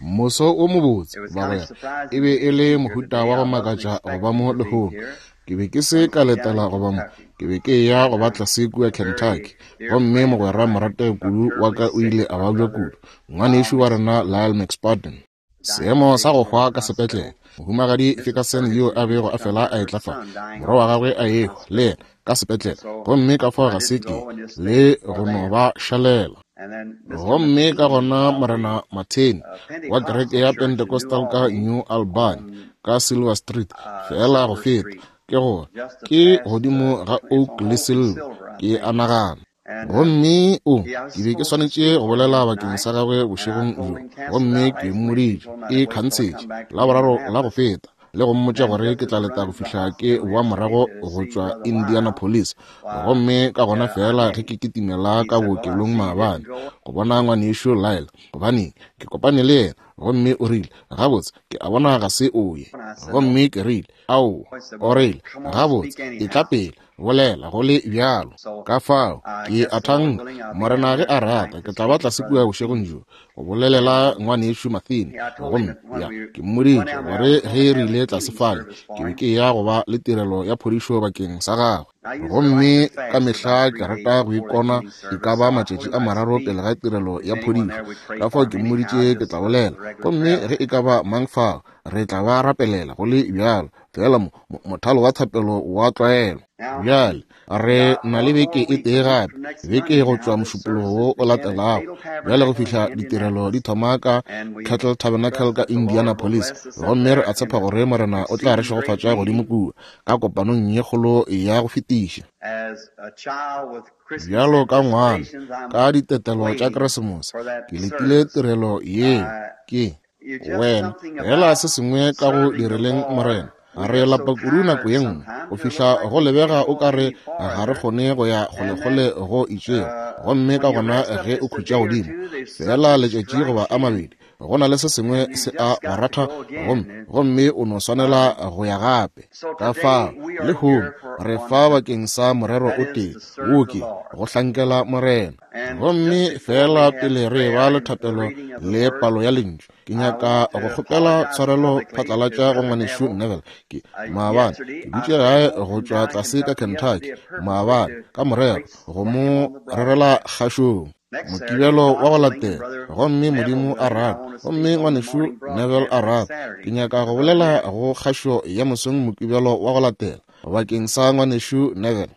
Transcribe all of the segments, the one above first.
Moso wo mobotse, bagwera. E be e le mohuta wa go makatša go ba mo lehono. Ke be ke se ka letela go ba mo. Ke be ke eya go ba tlase kua Kentucky. Gomme mogwera morategi kudu wa ka o ile a babja kudu, ngwanešu wa rena Lyle McSpadden. Seemo sa go hwa ka sepetlele. Mohumagadi Ferguson yo a bego a fela a etla fa, morwa wa gagwe a ehwa, le yena, ka sepetlele. Gomme ka fao ga se ke, le go no ba šalela. Gomme ka gona Morena Martin wa kereke ya Pentecostal ka New Albany, ka Silver Street, feela go feta, ke gore, ke godimo ga Oak le Silver, ke a nagana. Gomme o, ke be ke swanetše go bolela bakeng sa gagwe bošegong bjo, gomme ke mmoditše, ke khantshetše, Laboraro la go feta, le go mmotša gore ke tla leta go fihla ke boa morago go tšwa Indianapolis. Gomme ka gona feela ge ke kitimela ka bookelong maabane, go bona Ngwanešu Lyle, gobane ke kopane le yena, gomme o rile, Gabotse, ke a bona ga se o ye. Gomme ke rile, Aowa. O rile, Gabotse, etla pele. Bolela go le bjalo. Ka fao, ke a thanka, Morena ge a rata, ke tla ba tlase kua bošegong bjo, go bolelela Ngwanešu Matheny. Gomme, ya, ke mmoditše gore ge re ile tlase fale, ke be ke eya go ba le tirelo ya phodišo bakeng sa gagwe. Gomme ka mehla ke rata go ikona e ka ba matšatši a mararo pele ga tirelo ya phodišo. Ka fao ke mmoditše ke tla bolela. Gomme ge e ka ba mang fao, re tla ba rapelela go le bjalo. Feela mo, mo, mothalo wa thapelo wa tlwaelo. Bjale, re na le beke e tee gape, beke go tšwa Mošupologo wo o latelago, bjale go fihla ditirelo di thoma ka Kettle Tabernacle ka Indianapolis. Gomme re a tshepa gore Morena o tla re šegofatša godimo kua, ka kopanong ye kgolo ya go fetiša. Bjalo ka ngwana, ka ditetelo tša Keresemose, ke letile tirelo yeo. Ke. Wena, feela se sengwe ka go direleng Morena. Re lapa kudu nako ye nngwe, go fihla go lebega o ka re ga re kgone go ya kgolekgole go itšego. Gomme ka gona ge o khutša godimo, feela letšatši goba a mabedi, go na le se sengwe se a go ratha, gomme, gomme o no swanela go ya gape. Ka fao, lehono, re fa bakeng sa morero o tee, wo ke, go hlankela Morena. Gomme feela pele re eba le thapelo le palo ya Lentšu, ke nyaka go kgopela tshwarelo phatlalatša go Ngwanešu Neville. Ke, maabane, ke dutše gae go tšwa tlase ka Kentucky, maabane, ka morero, go mo rerela kgašong. Mokibelo wa go latela, gomme Modimo a rata, gomme Ngwanešu Neville a rata, ke nyaka go bolela go kgašo ya mosong Mokibelo wa go latela, bakeng sa Ngwanešu Neville.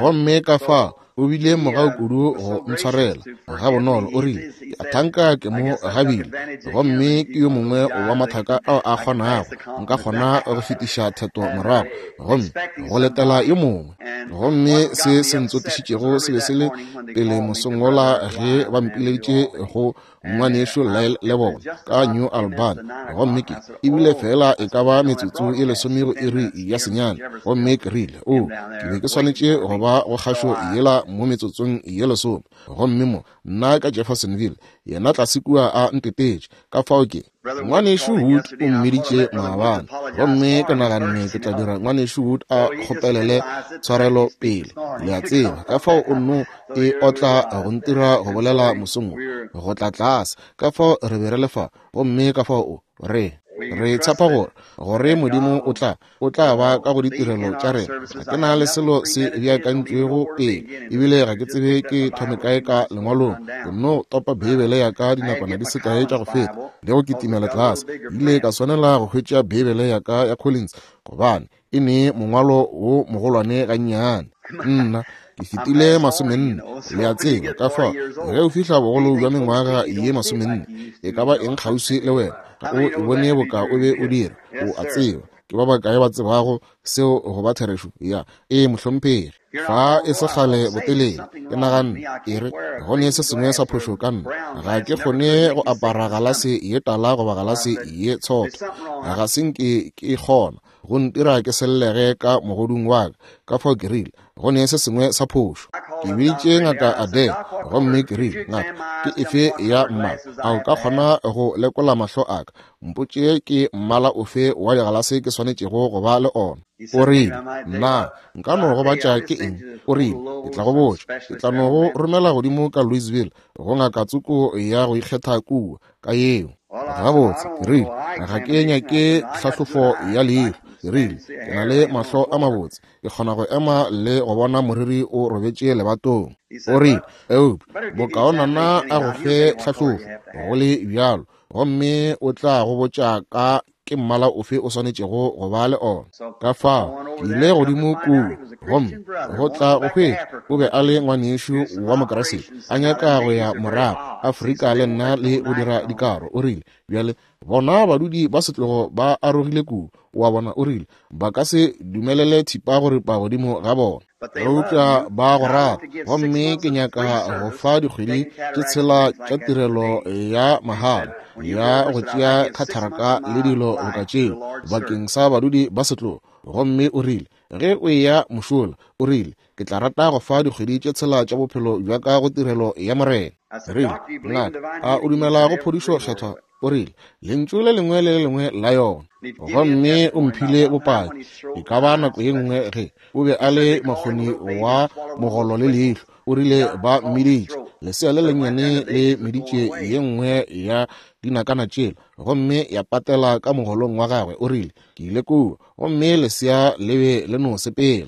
Gomme ka fao o bile mogau kudu go ntshwarela gabonolo. O rile, Ke a thanka ke mo gabile, gomme ke yo mongwe wa mathaka ao a kgonago, nka kgona go fetiša theto morago gomme go letela yo mongwe. Gomme se se ntsotišitšego se be se le pele mosong wola ge ba mpileditše go Ngwanešu Lyle le bona ka New Albany, gomme ke ebile feela e ka ba metsotso e lesome go iri ya senyane, gomme ke rile, O, ke be ke swanetše go ba go kgašo yela mo metsotsong ye lesome, gomme mo, nna ka Jeffersonville, yena tlase kua a ntetetše, ka fao ke. Ngwanešu Wood o mmiditše maabane, gomme ke naganne ke tla dira Ngwanešu Wood a kgopelele tshwarelo pele, le a tseba. Ka fao o nno e otla go ntira go bolela mosong wo, go tla tlase. Ka fao re be re le fa, gomme ka fao o re, re tshepa gore, gore Modimo o tla, o tla ba ka go ditirelo tša rena. Ga ke na le selo se beakantšwego pele, ebile ga ke tsebe ke thome kae ka Lengwalong. Ke nno topa Beibele ya ka dinakwana di se kae tša go feta, le go kitimela tlase. Ke ile ka swanela go hwetša Beibele ya ka ya Collins, gobane e ne mongwalo wo mogolwane gannyane. Nna, ke fetile masomenne, le a tseba. Ka fao, ge o fihla bogolo bja mengwaga ye masomenne, e ka ba eng kgauswi le wena, ga o e bone boka o be o dira, o a tseba. Ke ba bakae ba tsebago seo go ba therešo? Ya. Ee, mohlomphegi. Fa e se kgale botelele, ke naganne, e re, go ne se sengwe sa phošo ka nna. Ga ke kgone go apara galase ye tala goba galase ye tshotho. Ga se nke ke kgona. Go ntira ke sellege ka mogodung wa ka. Ka fao ke rile, go ne se sengwe sa phošo. Ke biditše Ngaka Adair, gomme ke rile, Ngaka, ke efe ya mmala? A o ka kgona go lekola mahlo a ka? Mpotše ke mmala ofe wa digalase ke swanetšego go ba le ona. O rile, Nna, nka no gobatša ke eng? O rile, Ke tla go botša. Ke tla no go romela godimo ka Louisville go ngaka tsoko ya go ikgetha kua, ka yeo. Gabotse, ke rile, ga ke nyake tlhahlofo ya leihlo. Ke rile, Ke na le mahlo a mabotse. Ke kgona go ema le go bona moriri o robetše lebatong. O rile, Eupša bokaonana a go fe tlhahlofo, go le bjalo, gomme o tla go botša ka ke mmala ofe o swanetšego go ba le ona. Ka fao ke ile godimo kua, gomme go tla go hwetša o be a le ngwanešu wa Mokeresete, a nyaka go ya morago Afrika le nna le go dira dikaro. O rile, Bjale, bona badudi ba setlogo ba arogile kua, o a bona, o rile, ba ka se dumelele thipa go ripa godimo ga bona. Eupša ba go rata, gomme ke nyaka go fa dikgwedi tše tshela tša tirelo ya mahala ya go tšea khatharaka le dilo boka tšeo bakeng sa badudi ba setlogo. Gomme o rile, Ge o eya mošola, o rile, ke tla rata go fa dikgwedi tše tshela tša bophelo bja ka go tirelo ya Morena. Rile, Ngaka, a o dumela go phodišo Kgethwa? O rile, Lentšu le lengwe le le lengwe la yona. Gomme o mphile bopaki, e ka ba nako ye nngwe ge o be a le makgoni wa mogolo le leihlo. O rile ba mmiditše, lesea le lennyane le meditše ye nngwe ya dinakana tšela, gomme ya patela ka mogolong wa gagwe. O rile, Ke ile kua, gomme lesea le be le no sepela.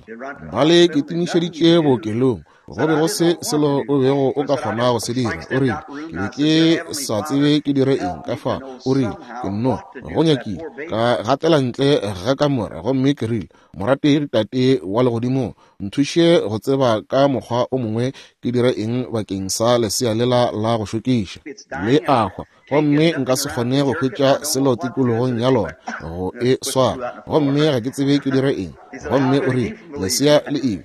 Ba le kitimišeditše bookelong. Go be go se selo o bego o ka kgona go se dira. O rile, Ke be ke sa tsebe ke dire eng ka fa. O rile, Ke nno go nyakile ka gatela ntle ga kamora, gomme ke rile, Morategi Tate wa Legodimong, nthuše go tseba ka mokgwa o mongwe ke dire eng bakeng sa lesea lela la go šokiša. Le a hwa, gomme nka se kgone go hwetša selo tikologong ya lona go e swara, gomme ga ke tsebe ke dire eng. Gomme o rile, Lesea le ile.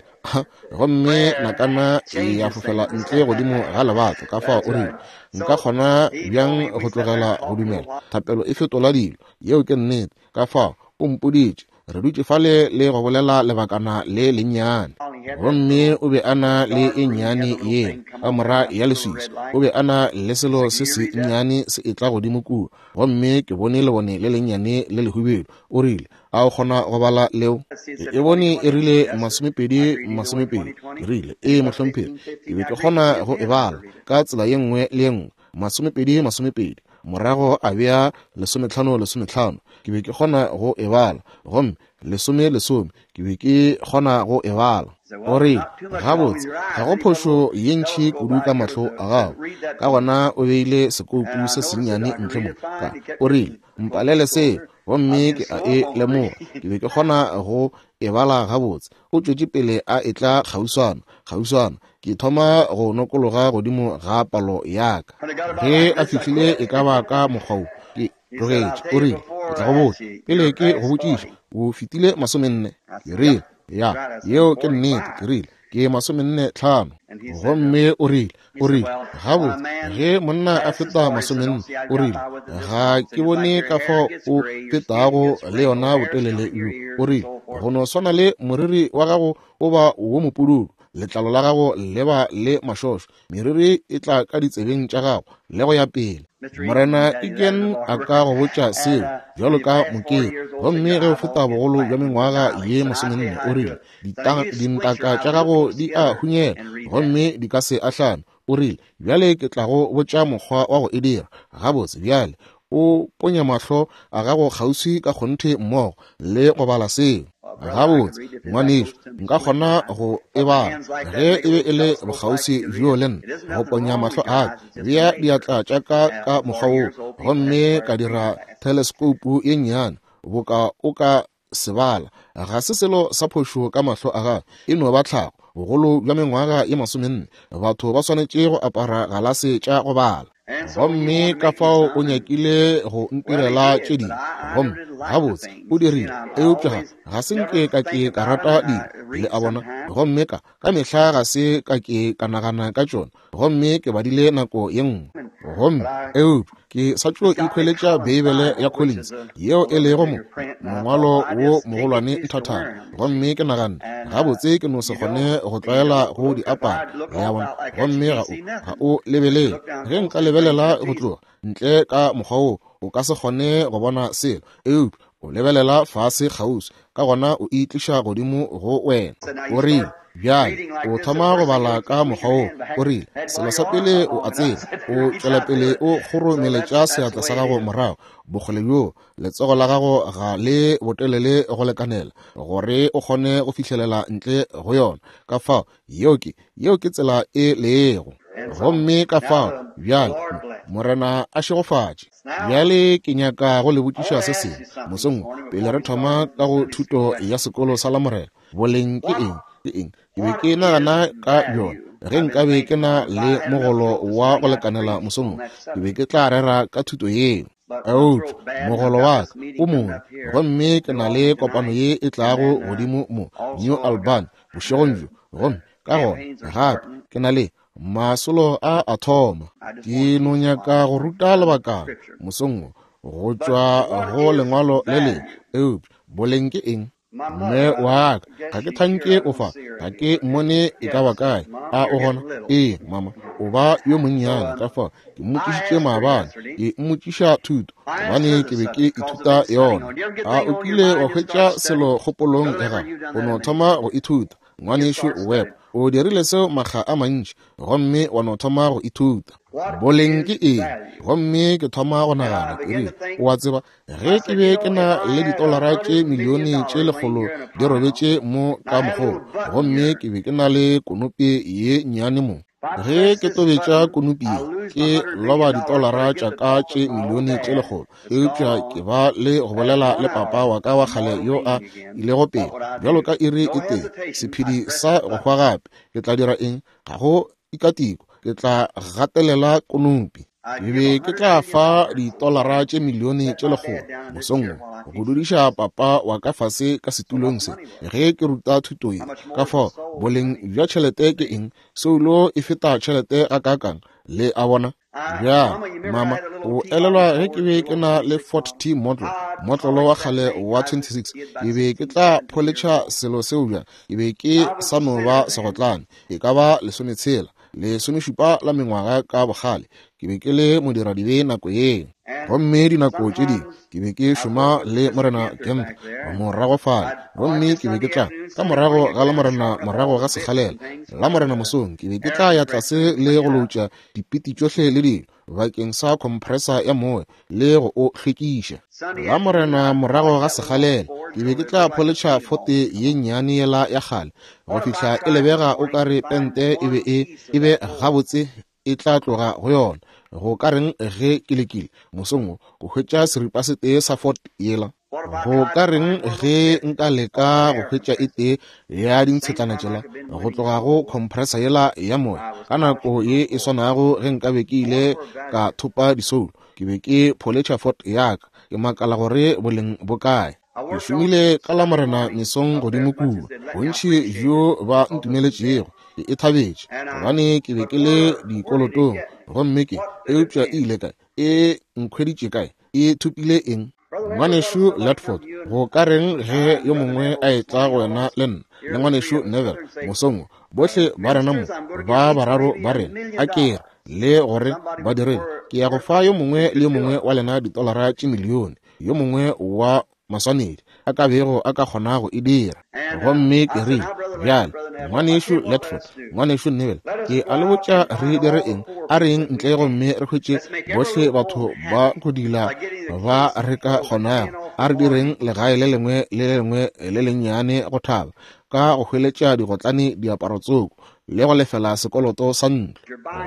Gomme nakana ya fofela ntle godimo ga lebato. Ka fao o rile, Nka kgona bjang go tlogela go dumela? Thapelo e fetola dilo. Yeo ke nnete. Ka fao o mpoditše. Re dutše fale le go bolela lebakana le lennyane. Gomme o be a na le e nnyane yela, kamora ya leswiswi. O be a na le selo se sennyane se etla godimo kua. Gomme ke bone lebone le lennyane le lehubedu. O rile, A o kgona go bala leo? Ke e bone e rile 20, 20. Ke rile, Ee, mohlomphegi. Ke be ke kgona go e bala ka tsela ye nngwe le ye nngwe. 20, 20. Morago a bea 15, 15. Ke be ke kgona go e bala. Gomme 10, 10. Ke be ke kgona go e bala. O rile, Gabotse, ga go phošo ye ntši kudu ka mahlo a gago. Ka gona o beile sekoupu se sennyane ntle mo. Ka, o rile, Mpalele seo. Gomme ke a e lemoga. Ke be ke kgona go e bala gabotse. O tšwetše pele a etla kgauswana, kgauswana. Ke thoma go nokologa godimo ga palo ya ka. Ge a fihlile e ka ba ka mokgwa wo, ke tlogetše. O rile, Ke tla go botša, pele ke go botšiša, o fetile 40. Ke rile, Ya, yeo ke nnete. Ke rile, Ke 45. Gomme o rile, O rile, Gabotse, ge monna a feta 40, o rile, ga ke bone ka fao o fetago le yona botelele bjo. O rile, Go no swana le moriri wa gago o ba wo mopududu, letlalo la gago le ba le mašošo, meriri e tla ka ditsebeng tša gago, le go ya pele. Morena Egan a ka go botša seo, bjalo ka mokeri. Gomme ge o feta bogolo bja mengwaga ye 40, o rile, dintaka tša gago di a hunyela gomme di ka se ahlame. O rile, Bjale ke tla go botša mokgwa wa go e dira. Gabotse, bjale, o ponya mahlo a gago kgauswi ka kgonthe mmogo le go bala seo. Gabotse, ngwanešu, nka kgona go e bala ge e be e le bokgauswi bjo le nna, go ponya mahlo a ka, bea diatla tša ka ka mokgwa woo, gomme ka dira theleskoupu ye nnyane boka o ka se bala. Ga se selo sa phošo ka mahlo a gagwe, e no ba tlhago. Bogolo bja mengwaga ye 40, batho ba swanetše go apara galase tša go bala. Gomme ka fao o nyakile go ntirela tše dingwe, gomme gabotse o dirile, eupša ga, ga se nke ka ke ka rata dilo, le a bona, gomme ka, ka mehla ga se ka ke ka nagana ka tšona. Gomme ke badile nako ye nngwe. Gomme, eupša, ke sa tšo ikhweletša Beibele ya Collins, yeo e lego mo, mongwalo wo mogolwane nthathana. Gomme ke naganne, gabotse, ke no se kgone go tlwaela go di apara, le a bona. Gomme ga o, ga o lebelele. Ge nka lebelela go tloga ntle ka mokgwa wo, o ka se kgone go bona selo. Eupša o lebelela fase kgauswi, ka gona o e tliša godimo go wena. O rile, Bjale, o thoma go bala ka mokgwa wo. O rile, Selo sa pele o a tseba, o tšwela pele o kgoromeletša seatla sa gago morago, bokgole bjoo, letsogo la gago ga le botelele go lekanela gore o kgone go fihlelela ntle go yona. Ka fao, yeo ke, yeo ke tsela e lego. Gomme ka fao, bjale, Morena a šegofatše. Bjale ke nyaka go le botšiša se sengwe mosong wo, pele re thoma ka go thuto ya sekolo sa Lamorena. Boleng ke eng? Ke eng? Ke be ke nagana ka bjona. Ge nkabe ke na le mogolo wa go lekanela mosong wo, ke be ke tla rera ka thuto yeo. Eupša mogolo wa ka o mongwe, gomme ke na le kopano ye e tlago godimo mo New Albany bošegong bjo, gomme ka gona gape ke na le masolo a a thoma. Ke no nyaka go ruta lebakana mosong wo go tšwa go lengwalo le lengwe. Eupša boleng ke eng? Mme wa ka, ga ke thanke o fa, ga ke mmone e ka ba kae. A o gona? Ee, mama, o ba yo monnyane. Ka fao ke mmotšišitše maabane, ke mmotšiša thuto, gobane ke be ke ithuta yona. A o kile wa hwetša selo kgopolong ya gago, o no thoma go ithuta? Ngwanešu Webb, o dirile seo makga a mantši, gomme wa no thoma go ithuta. Boleng ke eng? Gomme ke thoma go nagana, ke rile, o a tseba, ge ke be ke na le ditolara tše milione tše lekgolo di robetše mo ka mokgobo, gomme ke be ke na le konopi ye nnyane mo, ge ke tobetša konopi ye, ke loba ditolara tša ka tše milione tše lekgolo. Eupša ke ba le go bolela le papa wa ka wa kgale yo a ilego pele, bjalo ka iri e tee, sephedi sa go hwa gape. Ke tla dira eng? Ga go tikatiko, ke tla gatelela konopi. Ke be ke tla fa ditolara tše milione tše lekgolo mosong wo go dudiša papa wa ka fase ka setulong se ge ke ruta thuto ye. Ka fao boleng bja tšhelete ke eng? Soulo e feta tšhelete gakaakang, le a bona? Bjale, mama, o elelwa ge ke be ke na le Ford T model, motlolo wa kgale wa 26, ke be ke tla pholetšha selo seo bjang? Ke be ke sa no ba segotlane, e ka ba lesometshela, lesomešupa la mengwaga ka bokgale. Ke be ke le modiradibe nako yeo. Gomme dinako tše dingwe ke be ke šoma le Morena Kemp morago fale, gomme ke be ke tla ka morago ga Lamorena morago ga sekgalela, Lamorena mosong ke be ke tla ya tlase le go loutša dipiti tšohle le dilo bakeng sa compressor ya moya le go o hlwekiša. Lamorena morago ga sekgalela ke be ke tla pholetšha fote ye nnyane yela ya kgale go fihla e lebega o ka re pente e be e e be gabotse e tla tloga go yona. Go ka reng ge ke lekile mosong wo go hwetša seripa se tee sa Ford yela? Go ka reng ge nka leka go hwetša e tee ya dintshetlana tšela go tloga go compressor yela ya moya ka nako ye e swanago ge nkabe ke ile ka thopa disoulo? Ke be ke pholetšha Ford ya ka, ke makala gore boleng bo kae. Ke šomile ka Lamorena mesong godimo kua. Bontši bjo ba ntumeletšego, ke e thabetše, gobane ke be ke le dikolotong. Gomme ke, eupša e ile kae? E nkhweditše kae? E thopile eng? Ngwanešu Ledford, go ka reng ge yo mongwe a etla go wena le nna, le Ngwanešu Neville, mosong wo, bohle ba rena mo, ba bararo ba rena, a ke re, le gore ba direng, ke ya go fa yo mongwe le yo mongwe wa lena ditolara tše milione. yo mongwe wa maswanedi a ka bego a ka kgona go e dira. Gomme ke rile, Bjale, Ngwanešu Ledford, Ngwanešu Neville, ke a le botša re dire eng. A re yeng ntle gomme re hwetše bohle batho ba go dila ba re ka kgonago. A re direng legae le lengwe le le lengwe le lennyane go thaba, ka go hweletša digotlane diaparo tsoko, le go lefela sekoloto sa ntlo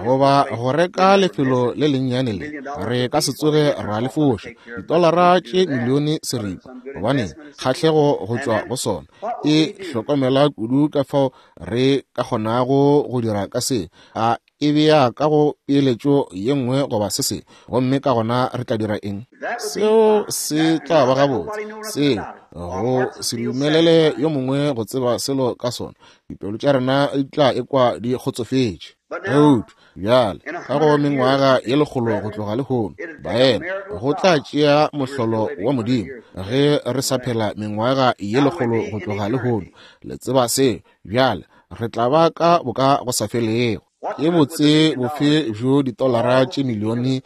goba go reka lefelo le lennyane le re ka se tsoge ra le foša ditolara tše milione seripa, gobane kgahlego go tšwa go sona e hlokomela kudu ka fao re ka kgonago go dira ka se a e bea ka go peeletšo ye nngwe goba se sengwe, gomme ka gona re tla dira eng? Seo se tla ba gabotse. Seo Go se dumelele yo mongwe go tseba selo ka sona, dipelo tša rena di tla ekwa di kgotsofetše. Eupša bjale, ka go mengwaga ye 100 go tloga lehono, baena, go tla tšea mohlolo wa Modimo ge re sa phela mengwaga ye 100 go tloga lehono. Le tseba seo. Bjale re tla ba ka boka go sa felego. Ke botse bofe bjo ditolara tše milione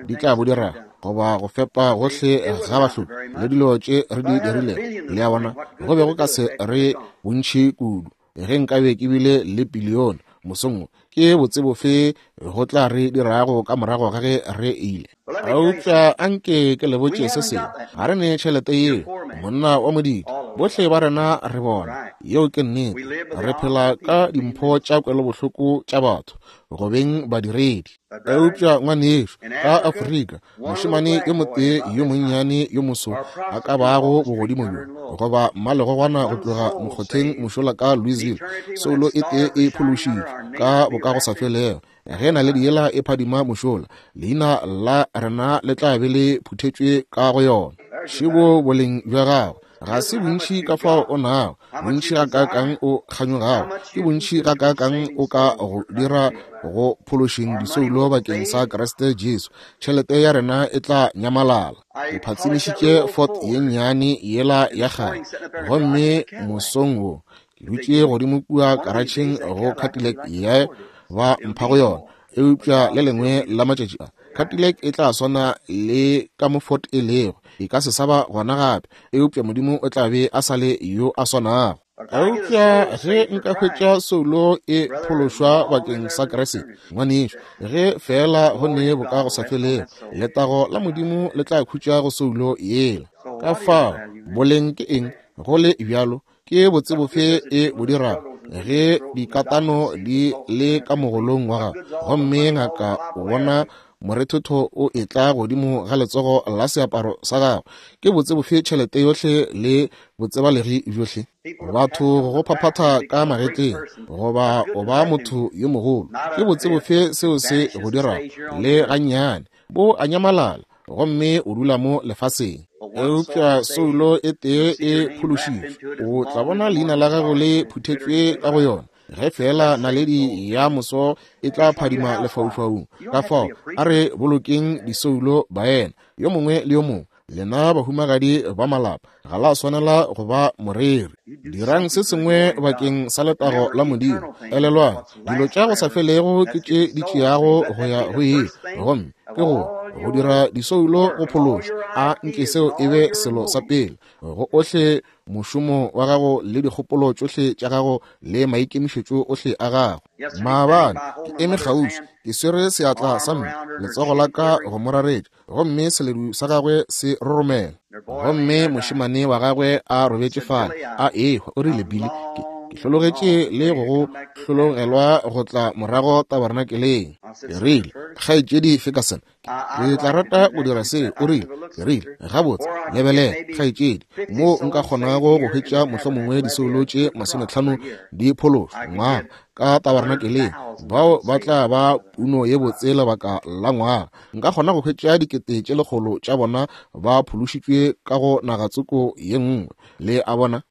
di tla bo dirago, goba go fepa gohle ga bahloki le dilo tše re di dirilego? Le a bona, go be go ka se re bontši kudu ge nkabe ke bile le pilione mosong wo. Ke botse bofe go tla re dirago ka morago ga ge re ile? Eupša anke ke le botše se sengwe, ga re ne tšhelete yeo, monna wa modidi. Bohle ba rena re bona, yeo ke nnete. Re phela ka dimpho tša kwelobohloko tša batho, go beng badiredi. Eupša ngwanešu, ka Afrika, mošemane yo motee yo monnyane yo moso a ka bago bogodimo bjo, goba mmalegogwana go tloga mokgotheng mošola ka Louisville, soulo e tee e phološitšwe ka bokagosafelego. Ge naledi yela e phadima mošola, leina la rena le tla be le phuthetšwe ka go yona. Šebo boleng bja gago. Ga se bontši ka fao o nago, bontši gakaakang o kganyogago, ke bontši gakaakang o ka go dira go phološeng disoulo bakeng sa Kriste Jesu. Tšhelete ya rena e tla nyamalala. Ke phatsimišitše Ford ye nnyane yela ya kgale, gomme mosong wo ke dutše godimo kua karatšheng go Cadillac ye ba mpha go yona. Eupša le lengwe la matšatši a, Cadillac e tla swana le ka mo Ford e lego, e ka se sa ba gona gape, eupša Modimo o tla be a sa le yo a swanago. Eupša ge nka hwetša soulo e phološwa bakeng sa Kriste, ngwanešu, ge feela go ne bokagosafelego, letago la Modimo le tla khutša go soulo yela. Ka fao, boleng ke eng, go le bjalo? Ke botse bofe e bo dirago ge dikatano di le ka mogolong wa gago, gomme ngaka o bona morethotho o etla godimo ga letsogo la seaparo sa gago? Ke botse bofe tšhelete yohle le botsebalegi bjohle, batho go go phaphatha ka magetleng, goba o ba motho yo mogolo? Ke botse bofe seo se go dirago? Le gannyane. Bo a nyamalala, gomme o dula mo lefaseng. Eupša soulo e tee e phološitšwe, o tla bona leina la gago le phuthetšwe ka go yona, ge feela naledi ya moso e tla phadima lefaufaung. Ka fao a re bolokeng disoulo, baena, yo mongwe le yo mongwe. Lena bahumagadi ba malapa, ga la swanela go ba moreri. Dirang se sengwe bakeng sa letago la Modimo. Elelwang, dilo tša go sa felego ke tše di tšeago go ya go ile, gomme ke go go dira disoulo go phološwa. A nke seo e be selo sa pele go ohle mošomo wa gago le dikgopolo tšohle tša gago le maikemišetšo ohle a gago. Maabane ke eme kgauswi, ke swere seatla sa mme, letsogo la ka go mo raretša, gomme seledu sa gagwe se roromela, gomme mošemane wa gagwe a robetše fale a ehwa. O rile, Billy, ke, ke hlologetše le go go hlologelwa go tla morago tabernakeleng. Ke rile, Kgaetšedi Ferguson, ke tla rata go dira seo. O rile, ke rile, gabotse, lebelela, kgaetšedi, moo nka kgonago go hwetša mohlomongwe disoulo tše 50 di phološwa ngwaga ka tabernakeleng, bao ba tla ba puno ye botse lebaka la ngwaga. Nka kgona go hwetša 100,000 tša bona ba phološitšwe ka go nagatsoko ye nngwe. Le a bona?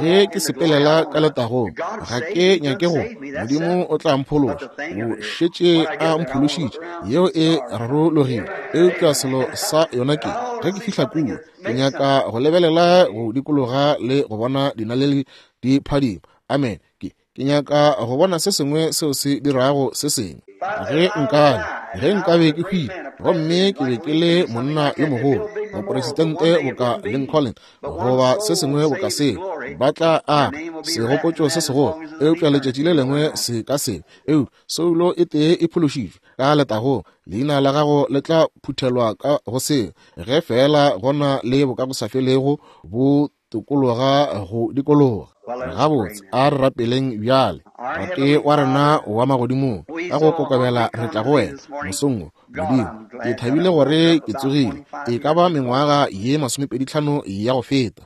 Ge ke sepelela ka letagong, ga ke nyake go, Modimo o tla mphološa. O šetše a mphološitše, yeo e rarologile. Eupša selo sa yona ke, ge ke fihla kua, ke nyaka go lebelela go dikologa le go bona dinaledi di phadima. Amen. Ke, ke nyaka go bona se sengwe seo se dirago se sengwe. Ge nkabe, ge nkabe ke hwile, gomme ke be ke le monna yo mogolo, mopresidente boka Lincoln, goba se sengwe boka seo, ba tla aga segopotšo se segolo, eupša letšatši le lengwe se ka se. Eupša soulo e tee e phološitšwe ka letagong, leina la gago le tla phuthelwa ka go seo, ge feela go na le bokagosafelego bo tokologa go dikologa. Gabotse, a re rapeleng bjale. Tate wa rena wa magodimong, ka go kokobela re tla go wena mosong wo. Modimo, ke thabile gore ke tsogile e ka ba mengwaga ye 25 ya go feta,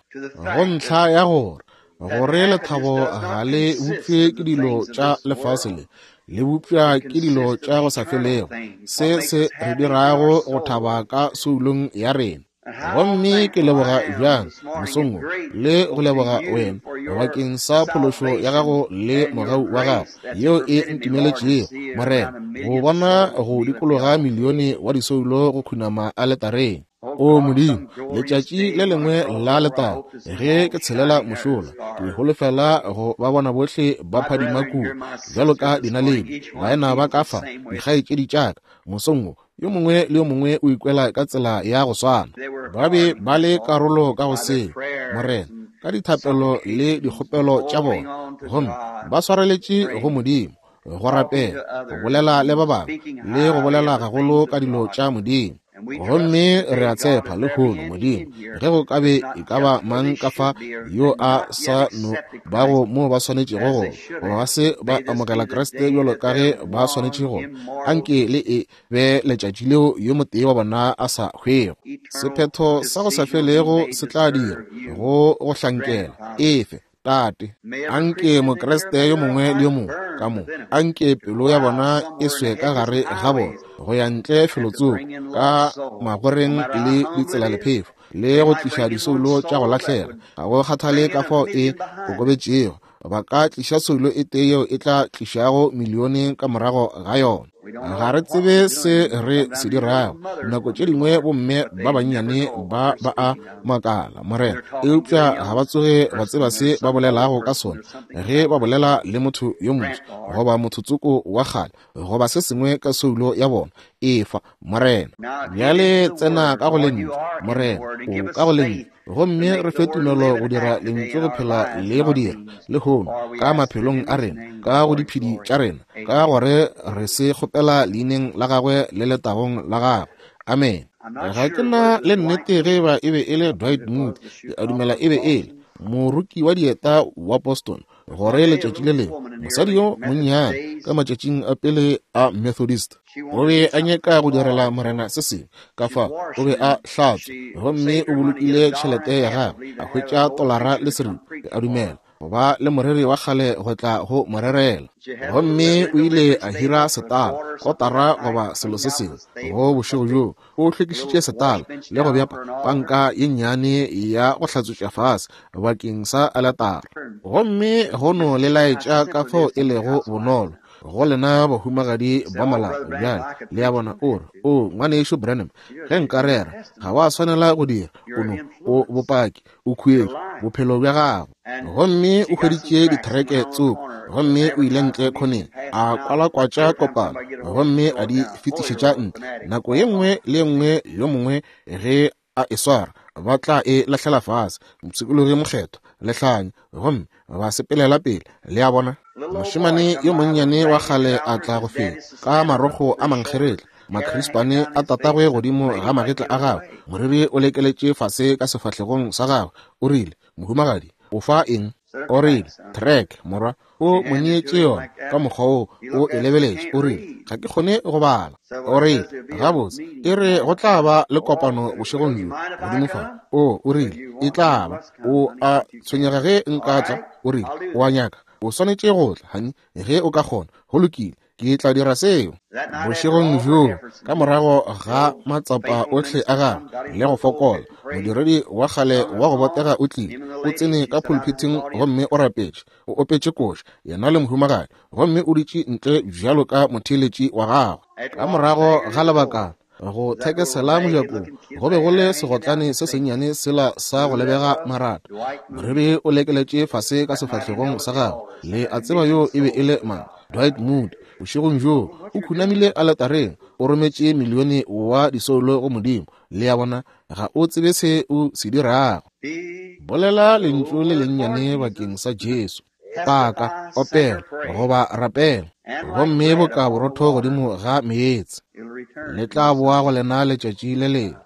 go ntlha ya gore gore lethabo ga le bopše ke dilo tša lefase le, le bopša ke dilo tša go sa felego, se se re dirago go thaba ka soulong ya rena. Gomme ke leboga bjang mosong wo, le go leboga wena bakeng sa phološo ya gago le mogau wa gago yeo e ntumeletšego, Morena, go bona go dikologa milione wa disoulo go khunama aletareng. O Modimo, letšatši le lengwe la letago ge ke tshelela mošola, ke holofela go ba bona bohle ba phadima kua bjalo ka dinaledi, baena ba ka fa, dikgaetšedi tša ka, mosong wo. Yo mongwe le yo mongwe o ikwela ka tsela ya go swana. Ba be ba le karolo ka go seo, Morena, ka dithapelo le dikgopelo tša bona, gomme ba swareletše go Modimo, go rapela, go bolela le ba bangwe, le go bolela gagolo ka dilo tša Modimo. Gomme re a tshepa lehono, Modimo, ge go ka be e ka ba mang ka fa yo a sa no bago mo ba swanetšego go, goba ba se ba amogela Kriste bjalo ka ge ba swanetše go, anke le e be letšatši leo yo motee wa bona a sa hwego. Sephetho sa go sa felego se tla dira go go hlankela. Efe, Tate. Anke Mokriste yo mongwe le yo mongwe ka mo, anke pelo ya bona e swe ka gare ga bona, go ya ntle felotsoko ka magoreng le ditselalephefo, le go tliša disoulo tša go lahlega. Ga go kgathale ka fao e kokobetšego, ba ka tliša soulo e tee yeo e tla tlišago milione ka morago ga yona. Ga re tsebe se re se dirago. Nako tše dingwe bomme ba bannyane ba ba a makala, Morena, eupša ga ba tsoge ba tseba se ba bolelago ka sona ge ba bolela le motho yo moswa goba motho tsoko wa kgale goba se sengwe ka soulo ya bona. Efa, Morena. Bjale tsena ka go Lentšu, Morena, o ka go Lentšu, gomme re fe tumelo go dira Lentšu go phela le go dira lehono ka maphelong a rena, ka go diphedi tša rena, ka gore re se kgopela leineng la Gagwe le letagong la Gagwe. Amene. Ga ke na le nnete ge eba e be e le Dwight Moody, ke a dumela e be e le moroki wa dieta wa Boston, gore letšatši le lengwe mosadi yo monnyane ka matšatšing a pele a Methodist o be a nyaka go direla Morena se sengwe, ka fa o be a hlatswa gomme o bolokile tšhelete ya gagwe, a hwetša tolara le seripa, ke a dumela, go ba le moreri wa kgale go tla go mo rerela. Gomme o ile a hira setala, kotara goba selo se sengwe, go bošego bjoo. O hlwekišitše setala le go bea panka ye nnyane ya go hlatswetša fase bakeng sa aletara. Gomme go no le laetša ka fao e lego bonolo go lena bahumagadi ba malapa bjale. Le a bona, o re, O, Ngwanešu Branham, ge nka rera, ga wa swanela go dira. O no, o bopaki, o khuetšo, bophelo bja gago. Gomme o hweditše dithereke tsoko, gomme o ile ntle khoneng, a kwalakwatša kopano, gomme a di fetišetša ntle. Nako ye nngwe le ye nngwe yo mongwe ge a e swara, ba tla e lahlela fase, mopshikologi mokgethwa, lehlanya, gomme ba sepelela pele. Le a bona? Mošemane yo monnyane wa kgale a tla go feta ka marokgo a mankgeretla, makhrispane a tatagwe godimo ga magetla a gagwe, moriri o lekeletše fase ka sefahlegong sa gagwe. O rile, Mohumagadi, o fa eng? O rile, Trek, morwa. O mo neetše yona ka mokgwa wo, o e lebeletše. O rile, Ga ke kgone go bala. O rile, Gabotse, e re go tla ba le kopano bošegong bjo godimo fa. O, o rile, e tla ba. O a tshwenyega ge nka tla? O rile, O a nyaka? O swanetše go tla, honey, ge o ka kgona. Go lokile, ke tla dira seo. Bošegong bjoo, ka morago ga matsapa ohle a gagwe le go fokola, modiredi wa kgale wa go botega o tlile, o tsene ka pulpithing gomme o rapetše, o opetše koša, yena le mohumagadi, gomme o dutše ntle bjalo ka motheeletši wa gagwe. Ka morago ga lebakana, go thekesela mojakong go be go le segotlane se sennyane sela sa go lebega marata, moriri o lekeletše fase ka sefahlegong sa gagwe. Le a tseba yo e be e le mang? Dwight Moody. Bošegong bjoo o khunamile aletareng, o rometše milione wa disoulo go Modimo. Le a bona, ga o tsebe se o se dirago. Bolela lentšu le lennyane bakeng sa Jesu. Paka, opela, goba rapela, gomme boka borotho godimo ga meetse, le tla boa go lena letšatši le lengwe.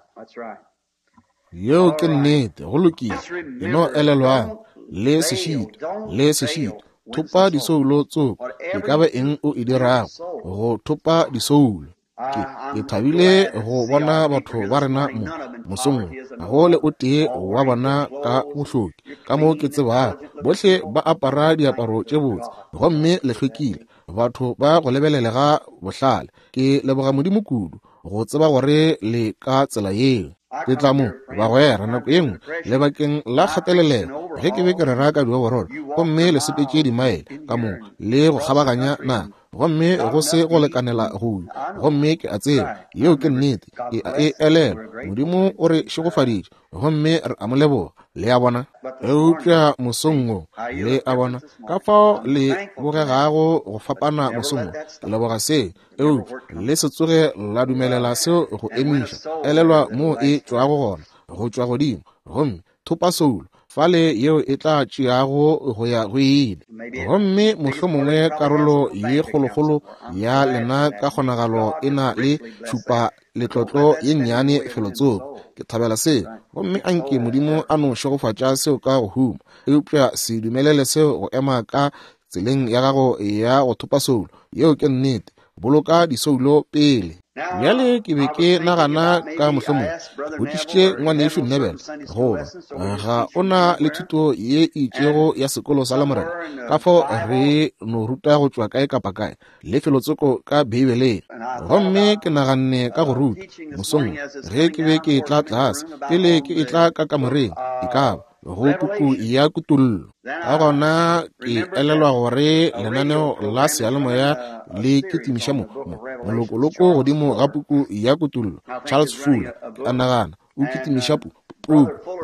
Yeo ke nnete. Go lokile. E no elelwang, le se šitwe, le se šitwe. Thopa disoulo tsoko, e ka ba eng o e dirago, go thopa disoulo. Ke, ke thabile go bona batho ba rena mo mosong wo. Ga go le o tee wa bona ka bohloki, ka mo ke tsebago. Bohle ba apara diaparo tše botse, gomme le hlwekile, batho ba go lebelelega bohlale. Ke leboga Modimo kudu go tseba gore le ka tsela yeo. Ke tla mo, bagwera, nako ye nngwe, lebakeng la kgatelelelo, ge ke be ke rera ka dioborolo, gomme le sepetše dimaele ka mo le go kgabaganya naga, gomme go se go lekanela go gomme ke a tseba yeo ke nnete, ke a e elelwa. Modimo o re šegofaditše, gomme re a mo leboga. Le a bona? Eupša mosong wo, le a bona ka fao le bogegago go fapana mosong wo. Ke leboga seo, eupša le se tsoge la dumelela seo go emiša. Elelwa moo e tšwago gona, go tšwa godimo, gomme thopa soulo fale yeo e tla tšeago go ya go ile. Gomme mohlomongwe karolo ye kgolokgolo ya lena ka kgonagalo e na le tšhupa letlotlo ye nnyane felotsoko. Ke thabela seo, gomme anke Modimo a no šegofatša seo ka go huma. Eupša se dumelele seo go ema ka tseleng ya gago ya go thopa soulo. Yeo ke nnete. Boloka disoulo pele. Bjale ke be ke nagana ka mohlomongwe botšišitše ngwanešu Neville goba ga o na le thuto ye e itšego ya sekolo sa Lamorena, ka fao re no ruta go tšwa kae kapa kae le felotsoko ka Beibeleng. Gomme ke naganne ka go ruta mosong ge ke be ke etla tlase, pele ke etla ka kamoreng, e ka ba go puku ya Kutollo. Ka gona ke elelwa gore lenaneo la seyalemoya le kitimiša mo molokoloko godimo ga puku ya Kutollo. Charles Fuller, ke a nagana, o kitimiša puku.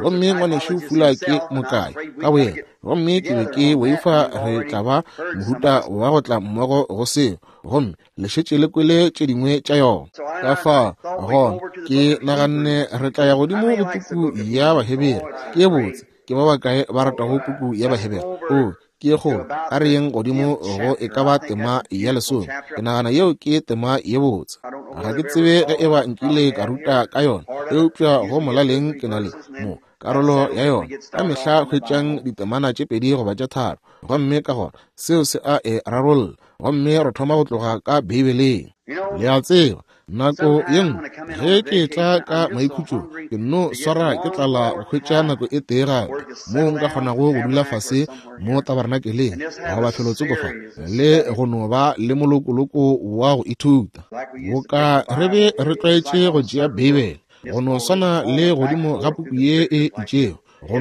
Gomme ngwanešu Fuller ke mokae ka boyena, gomme ke be ke boifa re tla ba mohuta wa go tla mmogo go seo, gomme le šetše le kwele tše dingwe tša yona. Ka fa gona ke naganne re tla ya godimo go puku ya Bahebere. Ke ye botse. Ke ba bakae ba ratago puku ya Bahebere? O, ke ye kgolo. A re yeng godimo go e ka ba tema ya lesome. Ke nagana yeo ke tema ye botse. Ga ke tsebe ge e ba nkile ka ruta ka yona, eupša go molaleng ke na le mo karolo ya yona. Ka mehla hwetšang ditemana tše pedi goba tše tharo, gomme ka gona seo se a e rarolla, gomme re thoma go tloga ka Beibeleng. Le a tseba, nako ye nngwe ge ke tla ka maikhutšong, ke nno swara ke tlala go hwetša nako e tee gape moo nka kgonago go dula fase mo tabernakeleng goba felotsoko fa, le go no ba le molokoloko wa go ithuta. Boka re be re tlwaetše go tšea Beibele, go no swana le godimo ga puku ye e itšego, go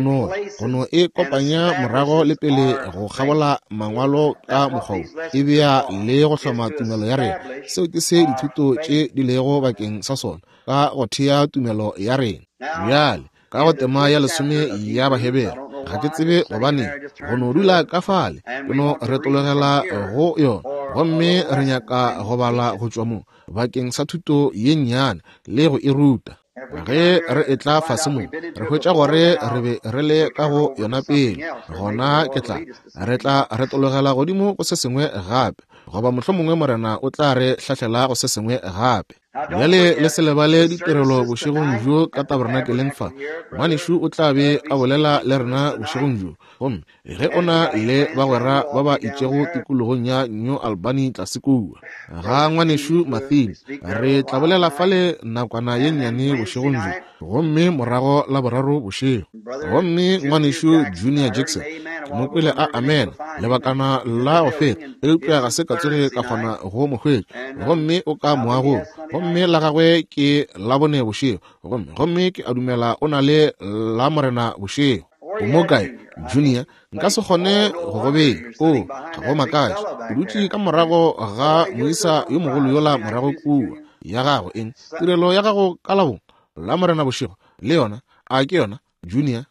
no e kopanya morago le pele go kgabola mangwalo ka mokgwa wo, e bea le go hloma tumelo ya rena. Seo ke se dithuto tše di lego bakeng sa sona, ka go thea tumelo ya rena. Bjale, ka go tema ya lesome ya Bahebere, ga ke tsebe gobane go no dula ka fale, ke no retologela go yona, gomme re nyaka go bala go tšwa mo bakeng sa thuto ye nnyane le go e ruta. Ge re etla fase mo, re hwetša gore re be re le ka go yona pele, gona ke tla re tla retologela godimo go se sengwe gape, goba mohlomongwe Morena o tla re hlahlela go se sengwe gape. Bjale le se lebale ditirelo bošegong bjo ka tabernakeleng fa. Ngwanešu o tla be a bolela le rena bošegong bjo. Gomme ge o na le bagwera ba ba itšego tikologong ya New Albany tlase kua ga ngwanešu Mathini, re tla bolela fale nakwana ye nnyane bošegong bjo, gomme morago la boraro bošego. Gomme ngwanešu Junior Jackson, ke mo kwele a amena lebakana la go feta, eupša ga se ka tsoge ka kgona go mo hwetša. Gomme o ka moagong, gomme la gagwe ke Labone bošego, gomme ke a dumela o na le la Morena bošego. O mo kae, Junior? Nka se kgone go go bea. O, ga go makatše. O dutše ka morago ga moisa yo mogolo yola morago kua. Ya gago eng? Tirelo ya gago ka Labone, la Morena bošego, le yona? A ke yona, Junior?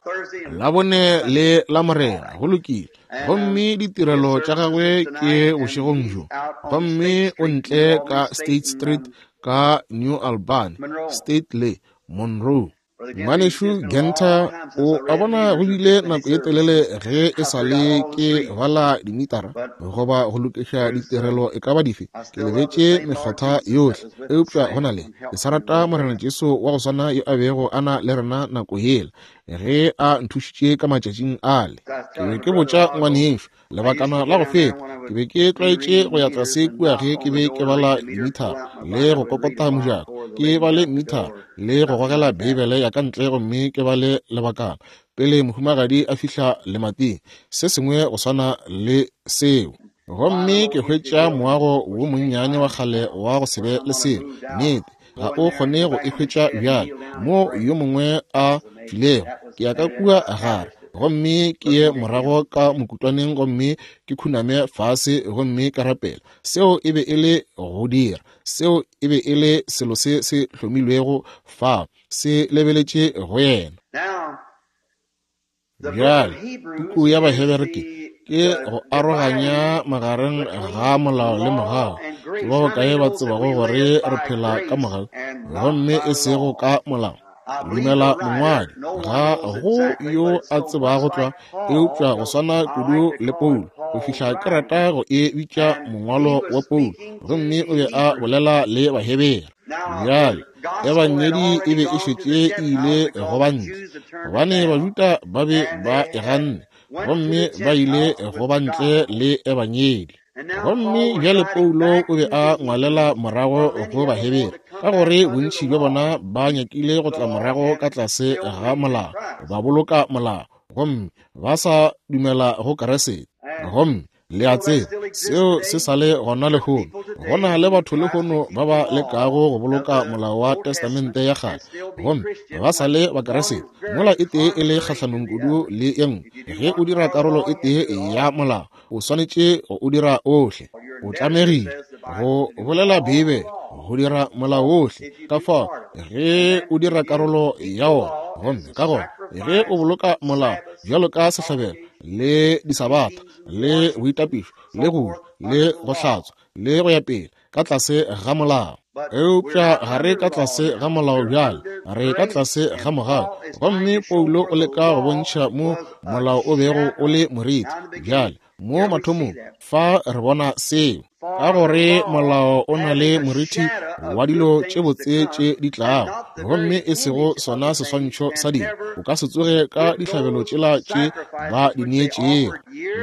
Labone le la Morena, go lokile. Gomme ditirelo tša gagwe ke bošegong bjo. Gomme o ntle ka State Street ka New Albany, State le Monroe. Ngwanešu Genter, o a bona go bile nako ye telele ge e sa le ke bala dimitara goba go lokiša ditirelo e ka ba dife, ke lebetše mekgotha yohle, eupša go na le, ke sa rata Morena Jesu wa go swana yo a bego a na le rena nako yela ge a nthušitše ka matšatšing ale. Ke be ke botša ngwanešu lebakana la go feta, ke be ke tlwaetše go ya tlase kua ge ke be ke bala dimithara le go kokota mojako, ke bale mithara le go gogela Beibele ya ka ntle gomme ke bale lebakana pele mohumagadi a fihla lemating, se sengwe go swana le seo. Gomme ke hwetša moago wo monnyane wa kgale wa go se be le selo. Nnete, ga o kgone go e hwetša bjale. Mo yo mongwe a tšwilego, ke ya ka kua gare, gomme ke ye morago ka mokutwaneng gomme ke khuname fase gomme ka rapela. Seo e be e le go dira. Seo e be e le selo se se hlomilwego fao, se lebeletše go yena. Bjale, puku ya Bahebere ke, ke go aroganya magareng ga molao le mogau. Ke ba bakae ba tsebago gore re phela ka mogau gomme e sego ka molao? Dumela mongwadi, ga go yo a tsebago tlwa, eupša go swana kudu le Paulo, go fihla ke rata go e bitša mongwalo wa Paulo, gomme o be a bolela le Bahebere. Bjale, Ebangedi e be e šetše e ile go ba ntle, gobane Bajuda ba be ba e ganne, gomme ba ile go ba ntle le Ebangedi. Gomme bjale Paulo o be a ngwalela morago go Bahebere, ka gore bontši bja bona ba nyakile go tla morago ka tlase ga molao, ba boloka molao, gomme ba sa dumela go Keresete. Gomme Le a tseba, seo se sa le gona lehono. Go na le batho lehono ba ba lekago go boloka molao wa Testamente ya Kgale, gomme ba sa le Bakeresete, mola e tee e le kgahlanong kudu le ye nngwe. Ge o dira karolo e tee ya molao, o swanetše go o dira ohle. O tlamegile go bolela Beibele go dira molao ohle. Ka fao, ge o dira karolo ya wona, gomme ka gona ge o boloka molao bjalo ka sehlabelo le disabatha le boitapišo le go le go hlatswa le go ya pele ka tlase ga molao. Eupša ga re ka tlase ga molao bjale, re ka tlase ga mogau. Gomme Paulo o leka go bontšha mo molao o bego o le moriti. Bjale, mo mathomong, fa re bona seo, ka gore molao o na le moriti wa dilo tše botse tše di tlago, gomme e sego sona seswantšho sa dilo. O ka se tsoge ka dihlabelo tšela tše ba di neetšego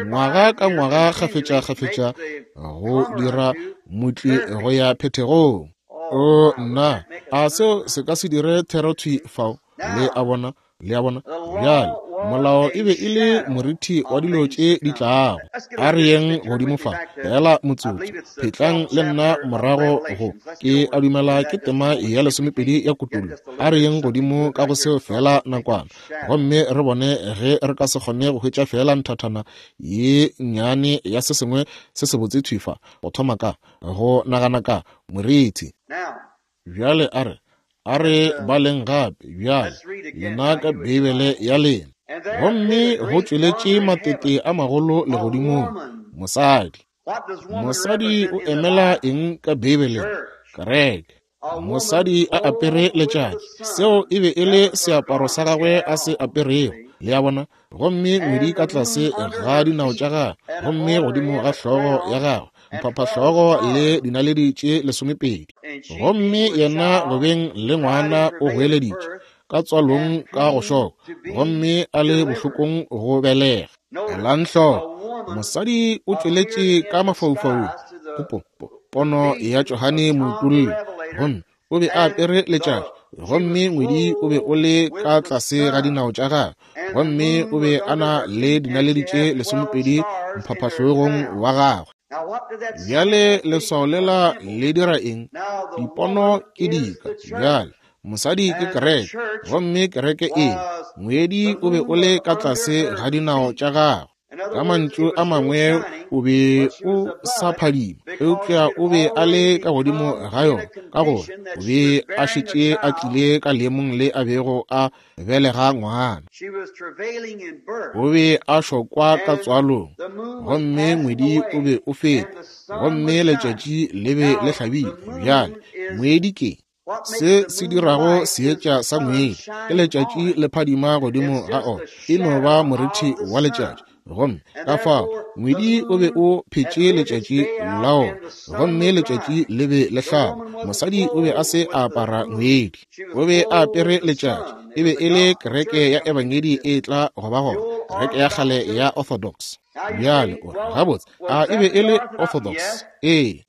ngwaga ka ngwaga kgafetša-kgafetša go dira motli go ya phethegong. O nna, a seo se ka se dire therothwi fao? Le a bona? Le a bona? Bjale, molao e be e le morithi wa dilo tše di tlago. A re yeng godimo fa, feela motsotso. Phetlang le nna morago go, ke a dumela ke tema ya lesomepedi ya Kutollo. A re yeng godimo ka go seo feela nakwana, gomme re bone ge re ka se kgone go hwetša feela nthathana ye nnyane ya se sengwe se sebotse thwi fa, go thoma ka, go nagana ka, morithi. Bjale a re, a re baleng gape bjale, lena ka Beibele ya lena. Gomme go tšweletše matete a magolo legodimong, mosadi. Mosadi o emela eng ka Beibeleng? Kereke. Mosadi a apere letšatši, seo e be e le seaparo sa gagwe a se aperego, le a bona, gomme ngwedi ka tlase ga dinao tša gagwe, gomme godimo ga hlogo ya gagwe mphaphahlogo le dinaledi tše lesomepedi. Gomme yena go beng le ngwana o goeleditše ka tswalong ka go šoka, gomme a le bohlokong go belega. Elang hloko, mosadi o tšweletše ka mafaufaung, go po, pono ya Johane Moutolli, gomme o be a apere letšatši, gomme ngwedi o be o le ka tlase ga dinao tša gagwe, gomme o be a na le dinaledi tše lesomepedi mphaphahlogong wa gagwe. Bjale leswao lela le dira eng? Dipono ke dika. Bjale mosadi ke kereke, gomme kereke e, ngwedi o be o le ka tlase ga dinao tša gagwe. Ka mantšu a mangwe, o be o sa phadima, eupša o be a le ka godimo ga yona, ka gore o be a šetše a tlile ka leemong le a bego a belega ngwana. O be a šokwa ka tswalong, gomme ngwedi o be o feta, gomme letšatši le be le hlabile. Bjale, ngwedi ke Se se dirago seetša sa ngwedi ke letšatši le phadima godimo ga ona, e no ba morithi wa letšatši. Gomme ka fao ngwedi o be o phetše letšatši la ona, gomme letšatši le be le hlaba. Mosadi o be a se a apara ngwedi, o be a apere letšatši. E be e le kereke ya Ebangedi e tla go ba gona, kereke ya kgale ya Orthodox. Bjale o re, Gabotse, a e be e le Orthodox? Ee.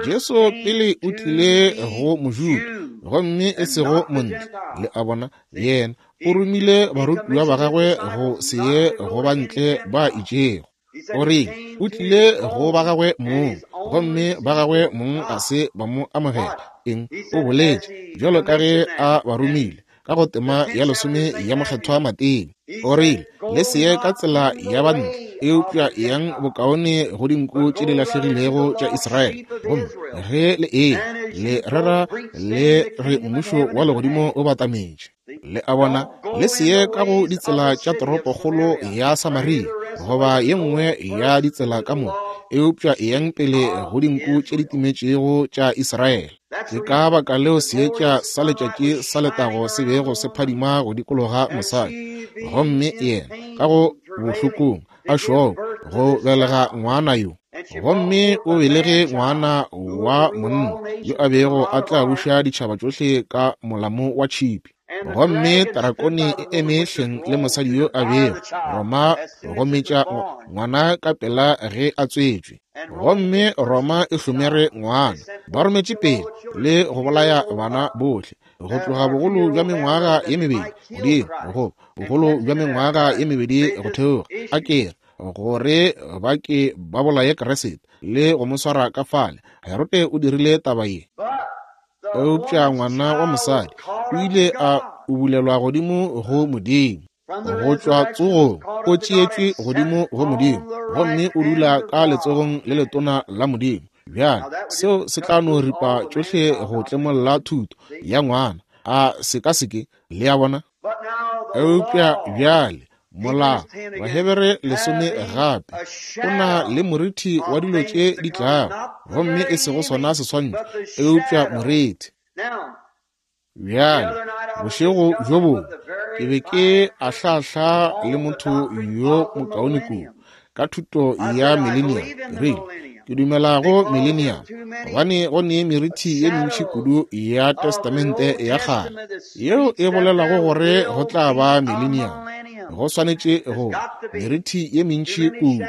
Jesu pele o tlile go Mojuda, gomme e sego Montle. Le a bona? Yena o romile barutiwa ba gagwe go se ye go ba ntle ba itšego. O rile, O tlile go ba gagwe mong, gomme ba gagwe mong ga se ba mo amogela. Eng? O boletše, bjalo ka ge a ba romile, ka go tema ya lesome ya Mokgethwa Mateo. O rile, Le se ye ka tsela ya bantle, eupša eyang bokaone go dinku tše di lahlegilego tša Israele. Gomme ge le eya, le rera le re mmušo wa legodimo o batametše. Le a bona, le se ye ka go ditsela tša toropokgolo ya Samaria goba ye nngwe ya ditsela ka moka, eupša eyang pele go dinku tše di timetšego tša Israele. Ke ka baka leo seetša sa letšatši sa letago se bego se phadima go dikologa mosadi, gomme yena ka go bohlokong a šoko go belega ngwana yo. Gomme o belege ngwana wa monna yo a bego a tla buša ditšhaba tšohle ka molamo wa tšhipi. Gomme tarakone e eme hleng le mosadi yo a bego Roma go metša ngwana ka pela ge a tswetšwe. Gomme Roma e hlomere ngwana, ba rometše pele le go bolaya bana bohle go tloga bogolo bja mengwaga ye mebedi godimo go bogolo bja mengwaga ye mebedi go theoga, a kere gore ba ke ba bolaye Kriste le go mo swara ka fale. Herote o dirile taba ye. Eupša ngwana wa mosadi o ile a ubulelwa godimo go Modimo. Go tšwa tsogong o tšeetšwe godimo go Modimo, gomme o dula ka letsogong le letona la Modimo. Bjale, seo se tla no ripa tšohle go tlemolla thuto ya ngwana. A se ka se ke? Le a bona? Eupša bjale, molao, Bahebere lesome gape, o na le morithi wa dilo tše di tlago, gomme e sego sona seswantšho, eupša morithi. Bjale, bošego bjo bongwe, ke be ke ahlaahla le motho yo mokaone kudu ka thuto ya millennium. Ke rile, Ke dumela go millennium, gobane go ne merithi ye mentši kudu ya Testamente ya Kgale yeo e bolelago gore go tla ba millennium. Go swanetše go merithi ye mentši kudu.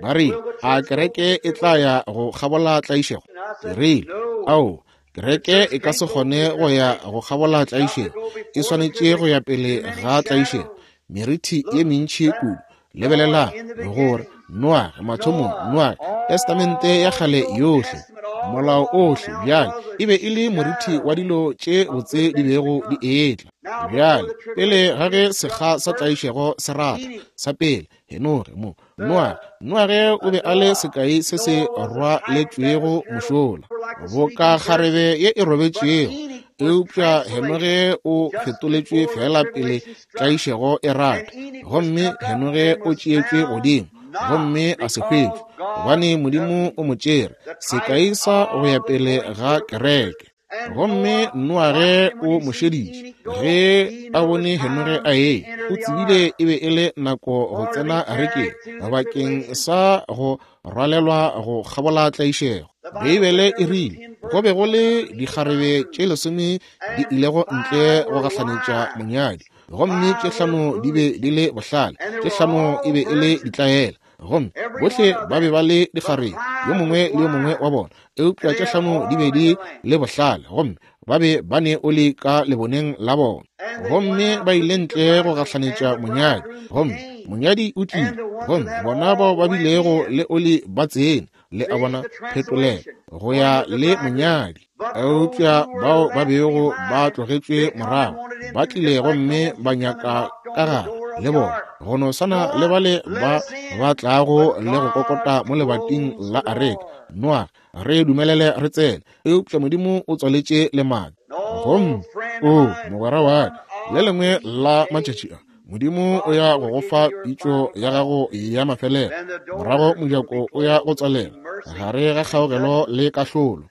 Ba rile, A kereke e tla ya go kgabola tlaišego? Ke rile, Ao, kereke e ka se kgone go ya go kgabola tlaišego. E swanetše go ya pele ga tlaišego. Merithi ye mentši kudu. Lebelelang gore Noage, mathomong, Noage, Testamente ya Kgale yohle, molao ohle, bjale e be e le morithi wa dilo tše botse di bego di etla. Bjale, pele ga ge sekga sa tlaišego se ratha, sa pele, Henoge mo, Noage, Noage o be a le sekai se se rwaletšwego mošola, boka kgarebe ye e robetšego, eupša Henoge o fetoletšwe feela pele tlaišego e rata, gomme Henoge o tšeetšwe godimo gomme a se hwetšwe, gobane Modimo o mo tšere, sekai sa go ya pele ga kereke. Gomme Noage o mo šeditše ge a bone Henoge a eya, o tsebile e be e le nako go tsena arekeng bakeng sa go rwalelwa go kgabola tlaišego. Beibele e rile go be go le dikgarebe tše lesome di ilego ntle go gahlanetša monyadi, gomme tše hlano di be di le bohlale, tše hlano e be e le ditlaela. Gomme bohle ba be ba le dikgarebe, yo mongwe le yo mongwe wa bona, eupša tše hlano di be di le bohlale, gomme ba be ba ne oli ka leboneng la bona. Gomme ba ile ntle go gahlanetša monyadi, gomme monyadi o tlile, gomme bona bao ba bilego le oli ba tsene, le a bona, phetolelo, go ya le monyadi. Eupša bao ba bego ba tlogetšwe morago ba tlile gomme ba nyaka ka gare le bona, go no swana le bale ba ba tlago le go kokota mo lebating la areka. Noage, re dumelele re tsene. Eupša Modimo o tswaletše lemati. Gomme, o mogwera wa ka, le lengwe la matšatši a, Modimo o ya go go fa pitšo ya gago ya mafelelo, morago mojako o ya go tswalela gare ga kgaogelo le kahlolo.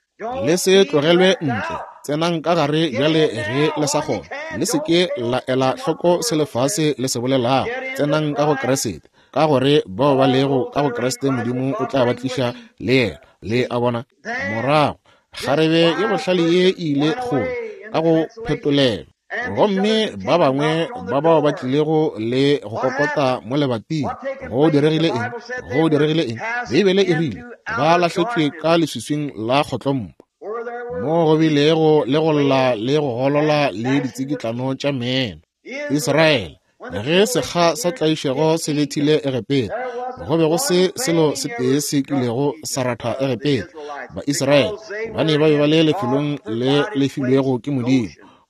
Le se tlogelwe ntle, tsenang ka gare bjale ge le sa kgona. Le se ke la ela hloko se lefase le se bolelago. Tsenang ka go Kriste, ka gore bao ba lego ka go Kriste Modimo o tla ba tliša le yena. Le a bona? Morago, kgarebe ye bohlale ye e ile kgole ka go phetolelo. Gomme ba bangwe ba bao ba tlilego le go kokota mo lebating, go diregile eng? Go diregile eng? Beibele e rile ba lahletšwe ka leswiswing la kgotlompo, mo go bilego le go lla le go golola le ditsikitlano tša meno. Israele, ge sekga sa tlaišego se bethile Egepeta, Go be go se selo se tee se kilego sa ratha Egepeta. Baisraele ba ne ba be ba le lefelong le le filwego ke Modimo,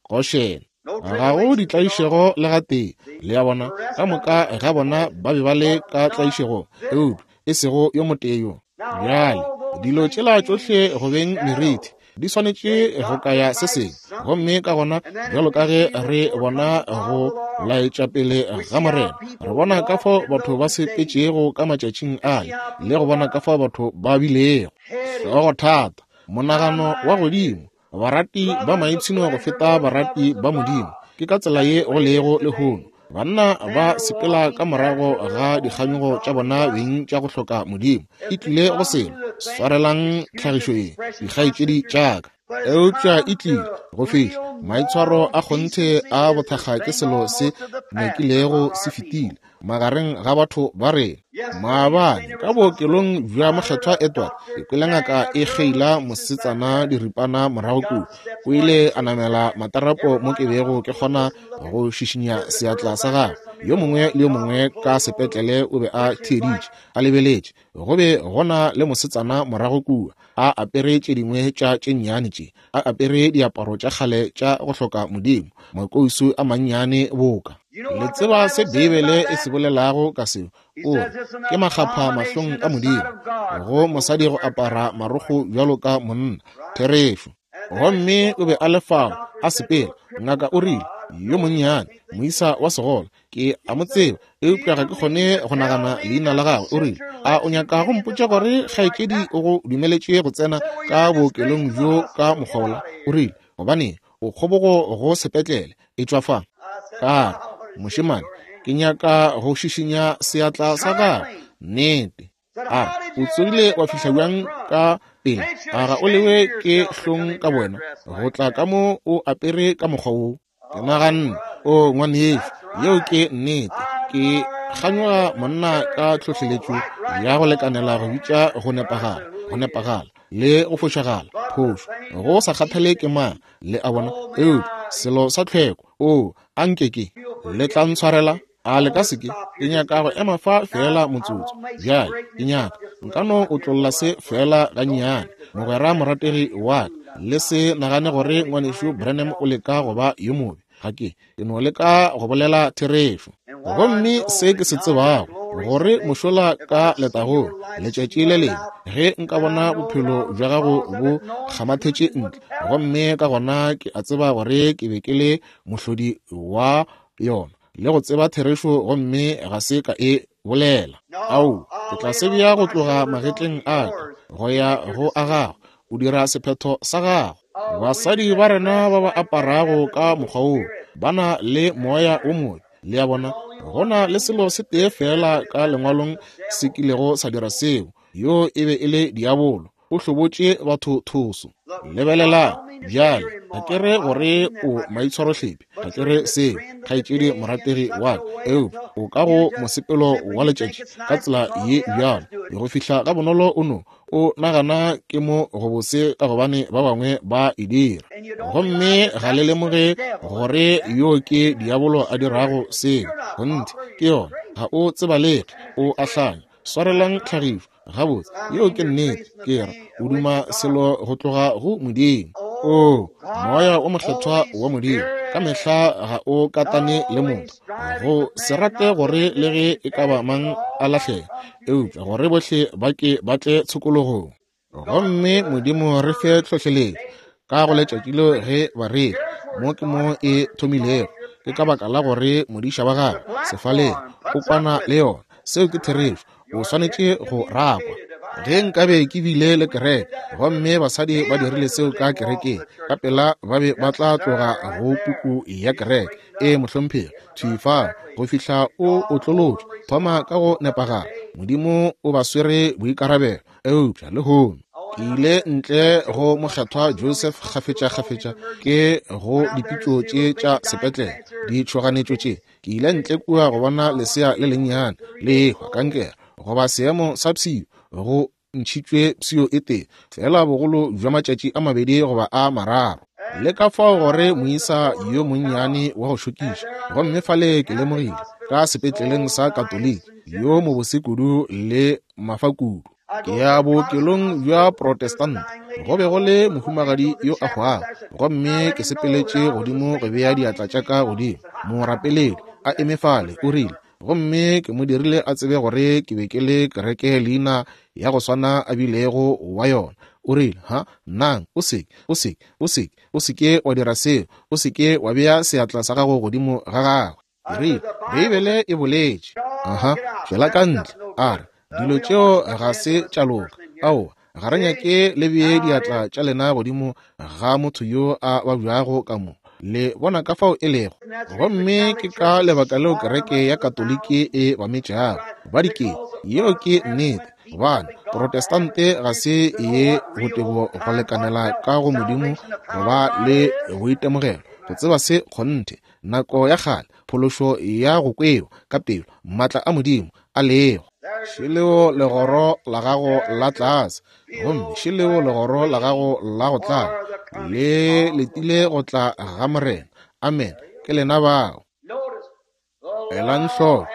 Goshene. Ga go ditlaišego le gatee. Le a bona, ka moka ga bona ba be ba le ka tlaišegong, eupša e sego yo motee yo. Bjale, dilo tšela tšohle go beng merithi di swanetše go kaya se sengwe, gomme ka gona bjalo ka ge re bona go laetša pele ga Morena, re bona ka fao batho ba sepetšego ka matšatšing ale, le go bona ka fao batho ba bilego hlogothata, monagano wa godimo, barati ba maipshino go feta barati ba Modimo. Ke ka tsela ye go lego lehono. Banna ba sepela ka morago ga dikganyogo tša bona beng tša go hloka Modimo. E tlile go selo. Swarelang tlhagišo ye, dikgaetšedi tša ka. Eupša e tlile go fihla maitshwaro a kgonthe a bothakga ke selo se nyakilego se fetile magareng ga batho ba rena. Maabane ka bookelong bja Mokgethwa Edward, ke kwele ngaka e kgeila mosetsana diripana morago kua. O ile a namela matarapo mo ke bego ke kgona go šišinya seatla sa gagwe. Yo mongwe le yo mongwe ka sepetlele o be a theeditše, a lebeletše. Go be go na le mosetsana morago kua, a apere tše dingwe tša tše nnyane tše, a apere diaparo tša kgale tša go hloka modimo, makousu a mannyane boka. Le tseba se Beibele e se bolelago ka seo? O re, Ke makgapha mahlong a Modimo go mosadi go apara marokgo bjalo ka monna. Therešo. Gomme o be a le fao a sepela. Ngaka o rile, Yo monnyane, moisa wa segole, ke a mo tseba, eupša ga ke kgone go nagana leina la gagwe. O rile, A o nyaka go mpotša gore kgaetšedi o go dumeletše go tsena ka bookelong bjo ka mokgwa wola? O rile, Gobaneng, o kgobogo go sepetlele. Etšwa fa. Ka re, Mošemane, ke nyaka go šišinya seatla sa gago. Nnete. A re, O tsogile wa fihla bjang ka pele? A ga o lewe ke hlong ka bowena go tla ka mo o apere ka mokgwa wo? Ke naganne, O ngwanešu, yeo ke nnete. Ke kganyoga monna ka tlhohleletšo ya go lekanela go bitša go nepagala, go nepagala, le go fošagala, phošo, go sa kgathale ke mang, le a bona, eupša selo sa tlhweko. Oo, a nke ke. Le tla ntshwarela? A le ka se ke? Ke nyaka go ema fa feela motsotso. Bjale, ke nyaka, nka no otlolla se feela gannyane. Mogwera morategi wa ka, le se nagane gore Ngwanešu Branham o leka go ba yo mobe. Ga ke, ke no leka go bolela therešo. Gomme se ke se tsebago, gore mošola ka letagong, letšatši le lengwe, ge nka bona bophelo bja gago bo kgamathetše ntle, gomme ka gona ke a tseba gore ke be ke le mohlodi wa yona, le go tseba therešo gomme ga se ka e bolela. Ao, ke tla se bea go tloga magetleng a ka go ya go a gago. O dira sephetho sa gago. Basadi ba rena ba ba aparago ka mokgwa woo ba na le moya wo mobe. Le a bona, go na le selo se tee feela ka Lengwalong se kilego sa dira seo, yoo e be e le diabolo. O hlobotše batho thoso. Lebelelang bjale, ga ke re gore o maitshwarohlepi, ga ke re seo, kgaetšedi morategi wa ka, eupša o ka go mosepelo wa letšatši ka tsela ye bjalo, go fihla ga bonolo o no o nagana ke mo gobose ka gobane ba bangwe ba e dira, gomme ga le lemoge gore yo ke diabolo a dirago seo. Kgonthe, ke yona. Ga o tsebalege, o a hlanya. Swarelang tlhagišo gabotse, yeo ke nnete. Ke ra o duma selo go tloga go Modimo. Oo, Moya o Mokgethwa wa Modimo ka mehla ga o katane le motho go se rate gore le ge e ka ba mang a lahlege, eupša gore bohle ba ke ba tle tshokologong. Gomme Modimo re fe tlhohleletšo ka go letšatši leo ge bareri, mo ke mo e thomilego, ke ka baka la gore modiša wa gagwe sefaleng o kwana le yona. Seo ke therešo. O swanetše go rakwa. Ge nkabe ke bile le kereke gomme basadi ba dirile seo ka kerekeng, ka pela ba be ba tla tloga go puku ya kereke. Ee, mohlomphegi, thwi fao go fihla o otlolotšwe. Thoma ka go nepagala. Modimo o ba swere boikarabelo. Eupša lehono ke ile ntle go Mokgethwa Joseph kgafetšakgafetša ke go dipitšo tše tša sepetlele, ditšhoganetšo tše. Ke ile ntle kua go bona lesea le lennyane le ehwa kankere goba seemo sa pshio, go ntšhitšwe pshio e tee feela bogolo bja matšatši a mabedi goba a mararo. Le ka fao gore moisa yo monnyane wa go šokiša, gomme fale ke lemogile ka sepetleleng sa Katoliki. yo mobose kudu le mafa kudu. Ke ya bookelong bja Protestant, go be go le mohumagadi yo a hwago, gomme ke sepeletše godimo go bea diatla tša ka godimo, morapeledi a eme fale, o rile, gomme ke mo dirile a tsebe gore ke be ke le kereke leina ya go swana a bilego wa yona. O rile, Ha, nang, o se, o se, o se, o se ke wa dira seo, o se ke wa bea seatla sa gago godimo ga gagwe. Ke rile, Beibele e boletše. Aha, tšwela ka ntle. A re, Dilo tšeo ga se tša loka. Aowa, ga re nyake le bee diatla tša lena godimo ga motho yo a babjago ka mo. Le bona ka fao e lego. Gomme ke ka lebaka leo kereke ya Katoliki e ba metšago ba dikete. Yeo ke nnete, gobane Protestante ga se ye botebo go lekanela ka go Modimo go ba le boitemogelo, go tseba se kgonthe, nako ya kgale, phološo ya go kwewa ka pelo, maatla a Modimo a lego. Šeleo legoro la gago la tlase, gomme šeleo legoro la gago la go tlala, le letile go tla ga Morena. Amen. Ke lena bao. Elang hloko,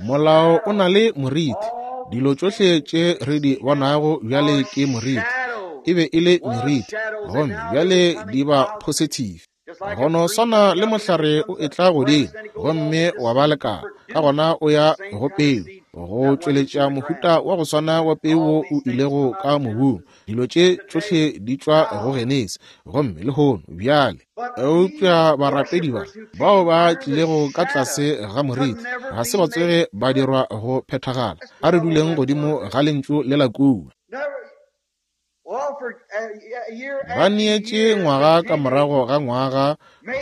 molao o na le moriti. Dilo tšohle tše re di bonago bjale ke moriti. E be e le meriti, gomme bjale di ba positive. Go no swana le mohlare o etla godimo gomme wa ba lekala, ka gona o ya go peu, go tšweletša mohuta wa go swana wa peu wo o ilego ka mobung. Dilo tše tšohle di tšwa go Genesi, gomme lehono bjale. Eupša barapedi ba, bao ba tlilego ka tlase ga moriti, ga se ba tsoge ba dirwa go phethagala. A re duleng godimo ga Lentšu lela kua. Ba neetše ngwaga ka morago ga ngwaga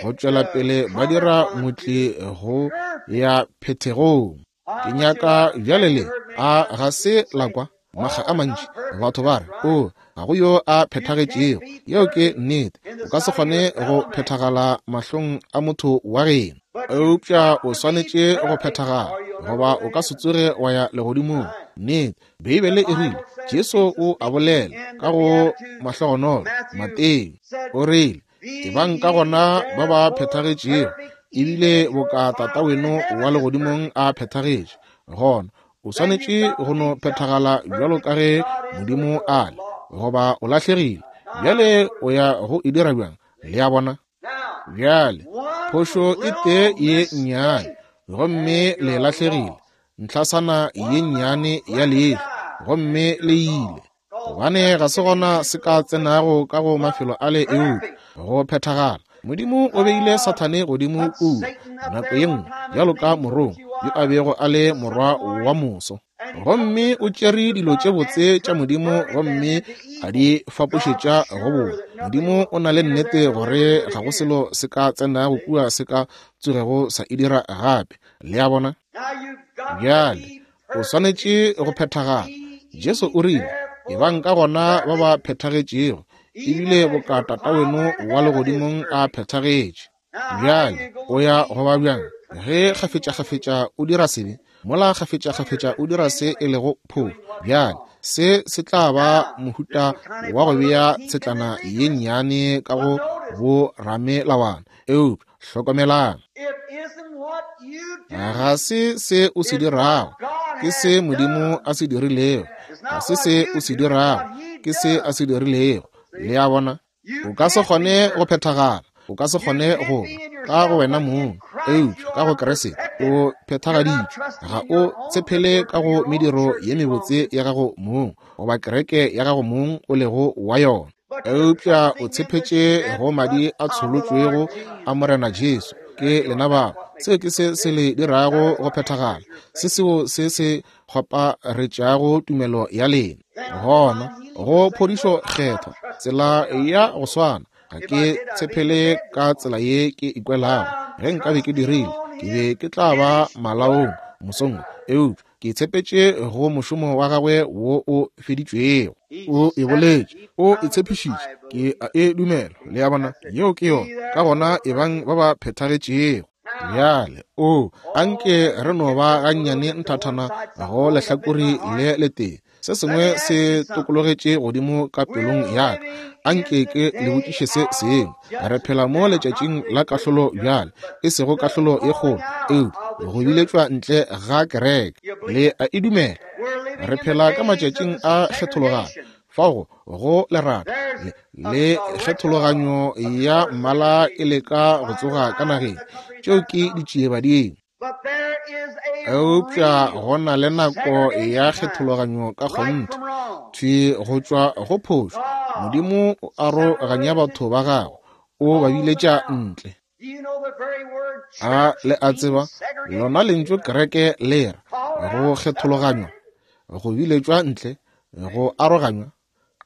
go tšwela pele ba dira motli go ya phethegong. Ke nyaka bjale le a ga se la kwa makga a mantši batho ba re, O, ga go yo a phethagetšego. Yeo ke nnete. O ka se kgone go phethagala mahlong a motho wa geno. Eupša o swanetše go phethagala, goba o ka se tsoge wa ya legodimong. Nnete. Beibele e rile, Jesu o a bolela ka go mahlogonolo, Mateo, o rile, Ebang ka gona ba ba phethagetšego, ebile boka Tata weno wa legodimong a phethagetše. Gona o swanetše go no phethagala bjalo ka ge Modimo a le, goba o lahlegile. Bjale o ya go e dira bjang? Le a bona? Bjale, phošo e tee ye nnyane, gomme le lahlegile, ntlhasana ye nnyane ya leihlo, gomme le ile. Gobane ga se gona se ka tsenago ka go mafelo ale eupša go phethagala. Modimo o beile Sathane godimo kua nako ye nngwe bjalo ka morongwa yo a bego a le morwa wa moso. Gomme o tšere dilo tše botse tša Modimo gomme a di fapošetša go bona. Modimo o na le nnete gore ga go selo se ka tsenago kua se ka tsogego sa e dira gape. Le a bona? Bjale, o swanetše go phethagala. Jesu o rile, Ebang ka gona ba ba phethagetšego, ebile boka Tataweno wa legodimong a phethagetše. Bjale o ya go ba bjang ge kgafetšakgafetša o dira sebe, mola kgafetšakgafetša o dira se e lego phošo? Bjale se se tla ba mohuta wa go bea tshetlana ye nnyane ka go bo ramelawana. Eupša hlokomelang, ga se se o se dirago, ke se Modimo a se dirilego. Ga se se o se dirago, ke se a se dirilego. Le a bona? O ka se kgone go phethagala, o ka se kgone go ba ka go wena mong, eupša ka go Kriste o phethagaditšwe. Ga o tshepele ka go mediro ye mebotse ya gago mong goba kereke ya gago mong o lego wa yona, eupša o tshepetše go madi a tsholotšwego a Morena Jesu. Ke lena bao. Seo ke se se le dirago go phethagala, se seo se se kgwaparetšago tumelo ya lena. Gona go phodišo kgethwa, tsela ya go swana. Ga ke tshepele ka tsela ye ke ikwelago. Ge nkabe ke dirile, ke be ke tla ba malaong mosong wo. Eupša ke tshepetše go mošomo wa gagwe wo o feditšwego. O e boletše, o e tshepišitše, ke a e dumela. Le a bona, yeo ke yona. Ka gona ebang ba ba phethagetšego. Bjale, o, anke re no ba gannyane nthathana go lehlakore le letee. Se sengwe se tokologetše godimo ka pelong ya ka. A nke ke le botšiše se sengwe. Re phela mo letšatšing la kahlolo bjale, e sego kahlolo e kgolo, eupša go biletšwa ntle ga kereke. Le a e dumela? Re phela ka matšatšing a kgethologanyo, fao go lerata le, le kgethologanyo ya mmala e leka go tsoga ka nageng. Tšeo ke ditšiebadimo. Eupša go na le nako ya kgethologanyo ka kgonthe, thwi go tšwa go phošo. Modimo o aroganya batho ba gagwe, o ba biletša ntle. A le a tseba, lona lentšu kereke le ra go kgethologanywa, go biletšwa ntle, go aroganywa.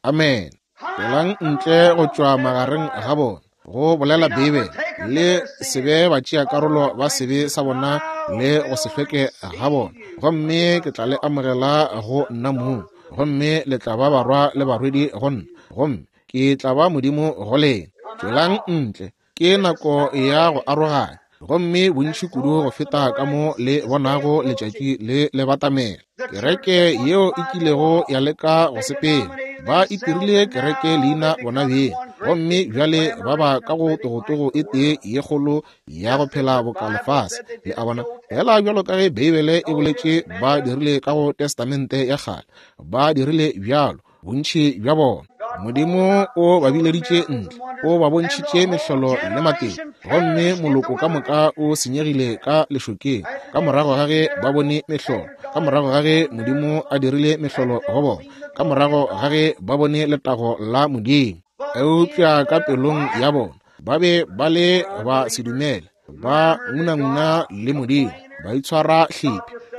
Amene. Tšwelang ntle go tšwa magareng ga bona, go bolela Beibele, le se be batšeakarolo ba sebe sa bona le go se hlweke ga bona, gomme ke tla le amogela go nna mong, gomme le tla ba barwa le barwedi go nna, gomme ke tla ba Modimo go lena. Tšwelang ntle. Ke nako ya go aroganya, gomme bontši kudu go feta ka mo le bonago letšatši le le batamela. Kereke yeo e kilego ya leka go sepela, ba itirile kereke leina bona beng, gomme bjale ba ba ka go togotogo e tee ye kgolo ya go phela boka lefase. Le a bona, fela bjalo ka ge Beibele e boletše ba dirile ka go Testamente ya Kgale, ba dirile bjalo. bontši bja bona. Modimo o ba bileditše ntle, o ba bontšhitše mehlolo le matete, gomme moloko ka moka o senyegile ka lešokeng ka morago ga ge ba bone mehlolo, ka morago ga ge Modimo a dirile mehlolo go bona, ka morago ga ge ba bone letago la Modimo. Eupša ka pelong ya bona ba be ba le ba se dumele, ba ngunanguna le Modimo, ba itshwara hlephi.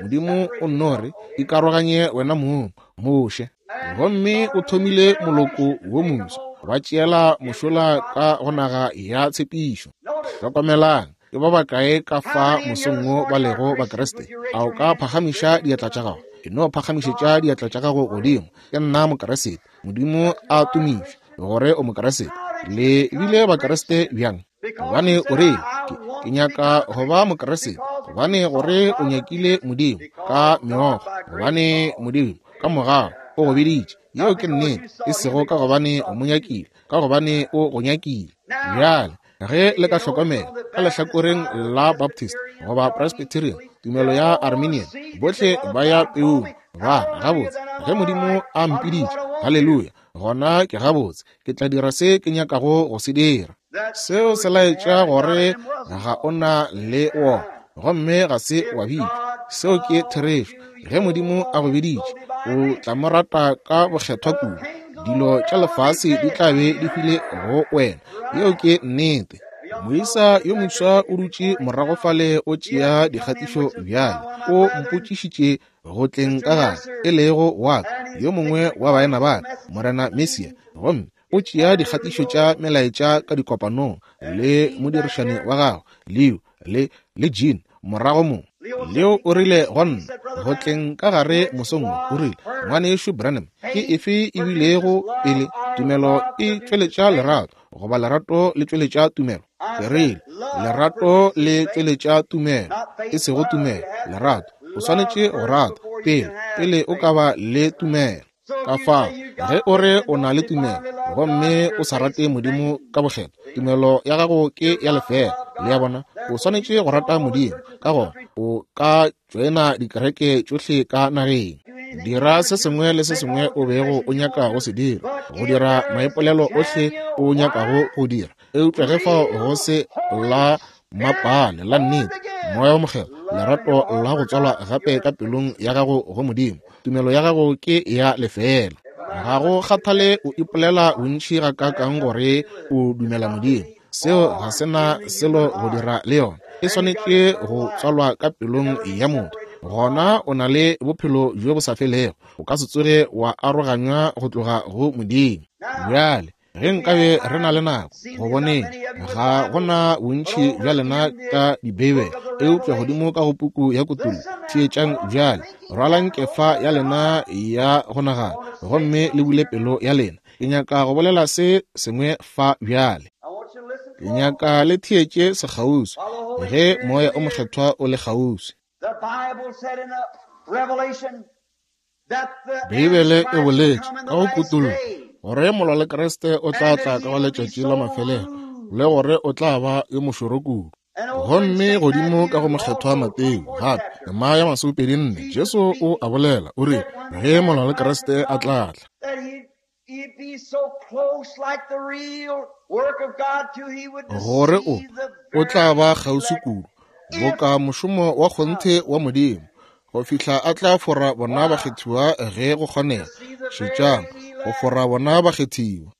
Modimo o nno re, Ikaroganye wena mong, Moshe. Gomme o thomile moloko wo moswa, ba tšeela mošola ka go naga ya tshepišo. Hlokomelang, ke ba bakae ka fa mosong wo ba lego Bakriste? A o ka phagamiša diatla tša gago? E no phagamišetša diatla tša gago godimo. Ke nna Mokriste. Modimo a tumišwe gore o Mokriste. Le bile Bakriste bjang? Gobane o re, ke, ke nyaka go ba Mokriste. Gobane gore o nyakile Modimo ka meokgo. Gobane Modimo ka mogau o go biditše. Yeo ke nnete. E sego ka gobane o mo nyakile, ka gobane o go nyakile. Bjale, ge le ka hlokomela ka lehlakoreng la Baptist goba Presbyterian, tumelo ya Arminian, bohle ba ya peung, ba gabotse. Ge Modimo a mpiditše, haleluya, gona ke gabotse, ke tla dira se ke nyakago go se dira. Seo se laetša gore ga o na le wona, gomme ga se wa bitšwa. Seo ke therešo. Ge Modimo a go biditše, o tla mo rata ka bokgethwa kudu. Dilo tša lefase di tla be di hwile go wena. Yeo ke nnete. Moisa yo moswa o dutše morago fale o tšea dikgatišo bjale. O mpotšišitše go tleng ka gare, e lego wa ka, yo mongwe wa baena ba ka, Morena Mesia, gomme o tšea dikgatišo tša melaetša ka dikopanong le modirišani wa gagwe, Leo, le, le Gene, morago mo. Leo o rile go nna, go tleng ka gare mosong wo, o rile, Ngwanešu Branham, ke efe e bilego pele, tumelo e tšweletša lerato, goba lerato le tšweletša tumelo? Ke rile, Lerato le tšweletša tumelo, e sego tumelo, lerato. O swanetše go rata pele, pele o ka ba le tumelo. Ka fao, ge o re o na le tumelo gomme o sa rate Modimo ka bokgethwa, tumelo ya gago ke ya lefeela. Le a bona? O swanetše go rata Modimo, ka gona o ka tšoena dikereke tšohle ka nageng. Dira se sengwe le se sengwe o bego o nyaka go se dira, go dira maipolelo ohle o nyakago go dira. Eupša ge fao go se la mapale la nnete, Moya wo Mokgethwa, lerato la go tswalwa gape ka pelong ya gago go Modimo, tumelo ya gago ke ya lefeela. Ga go kgathale o ipolela bontši gakaakang gore o dumela Modimo, seo ga se na selo go dira le yona. E swanetše go tswalwa ka pelong ya motho. Gona o na le bophelo bjo bo sa felego, o ka se tsoge wa aroganywa go tloga go Modimo. Bjale, Ge nkabe re na le nako, go boneng, ga go na bontši bja lena ka Dibeibele, eupša godimo ka go puku ya Kutullo, theetšang bjale, rwalang kefa ya lena ya go nagana gomme le bule pelo ya lena. Ke nyaka go bolela se sengwe fa bjale. Ke nyaka le theetše sekgauswi, ge Moya o Mokgethwa o le kgauswi. Beibele e boletše ka go Kutollo gore molwa le Kriste o tla tla ka go letšatši la mafelelo, le gore o tla ba yo mošoro kudu. Gomme godimo ka go Mokgethwa Mateo, gape, tema ya 24, Jesu o a bolela, o rile, ge molwa le Kriste a tla tla, gore o, o tla ba kgauswi kudu, boka mošomo wa kgonthe wa Modimo, go fihla a tla fora bona bakgethiwa ge go kgonega. Šetšang, go fora bona bakgethiwa.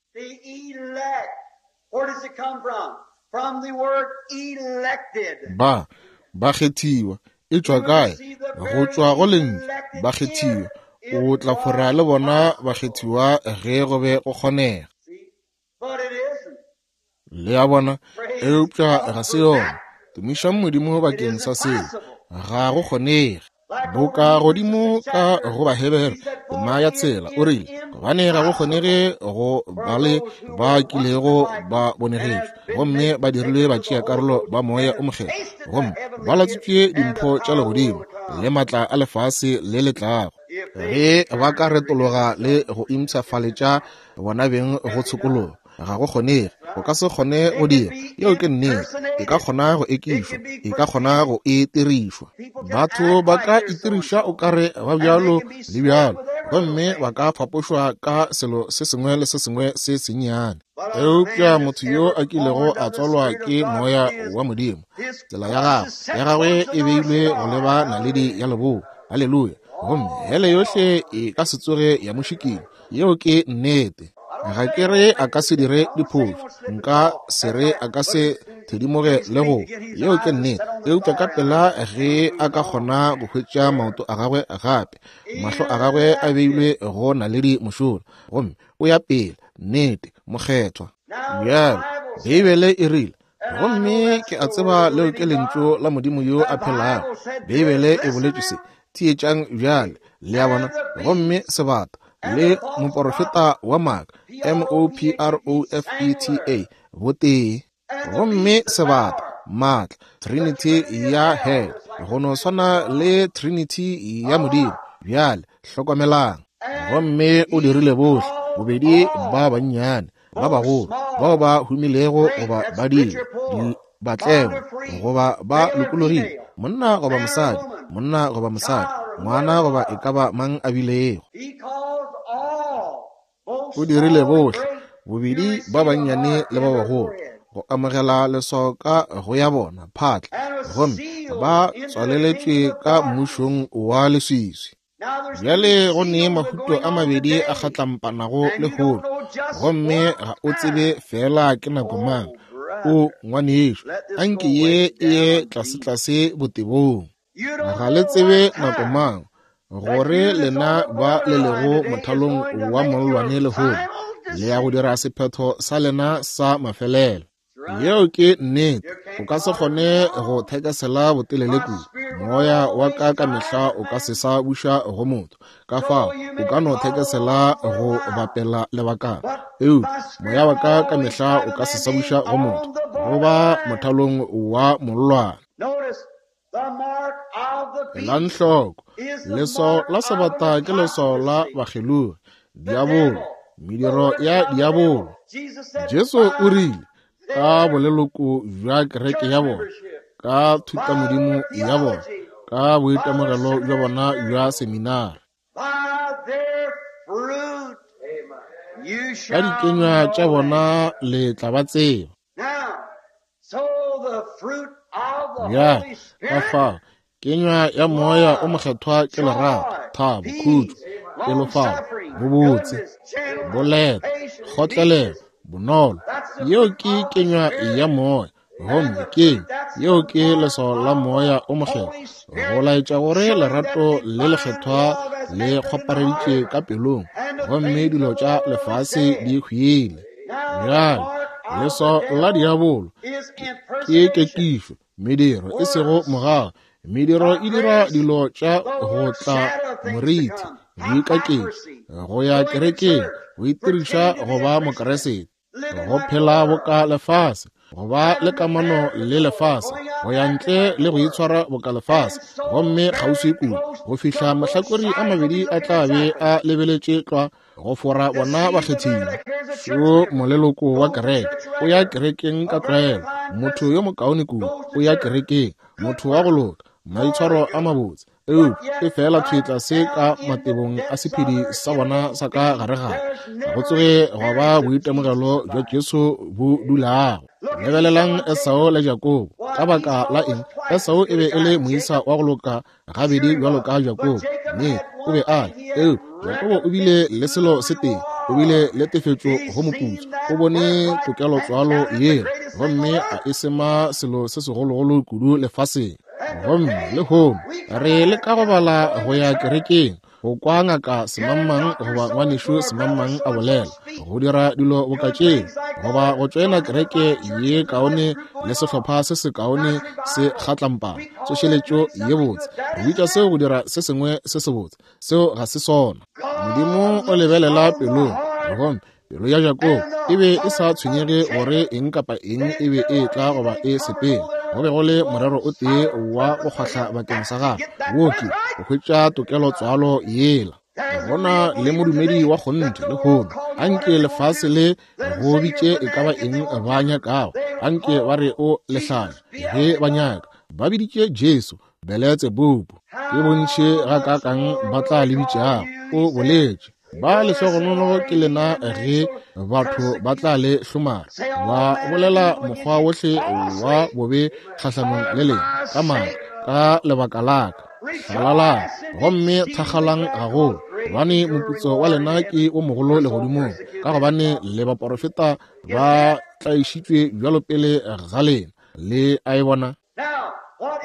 Ba, bakgethiwa, e tšwa kae? Go tšwa go Lentšu, bakgethiwa. O tla fora le bona bakgethiwa ge go be go kgonega. Le a bona? Eupša ga se yona. Tumišang Modimo bakeng sa seo. Ga go kgonege. Boka godimo ka go Bahebere, tema ya tshela, o rile, gobane ga go kgonege go ba le ba kilego ba bonegetšwe gomme ba dirilwe batšeakarolo ba Moya o Mokgethwa, gomme ba latswitšwe dimpho tša legodimo le maatla a lefase le le tlago, ge ba ka retologa le go impshafaletša bona beng go tshokologo. Ga go kgonege, o ka se kgone go dira. Yeo ke nnete. E ka kgona go ekišwa, e ka kgona go itirišwa. Batho ba ka itiriša o ka re ba bjalo le bjalo, gomme ba ka fapošwa ka selo se sengwe le se sengwe se sennyane. Eupša motho yo a kilego a tswalwa ke Moya wa Modimo, tsela ya gagwe, ya gagwe e beilwe go leba naledi ya leboa. Haleluya! Gomme hele yohle e ka se tsoge ya mo šikinya. Yeo ke nnete. Ga ke re a ka se dire diphošo, nka se re a ka se thedimoge le go. Yeo ke nnete. Eupša ka pela ge a ka kgona go hwetša maoto a gagwe gape, mahlo a gagwe a beilwe go naledi mošola, gomme o ya pele, nnete, mokgethwa. Bjale, Beibele e rile, gomme ke a tseba leo ke lentšu la Modimo yo a phelago. Beibele e boletše se. Theetšang bjale, le a bona. Gomme sebata le moporofeta wa maaka, M-o-p-r-o-f-e-t-a, botee. Gomme sebata, maatla, trinity ya hell, go no swana le trinity ya Modimo. Bjale, hlokomelang. Gomme o dirile bohle, bobedi ba bannyane, ba bagolo, bao ba humilego goba ba dile, batlengwa goba ba lokologile, monna goba mosadi, monna goba mosadi, ngwana goba e ka ba mang a bilego. O dirile bohle, bobedi ba bannyane le ba bagolo, go amogela leswao ka go ya bona phatla, gomme ba tswaleletšwe ka mmušong wa leswiswi. Bjale go ne mahuto a mabedi a kgatlampanago lehono, gomme ga o tsebe feela ke nako mang. O ngwanešu, anke ye e ye tlasetlase botebong. Ga le tsebe nako mang, gore lena ba le lego mothalong wa mollwane lehono, le ya go dira sephetho sa lena sa mafelelo. Yeo ke nnete. O ka se kgone go thekesela botelele kudu. Moya wa ka ka mehla o ka se sa buša go motho. Ka fao o ka no thekesela go bapela lebakana. Eupša moya wa ka ka mehla o ka se sa buša go motho, go ba mothalong wa mollwane. Elang hloko, leswao la sebata ke leswao la bakgelogi, diabolo, mediro ya diabolo. Jesu o rile, ka boleloko bja kereke ya bona, ka thutamodimo ya bona, ka boitemogelo bja bona bja seminari, ka dikenywa tša bona le tla ba tseba. Bjale, ka fao, kenywa ya Moya o Mokgethwa ke lerato, thabo, khutšo, pelofalo, bobotse, boleta, kgotlelelo, bonolo. Yeo ke kenywa ya Moya. Gomme ke yeo ke leswao la Moya o Mokgethwa, go laetša gore lerato le lekgethwa le kgwapareditše ka pelong, gomme dilo tša lefase di hwile. Bjale, leswao la diabolo ke kekišo, mediro e sego mogau. Mediro e dira dilo tša go tla morithi, boikaketši, go ya kerekeng, go itiriša go ba Mokriste, go phela boka lefase. go ba le kamano le lefase, go ya ntle le go itshwara boka lefase, gomme kgauswi kudu go fihla mahlakori a mabedi a tla be a lebeletše tlwa go fora bona bakgethiwa. Šo moleloko wa kereke, o ya kerekeng ka tlwaelo, motho yo mokaone kudu, o ya kerekeng, motho wa go loka, maitshwaro a mabotse, eupša e fela thwi tlase ka matebong a sephedi sa bona sa ka gare-gare, ga go tsoge gwa ba boitemogelo bja Jesu bo dulago. Lebelelang Esau le Jakobo. Ka baka la eng? Esau e be e le moisa wa go loka gabedi bjalo ka Jakobo, mme o be a le, eupša Jakobo o bile le selo se tee, o bile le tefetšo go moputso, o bone tokelotswalo yela, gomme a e sema selo se segologolo kudu lefaseng. Gomme lehono re leka go bala go ya kerekeng, go kwa ngaka semangmang goba ngwanešu semangmang a bolela, go dira dilo boka tšeo, goba go tšoena kereke ye kaone le sehlopha se se kaone se kgatlampana, tsošeletšo ye botse. Re bitša seo go dira se sengwe se sebotse. Seo ga se sona. Modimo o lebelela pelong, gomme pelo ya Jakobo e be e sa tshwenyege gore eng kapa eng e be e tla goba e sepela. Go be go le morero o tee wa go kgwahla bakeng sa gagwe, wo ke go hwetša tokelo tswalo yela. Go na le modumedi wa kgonthe lehono. Anke lefase le go bitše e ka ba eng ba nyakago, anke ba re o lehlanya ge ba nyaka. Ba biditše Jesu Beletsebubu. Ke bontši gakaakang ba tla le bitšago, o boletše. Ba lehlogonolo ke lena ge batho ba tla le hlomara, ba bolela mokgwa wohle wa bobe kgahlanong le lena ka maaka ka lebaka la ka. Hlalalang gomme thakgalang gagolo, gobane moputso wa lena ke o mogolo legodimong, ka gobane le baporofeta ba tlaišitšwe bjalo pele ga lena. Le a e bona?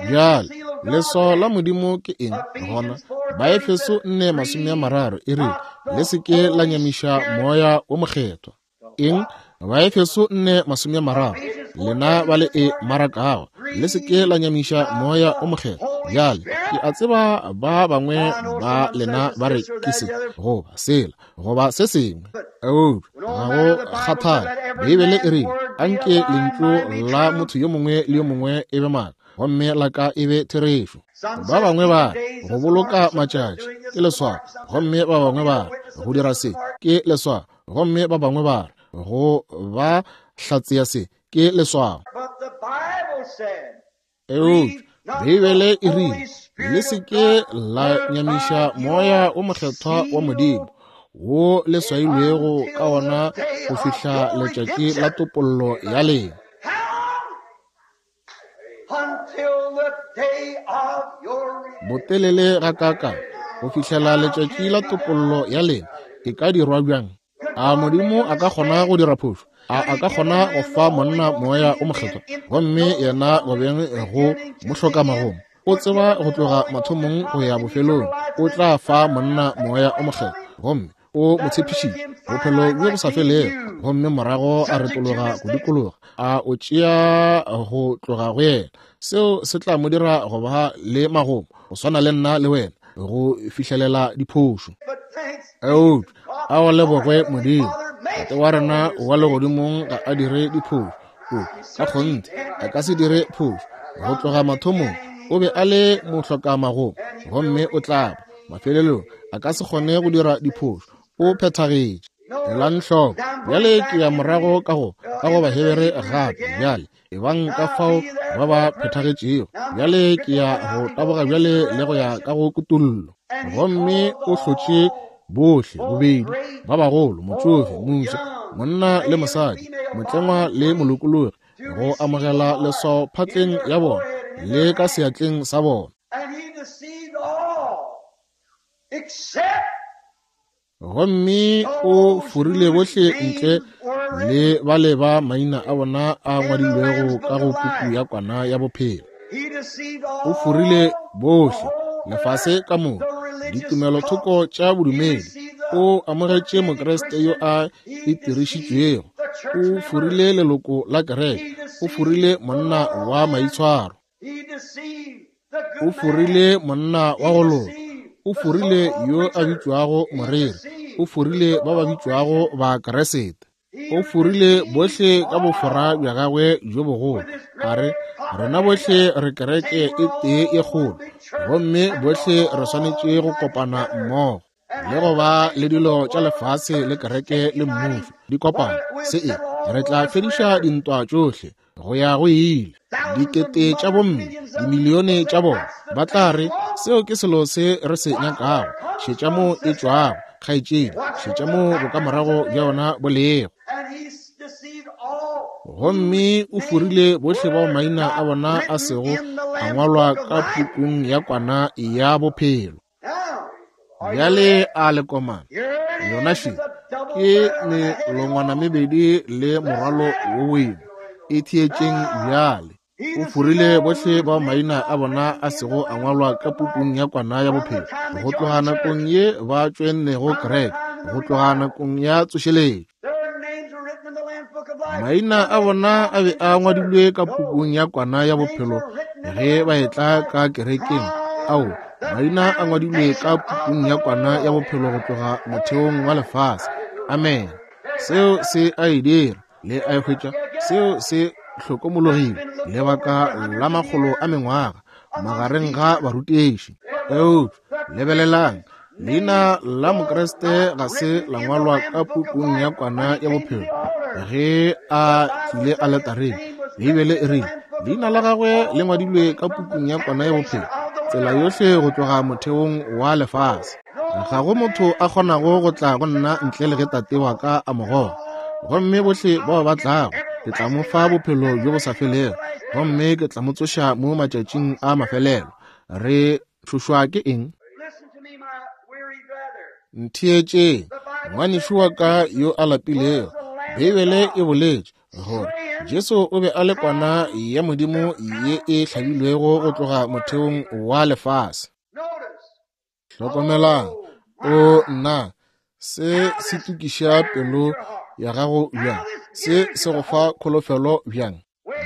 Bjale, leswao la Modimo ke eng gona? Baefeso 4:30 e rile, Le se ke la nyamiša Moya wo Mokgethwa. Eng? Baefeso 4:30, lena ba le e marakago, le se ke la nyamiša Moya wo Mokgethwa. Bjale, ke a tseba ba bangwe ba lena ba re ke se goba sela goba se sengwe, eupša ga go kgathale. Beibele e rile, Anke lentšu la motho yo mongwe le yo mongwe e be maaka, gomme la ka e be therešo. Ba bangwe ba re go boloka matšatši ke leswao, gomme ba bangwe ba re go dira se ke leswao, gomme ba bangwe ba re go ba hlatse ya se ke leswao. Eupša Beibele e rile, Le se ke la nyamiša Moya wo Mokgethwa wa Modimo, wo le swailwego ka wona go fihla letšatši la topollo ya lena. Botelele gakaakang go fihlela letšatši la topollo ya lena e ka dirwa bjang? A Modimo a ka kgona go dira phošo? A a ka kgona go fa monna Moya o Mokgethwa, gomme yena gobeng go mo hloka magomo? O tseba go tloga mathomong go ya bofelong, o tla fa monna Moya o Mokgethwa, gomme o mo tshepišitše bophelo bjo bo sa felego, gomme morago a retologa go dikologa, a o tšea go tloga go yena. Seo se tla mo dira go ba le magomo, go swana le nna le wena, go fihlelela diphošo. Eupša a go lebogwe Modimo, Tate wa rena wa legodimong ga a dire diphošo. O ka kgonthe a ka se dire phošo. Go tloga mathomong o be a le mohlokamagomo, gomme o tla ba mafelelong a ka se kgone go dira diphošo. O phethagetše. Elang hloko bjale, ke ya morago ka go ka go Bahebere gape bjale. Ebang ka fao ba ba phethagetšego. Bjale ke ya go taboga bjale le go ya ka go kutollo. Gomme o hlotše bohle bobedi, ba bagolo, motšofe, mofsa, monna le mosadi, motlengwa le molokologi, go amogela leswao phatleng ya bona le ka seatleng sa bona. Gomme o forile bohle ntle le bale ba maina a bona a ngwadilwego ka go puku ya Kwana ya Bophelo. O forile bohle, lefase ka moka, ditumelothoko tša bodumedi. O amogetše Mokriste yo a itirišitšwego. O forile leloko la kereke. O forile monna wa maitshwaro. O forile monna wa go loka. O forile yo a bitšwago moreri. O forile ba ba bitšwago Bakriste. O forile bohle ka bofora bja gagwe bjo bogolo. A re, rena bohle re kereke e tee e kgolo, gomme bohle re swanetše go kopana mmogo le go ba le dilo tša lefase le kereke le mmušo di kopana. Se e, re tla fediša dintwa tšohle go ya go ile. Dikete tša bomme, dimilione tša bona ba tla re, seo ke selo se re se nyakago. Šetša mo e tšwago, kgaetšedi, šetša mo bokamorago bja yona bo lego. Gomme o forile bohle bao maina a bona a sego a ngwalwa ka pukung ya Kwana ya Bophelo. Bjale a le komana yona še ke melongwana mebedi le morwalo wo boima. E theetšeng bjale. O forile bohle bao maina a bona a sego a ngwalwa ka pukung ya Kwana ya Bophelo go tloga nakong ye ba tšoennego kereke, go tloga nakong ya tsošeletšo. Maina a bona a be a ngwadilwe ka pukung ya Kwana ya Bophelo ge ba etla ka kerekeng. Ao, maina a ngwadilwe ka pukung ya Kwana ya Bophelo go tloga motheong wa lefase. Amen. Seo se a e dira. Le a e hwetša? Seo se hlokomologile lebaka la makgolo a mengwaga magareng ga barutiši. Eupša lebelelang, leina la Mokriste ga se la ngwalwa ka pukung ya Kwana ya Bophelo ge a tlile aletareng. Beibele e rile leina la gagwe le ngwadilwe ka pukung ya Kwana ya Bophelo tsela yohle go tloga motheong wa lefase. Ga go motho a kgonago go tla go nna ntle le ge Tate wa ka a mo goga. Gomme bohle bao ba tlago, ke tla mo fa bophelo bjo bo sa felego, gomme ke tla mo tsoša mo matšatšing a mafelelo. Re tšhošwa ke eng? Ntheetšeng, ngwanešu wa ka yo a lapilego. Beibele e boletše gore Jesu o be a le kwana ya Modimo ye e hlabilwego go tloga motheong wa lefase. Hlokomelang, o nna, se se tukiša pelo ya gago bjang, se se go fa kholofelo bjang.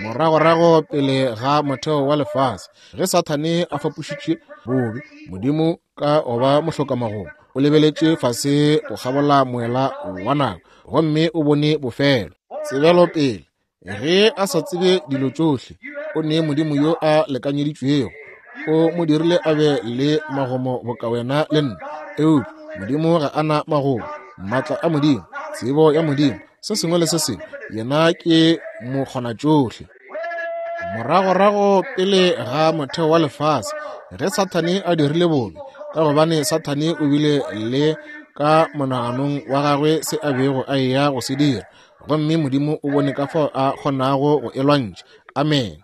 Moragorago pele ga motheo wa lefase, ge Sathane a fapošitše bobe, Modimo ka go ba mohlokamagomo o lebeletše fase go kgabola moela wa nako gomme o bone bofelo. Tsebelopele, ge a sa tsebe dilo tšohle, o ne Modimo yo a lekanyeditšwego, o mo dirile a be le magomo boka wena le nna. Eupša Modimo ga a na magomo. Maatla a Modimo, tsebo ya Modimo, se sengwe le se sengwe, yena ke mokgonatšohle. Moragorago pele ga motheo wa lefase, ge Sathane a dirile bobe, ka gobane Sathane o bile le ka monaganong wa gagwe se a bego a eya go se dira, gomme Modimo o bone ka fao a kgonago go e lwantšha. Amen.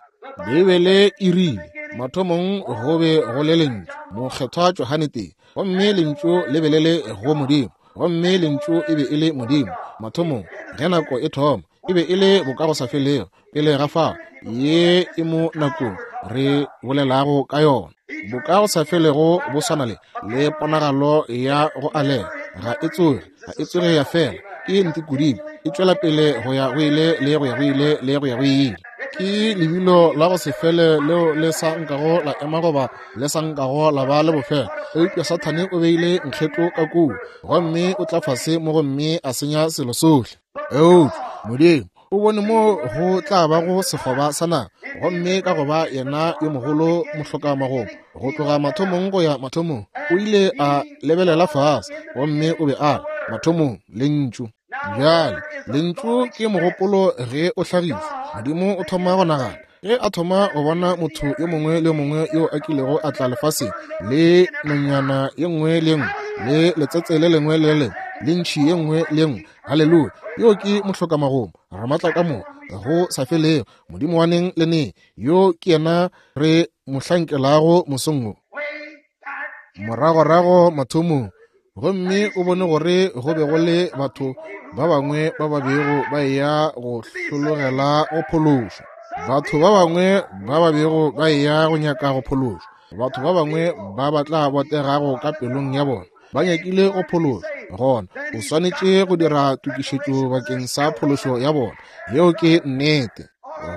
Beibele e rile, mathomong go be go le Lentšu, Mokgethwa Johane tee, gomme Lentšu le be le le go Modimo, gomme Lentšu e be e le Modimo. Mathomong, ge nako e thoma, e be e le bokagosafelego, pele ga fao, ye e mo nakong re bolelago ka yona. Bokagosafelego bo swana le le ponagalo ya go alela, ga e tsoge, ga e tsoge ya fela, ke ntikodimo, e tšwela pele go ya go ile le go ya go ile le go ya go ile. Ke lebilo la go se fele leo le sa nkago la ema goba le sa nkago la ba le bofelo. Eupša Sathane o beile nkgetlo ka kua, gomme o tla fase mo gomme a senya selo sohle. Eupša Modimo o bone mo go tla bago sekgoba sa naga, gomme ka go ba yena yo mogolo mohlokamagomo go tloga mathomong go ya mathomong, o ile a lebelela fase gomme o be a re, Mathomong, Lentšu. Bjale, Lentšu ke mogopolo ge o hlagišwa. Modimo o thoma go nagana. Ge a thoma go bona motho yo mongwe le yo mongwe yo a kilego a tla lefaseng, le nonyana ye nngwe le ye nngwe, le letsetse le lengwe le le lengwe, le ntšhi ye nngwe le ye nngwe, haleluya, yo ke mohlokamagomo, Ramatlakamoka, go sa felego, Modimo wa neng le neng, yo ke yena re mo hlankelago mosong wo. Moragorago mathomong, gomme o bone gore go be go le batho ba bangwe ba ba bego ba eya go hlologela go phološwa, batho ba bangwe ba ba bego ba eya go nyaka go phološwa, batho ba bangwe ba ba tla botegago ka pelong ya bona ba nyakile go phološwa. Gona o swanetše go dira tokišetšo bakeng sa phološo ya bona. Yeo ke nnete.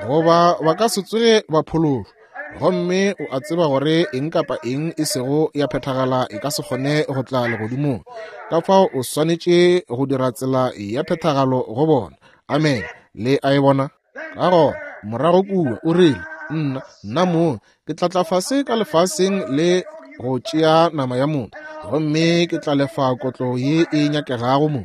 Goba ba ka se tsoge ba phološwa. Gomme o a tseba gore eng kapa eng e sego ya phethagala e ka se kgone go tla legodimong. Ka fao o swanetše go dira tsela ya phethagalo go bona. Amene. Le a e bona? Ka gona, morago kua, o rile, Nna, nna mong, ke tla tla fase ka lefaseng le go tšea nama ya motho, gomme ke tla lefa kotlo ye e nyakegago mo.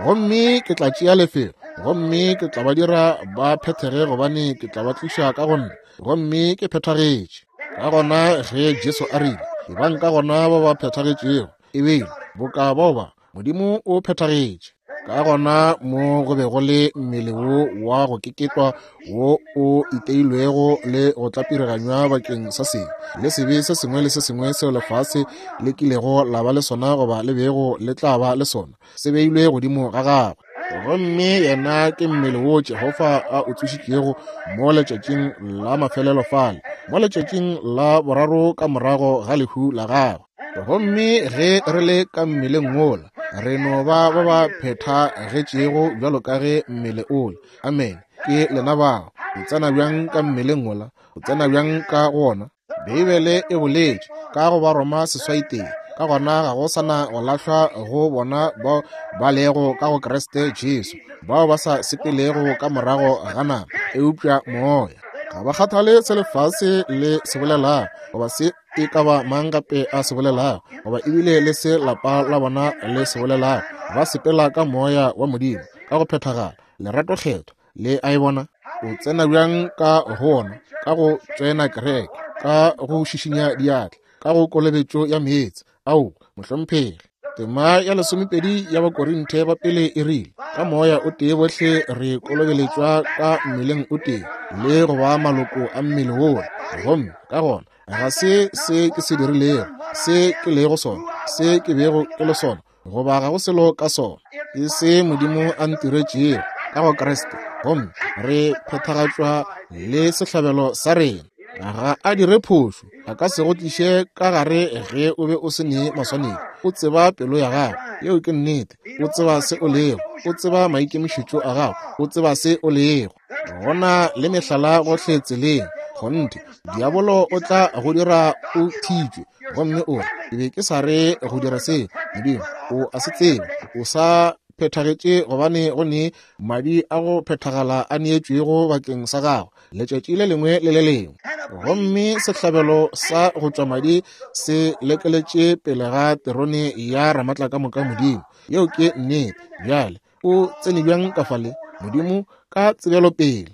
Gomme ke tla tšea lefelo, gomme ke tla ba dira ba phethege, gobane ke tla ba tliša ka go nna, gomme ke phethagetše. Ka gona ge Jesu a rile, Ebang ka gona ba ba phethagetšego, e be boka bao ba, Modimo o phethagetše. Ka gona mo go be go le mmele wo wa go keketwa wo o iteilwego le go tlapiriganywa bakeng sa sebe, le sebe se sengwe le se sengwe seo lefase le kilego la ba le sona goba le bego le tla ba le sona, se beilwe godimo ga gagwe. Gomme yena ke mmele wo Jehofa a o tsošitšego mo letšatšing la mafelelo fale, mo letšatšing la boraro ka morago ga lehu la gagwe. Gomme ge re le ka mmeleng wola, re no ba ba ba phethagetšego bjalo ka ge mmele ole. Amene. Ke lena bao. O tsena bjang ka mmeleng wola? O tsena bjang ka go wona? Beibele e boletše ka go Baroma 8:1, Ka gona ga go sa na go lahlwa go bona bao ba lego ka go Kriste Jesu, bao ba sa sepelego ka morago ga nama, eupša Moya. Ga ba kgathale se lefase le se bolelago, goba se e ka ba mang gape a se bolelago, goba ebile le se lapa la bona le se bolelago. Ba sepela ka Moya wa Modimo, ka go phethagala, lerato kgethwa. Le a e bona? O tsena bjang ka go wona? Ka go tšoena kereke, ka go šišinya diatla, ka go kolobetšo ya meetse. Ao, mohlomphegi. Tema ya 12 ya Bakorinthe ba pele e rile, Ka moya o tee bohle re kolobeletšwa ka mmeleng o tee, le go ba maloko a mmele wola. Gomme ka gona ga se se ke se dirilego, se ke lego sona, se ke bego ke le sona, goba ga go selo ka sona. Ke se Modimo a ntiretšego ka go Kriste, gomme re phethagatšwa le sehlabelo sa rena. Ga a dire phošo, a ka se go tliše ka gare ge o be o se ne maswanedi. O tseba pelo ya gago, yeo ke nnete. O tseba se o lego, o tseba maikemišetšo a gago, o tseba se o lego. Go na le mehlala gohle tseleng. Kgonthe, diabolo o tla go dira o thitšwe, gomme o re, Ke be ke sa re go dira se. Modimo o a se tseba. O sa phethagetše gobane go ne madi a go phethagala a neetšwego bakeng sa gago letšatši le lengwe le le lengwe. Gomme sehlabelo sa go tšwa madi se lekeletše pele ga terone ya Ramatlakamoka Modimo. Yeo ke nnete. Bjale o tsene bjang ka fale? Modimo ka tsebelopele.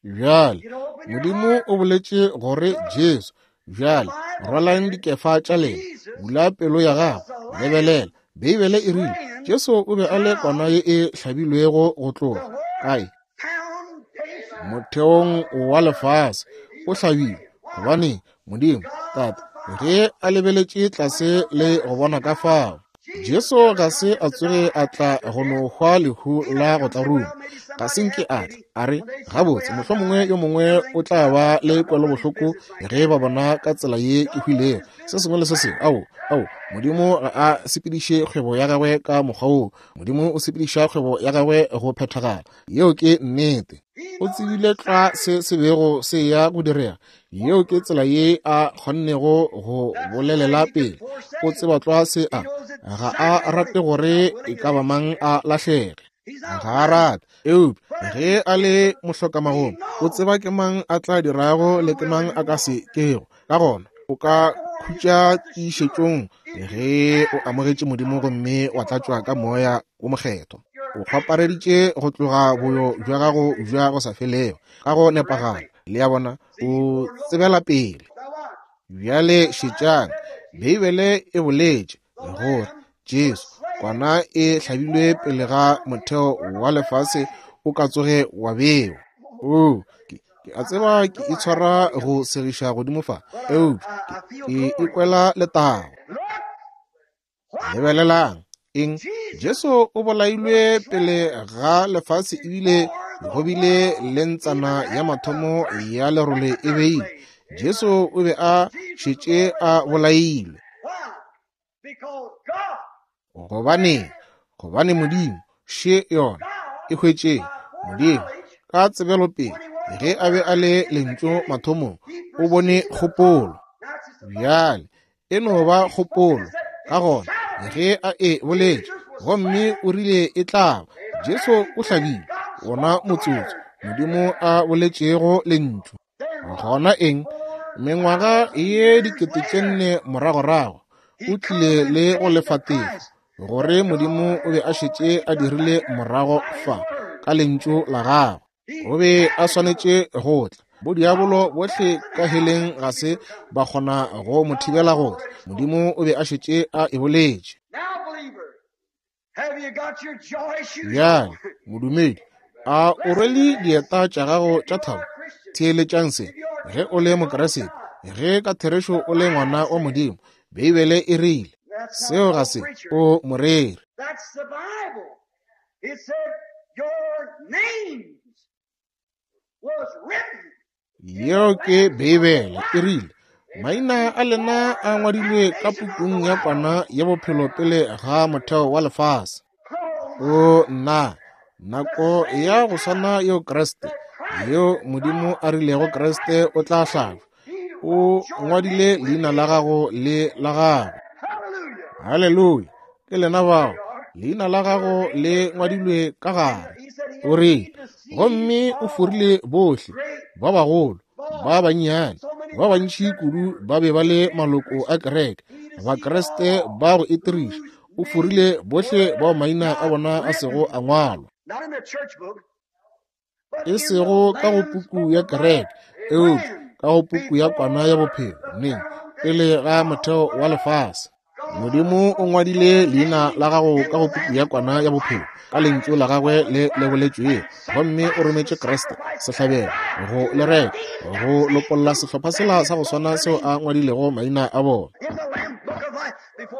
Bjale, Modimo o boletše gore Jesu, bjale rwalang dikefa tša lena, bula pelo ya gago, lebelela. Beibele e rile Jesu o be a le kwana ye e hlabilwego go tloga kae? Motheong wa lefase o hlabilwe. Gobane Modimo Tate ge a lebeletše tlase le go bona ka fao Jesu ga se a tsoge a tla go no hwa lehu la go tlaruma. Ga se nke a tla a re, Gabotse, mohlomongwe yo mongwe o tla ba le kwelobohloko ge ba bona ka tsela ye ke hwilego, se sengwe le se sengwe. Ao, ao, Modimo ga a sepediše kgwebo ya gagwe ka mokgwa woo. Modimo o sepediša kgwebo ya gagwe go phethagala. Yeo ke nnete. O tsebile tlwa se se bego se ya go direga. Yeo ke tsela ye a kgonnego go bolelela pele. O tseba tlwa se a, ga a rate gore e ka ba mang a lahlege. Ga a rate. Eupša ge a le mohlokamagong, o tseba ke mang a tla dirago le ke mang a ka se kego. Ka gona o ka khutša tiišetšong ge o amogetše Modimo gomme wa tlatšwa ka Moya wo Mokgethwa. O kgwapareditše go tloga boyo bja gago bja go sa felego ka go nepagala. Le a bona, o tsebela pele. Bjale šetšang, Beibele e boletše gore Jesu, kwana e hlabilwe pele ga motheo wa lefase o ka tsoge wa bewa. Oo, ke, ke a tseba ke itshwara go segiša godimo fa, eupša ke, ke ikwela letago. Lebelelang, eng? Jesu o bolailwe pele ga lefase ebile go bile le ntsana ya mathomo ya lerole e beilwe. Jesu o be a šetše a bolailwe. Gobaneng? Gobane Modimo, še yona, e hwetšeng. Modimo, ka tsebelopele, ge a be a le Lentšu mathomong, o bone kgopolo. Bjale, e no ba kgopolo. Ka gona, ge a e boletše, gomme o rile e tla ba, Jesu o hlabile wona motsotso Modimo a boletšego Lentšu. Gona eng? Mengwaga ye 4000 moragorago, o tlile le go lefa tefo, gore Modimo o be a šetše a dirile morago fa ka Lentšu la gagwe. O be a swanetše go tla. Bodiabolo bohle ka heleng ga se ba kgona go mo thibela go tla. Modimo o be a šetše a e boletše. Bjale, modumedi, a o rwele dieta tša gago tša thabo? Theeletšang se. Ge o le Mokriste, ge ka therešo o le ngwana wa Modimo, Beibele e rile, seo ga se o moreri. Yeo ke Beibele, e rile, Maina a lena a ngwadilwe ka pukung ya Kwana ya Bophelo pele ga motheo wa lefase. O nna, nako ya go swana yeo Kriste, yeo Modimo a rilego Kriste o tla hlabja, o ngwadile leina la gago le la gagwe. Haleluya! Ke lena bao, leina la gago le ngwadilwe ka gare. O rile, gomme o forile bohle ba bagolo, ba bannyane, ba bantši kudu ba be ba le maloko a kereke, Bakriste ba go itiriša. O forile bohle bao maina a bona a sego a ngwalwa, e sego ka go puku ya kereke, eupša ka go puku ya Kwana ya Bophelo, neng? Pele ga motheo wa lefase. Modimo o ngwadile leina la gago ka go puku ya Kwana ya Bophelo, ka Lentšu la Gagwe le le boletšwego, gomme o rometše Kriste, sehlabelo, go le reka, go lopolla sehlopha sela sa go swana seo a ngwadilego maina a bona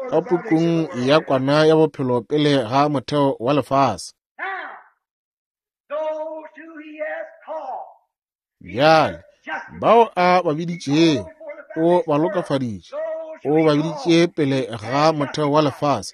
ka pukung ya Kwana ya Bophelo pele ga motheo wa lefase. Bjale, bao a ba biditšego, o ba lokafaditše, o ba biditše pele ga motheo wa lefase.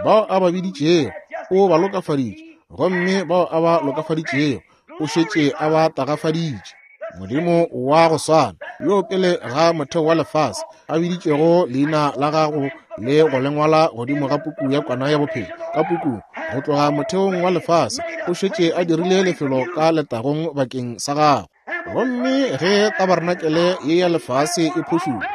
Bao a ba biditšego, o ba lokafaditše, gomme bao a ba lokafaditšego, o šetše a ba tagafaditše. Modimo wa go swana, yo pele ga motheo wa lefase a biditšego leina la gago le go le ngwala godimo ga puku ya Kwana ya Bophelo, ka pukung go tloga motheong wa lefase, o šetše a dirile lefelo ka letagong bakeng sa gago. Gomme ge tabarenakele ye ya lefase e phošulwa,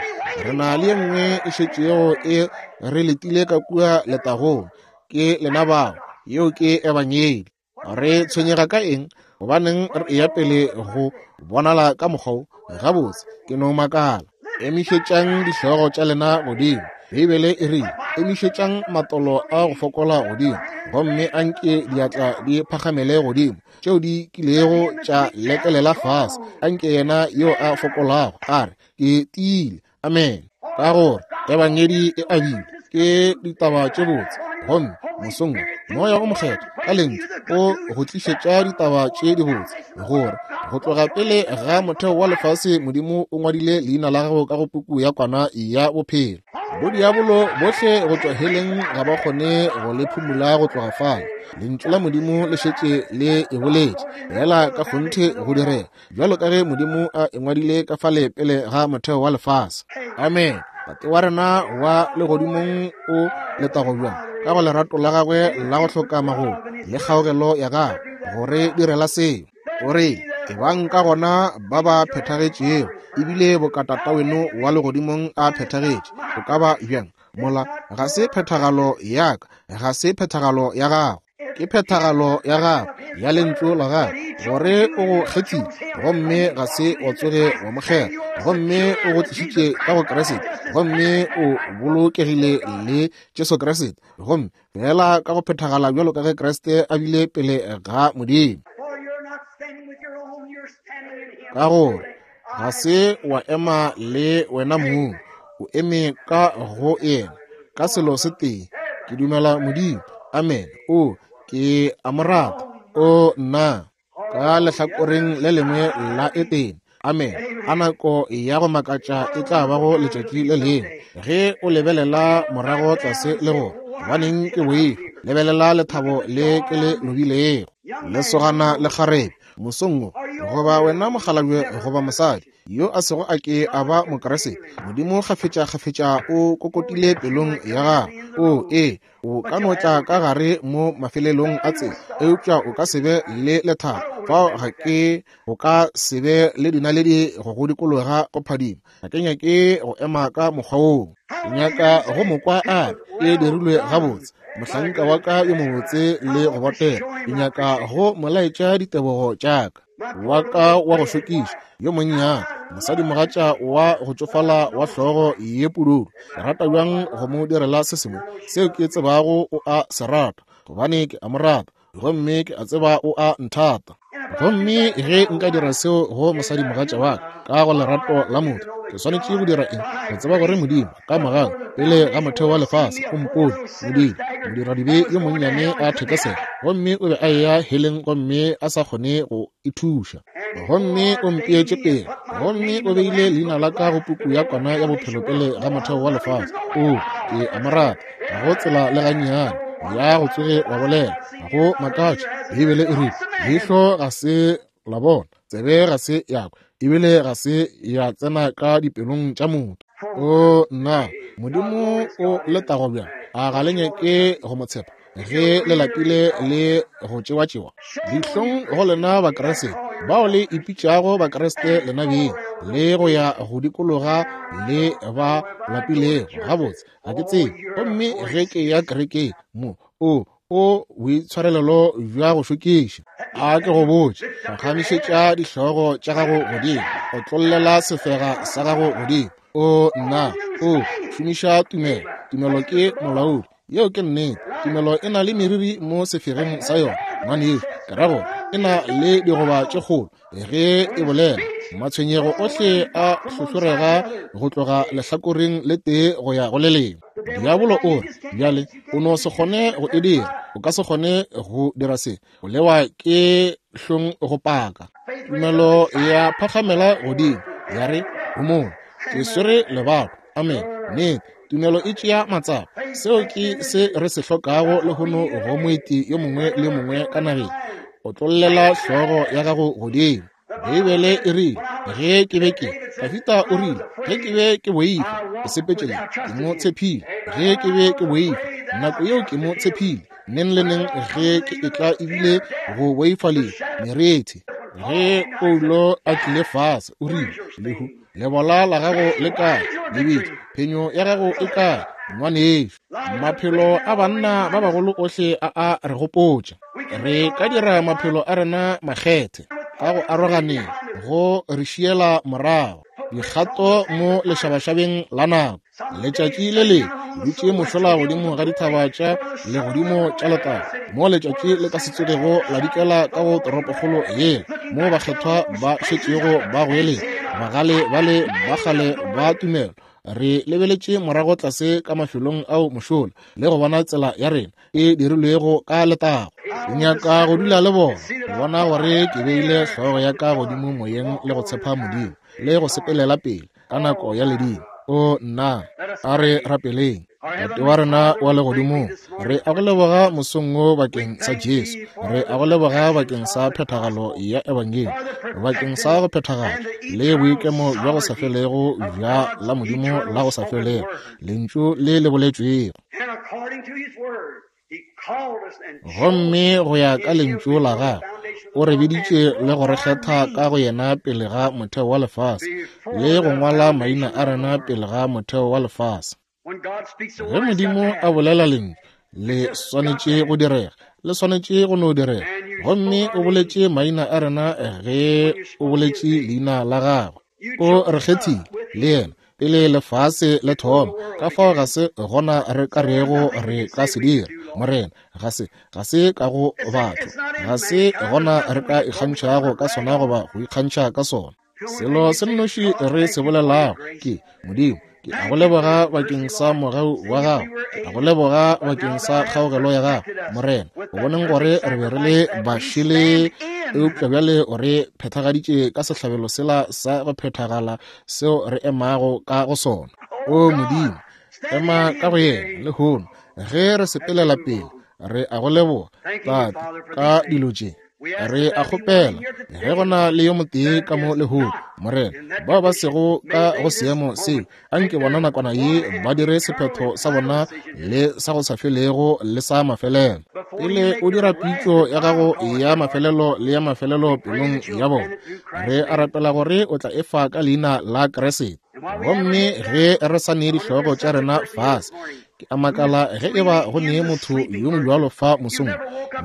re na le ye nngwe e šetšego e re letile ka kua letagong. Ke lena bao, yeo ke Ebangedi. Re tshwenyega ka eng? Gobaneng re eya pele go bonala ka mokgwa wo? Gabotse, ke no makala. Emišetšang dihlogo tša lena godimo. Beibele e rile, Emišetšang matolo a go fokola godimo, gomme anke diatla di phagamele godimo, tšeo di kilego tša lekelela fase. Anke yena yo a fokolago a re, Ke tiile. Amen. Ka gore Ebangedi e abilwe, ke ditaba tše botse, gomme mosong wo Moya o Mokgethwa ka Lentšu o go tlišetša ditaba tše dibotse, gore go tloga pele ga motheo wa lefase Modimo o ngwadile leina la gago ka go puku ya Kwana ya Bophelo. Bodiabolo bohle go tšwa heleng ga ba kgone go le phumula go tloga fale. Lentšu la Modimo le šetše le e boletše, feela ka kgonthe go direga bjalo ka ge Modimo a e ngwadile ka fale pele ga motheo wa lefase. Amen. Tate wa rena wa legodimong o letago bjang ka go lerato la gagwe la go hloka magolo le kgaogelo ya gagwe go re direla seo. O re, Ebang ka gona ba ba phethagetšego, ebile boka Tataweno wa legodimong a phethagetše. O ka ba bjang? Mola, ga se phethagalo ya ka, ga se phethagalo ya gago, ke phethagalo ya gago, ya Lentšu la gago, gore o go kgethile, gomme ga se wa tsoge wa mo kgetha, gomme o go tlišitše ka go Kriste, gomme o bolokegile le Jesu Kriste, gomme fela ka go phethagala bjalo ka ge Kriste a bile pele ga Modimo. Ka gore ga se wa ema le wena mong, o eme ka go yena, ka selo se tee, ke dumela Modimo. Amen. O, ke a mo rata. O, nna. Ka lehlakoreng le lengwe la Etene. Amen. A nako ya go makatša e tla bago letšatši le lengwe, ge o lebelela morago tlase le go, gobaneng ke boifa, lebelela lethabo le ke le lobilego. Lesogana le kgarebe, mosong wo, goba wena mokgalabje goba mosadi yo a sego a ke a ba Mokriste, Modimo kgafetšakgafetša o kokotile pelong ya gago. O, ee, o ka no tla ka gare mo mafelelong a tsela, eupša o ka se be le lethabo. Fao ga ke, o ka se be le dinaledi go go dikologa go phadima. Ga ke nyake go ema ka mokgwa woo. Ke nyaka go mo kwa a re, E dirilwe gabotse, mohlanka wa ka yo mobotse le go botega. Ke nyaka go mo laetša ditebogo tša ka. Wa ka wa go šokiša, yo monnyane, mosadimogatša wa go tšofala wa hlogo ye pududu. Ke rata bjang go mo direla se sengwe seo ke tsebago o a se rata, gobane ke a mo rata, gomme ke a tseba o a nthata. Gomme ge nka dira seo go mosadimogatša wa ka, ka go lerato la motho, ke swanetše go dira eng? Go tseba gore Modimo ka mogau pele ga motheo wa lefase o mpone, Modimo, modiradibe yo monnyane a thekesela, gomme o be a eya heleng gomme a sa kgone go ithuša, gomme o mpeetše pele, gomme o beile leina la ka go puku ya kwana ya bophelo pele ga motheo wa lefase. O, ke a mo rata, ga go tsela le gannyane ya go tsoge wa bolela. Ga go makatše Beibele e rile, leihlo ga se la bona, tsebe ga se ya kwa, ebile ga se ya tsena ka dipelong tša motho. O nna, Modimo o letago bjang! A ga le nyake go mo tshepa ge le lapile le go tšewatšewa? Dihlong go lena Bakriste bao le ipitšago Bakriste lena beng, le go ya go dikologa le ba lapilego. Gabotse, ga ke tsebe. Gomme ge ke ya kerekeng mo, o o boitshwarelelo bja go šokiša. A ke go botše, phagamišetša dihlogo tša gago godimo, otlollela sefega sa gago godimo. O nna, o šomiša tumelo. Tumelo ke molaodi. Yeo ke nnete. Tumelo e na le meriri mo sefegeng sa yona. Ngwanešu, ke ra gore e na le digoba tše kgolo ge e bolela. Matshwenyego ohle a hlohlorega go tloga lehlakoreng le tee go ya go le lengwe. Diabolo o re, bjale, o no se kgone go e dira. O ka se kgone go dira se. O lewa ke hlong go paka. Tumelo ya phagamela godimo, ya re, Homola, ke swere lebato. Amen. Nnete, tumelo e tšea matsapa. Seo ke se re se hlokago lehono go moeti yo mongwe le yo mongwe ka nageng. Otlollela hlogo ya gago godimo. Beibele e rile, ge ke be ke, Dafida o rile, ge ke be ke boifa, ke sepetše le, ke mo tshephile. Ge ke be ke boifa, nako yeo ke mo tshephile. Neng le neng ge ke etla ebile go boifa le merethe. Ge Paulo a tlile fase, o rile, lehu, lebola la gago le kae? Lebitla, phenyo ya gago e kae? Ngwanešu, maphelo a banna ba bagolo ohle a a re gopotša. Re ka dira maphelo a rena makgethe ka go aroganeng go re šiela morago dikgato mo lešabašabeng la nako. Letšatši le le dutše mošola godimo ga dithaba tša legodimo tša letago, mo letšatši le ka se tsogego la dikela ka go toropokgolo yela, mo bakgethwa ba šetšego ba goeletša, bagale bale ba kgale ba tumelo. Re lebeletše morago tlase ka mafelong ao mošola le go bona tsela ya rena e dirilwego ka letago. Ke nyaka go dula le bona, go bona gore ke beile hlogo ya ka godimo moyeng le go tshepa Modimo le go sepelela pele ka nako ya ledimo. O nna, a re rapeleng. Tate wa rena wa legodimong, re a go leboga mosong wo bakeng sa Jesu. Re a go leboga bakeng sa phethagalo ya Ebangedi, bakeng sa go phethagala le boikemo bja go sa felego bja la Modimo la go sa felego, Lentšu le le boletšwego. Gomme go ya ka Lentšu la Gagwe, o re biditše le go re kgetha ka go yena pele ga motheo wa lefase, le go ngwala maina a rena pele ga motheo wa lefase. Ge Modimo a bolela lentšu, le swanetše go direga, le swanetše go no direga. Gomme o boletše maina a rena ge o boletše leina la gagwe. O re kgethile le yena pele lefase le thoma. Ka fao ga se gona re ka rego re ka se dira, Morena. Ga se, ga se ka go batho. Ga se gona re ka ikgantšhago ka sona goba go ikgantšha ka sona. Selo se nnoši re se bolelago ke, Modimo, ke a go leboga bakeng sa mogau wa gago, ke a go leboga bakeng sa kgaogelo ya gago, Morena. O boneng gore re be re le bašele, eupša bjale o re phethagaditše ka sehlabelo sela sa go phethagala seo re emago ka go sona. O Modimo, ema ka go yena lehono ge re sepelela pele. Re a go leboga, Tate, ka dilo tše. Re a kgopela ge go na le yo motee ka mo lehono, Morena, bao ba sego ka go seemo seo, anke bona nakwana ye ba dire sephetho sa bona le sa go sa felego le sa mafelelo. Pele o dira pitšo ya gago ya mafelelo le ya mafelelo pelong ya bona, re a rapela gore o tla efa ka leina la Kriste. Gomme ge re sa nee dihlogo tša rena fase, ke a makala ge e ba go nee motho yo mobjalo fa mosong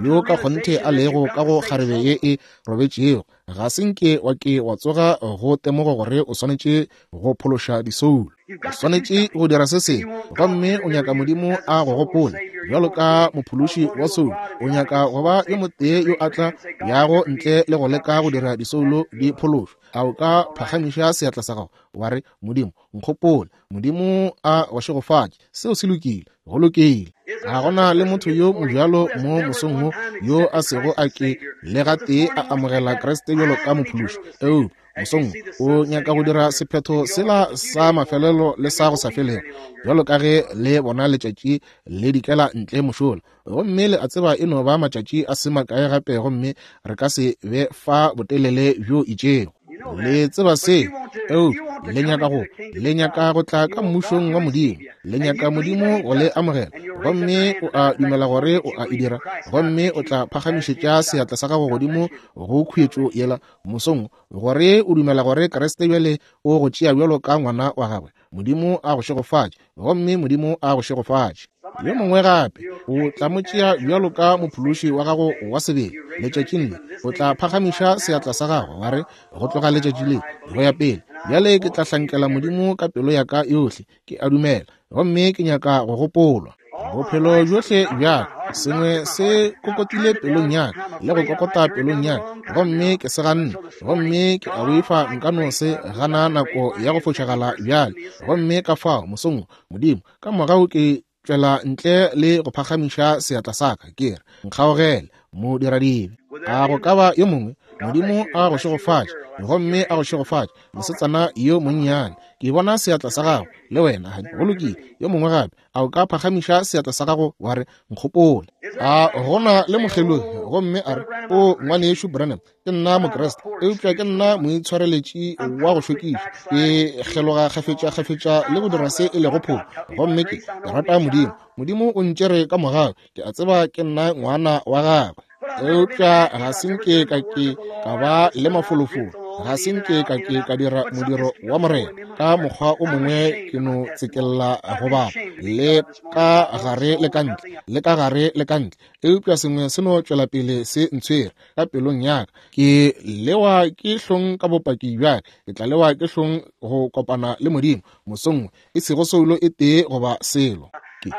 yo ka kgonthe a lego ka go kgarebe ye e robetšego, ga se nke wa ke wa tsoga go temogo gore o swanetše go phološa disoulo. O swanetše go dira se sengwe, gomme o nyaka Modimo a go gopole bjalo ka mophološi wa soulo. O nyaka go ba yo motee yo a tla yago ntle le go leka go dira disoulo di phološwe. A o ka phagamiša seatla sa gago wa re, Modimo, nkgopole? Modimo a go šegofatše. Seo se lokile. Go lokile. Ga gona le motho yo mobjalo mo mosong wo yo a sego a ke le gatee a amogela Kriste bjalo ka mophološi. Eupša mosong o nyaka go dira sephetho sela sa mafelelo le sa go sa felego, bjalo ka ge le bona letšatši le dikela ntle mošola. Gomme le a tseba e no ba matšatši a se makae gape, gomme re ka se be fa botelele bjo itšego. Le tseba se, eupša le nyaka go, le nyaka go tla ka mmušong wa Modimo. Le nyaka Modimo go le amogela, gomme o a dumela gore o a e dira, gomme o tla phagamišetša seatla sa gago godimo go khuetšo yela mosong, gore o dumela gore Kriste bjale o go tšea bjalo ka ngwana wa gagwe. Modimo a go šegofatše, gomme Modimo a go šegofatše. Yo mongwe gape o tla mo tšea bjalo ka mophološi wa gago wa sebele letšatšing le. O tla phagamiša seatla sa gago wa re, Go tloga letšatši le go ya pele, bjale ke tla hlankela Modimo ka pelo ya ka yohle. Ke a dumela, gomme ke nyaka go gopolwa bophelo bjohle bja ka. Sengwe se kokotile pelong ya ka le go kokota pelong ya ka, gomme ke se ganne, gomme ke a boifa nka no se gana nako ya go fošagala bjale. Gomme ka fao mosong wo, Modimo, ka morago ke tšwela ntle le go phagamiša seatla sa ka, ke re, Nkgaogele, modiradibe. A go ka ba yo mongwe? Modimo a go šegofatše, gomme a go šegofatše, mosetsana yo monnyane. Ke bona seatla sa gago, le wena. Go lokile. Yo mongwe gape, a o ka phagamiša seatla sa gago wa re, Nkgopole. A gona le mokgelogi, gomme a re, O Ngwanešu Branham, ke nna Mokriste, eupša ke nna moitshwareletši wa go šokiša. Ke kgeloga kgafetša-kgafetša le go dira se e lego phošo, gomme ke rata Modimo. Modimo o ntšere ka mogau. Ke a tseba ke nna ngwana wa gagwe, eupša ga se nke ka ke ka ba le mafolofolo, ga se nke ka ke ka dira modiro wa Morena ka mokgwa o mongwe. Ke no tsekella go ba le ka gare le ka ntle, le ka gare le ka ntle, eupša sengwe se no tšwela pele se ntshwere ka pelong ya ka. Ke lewa ke hlong ka bopaki bja ka. Ke tla lewa ke hlong go kopana le Modimo mosong wo, e sego soulo e tee goba selo. Ke,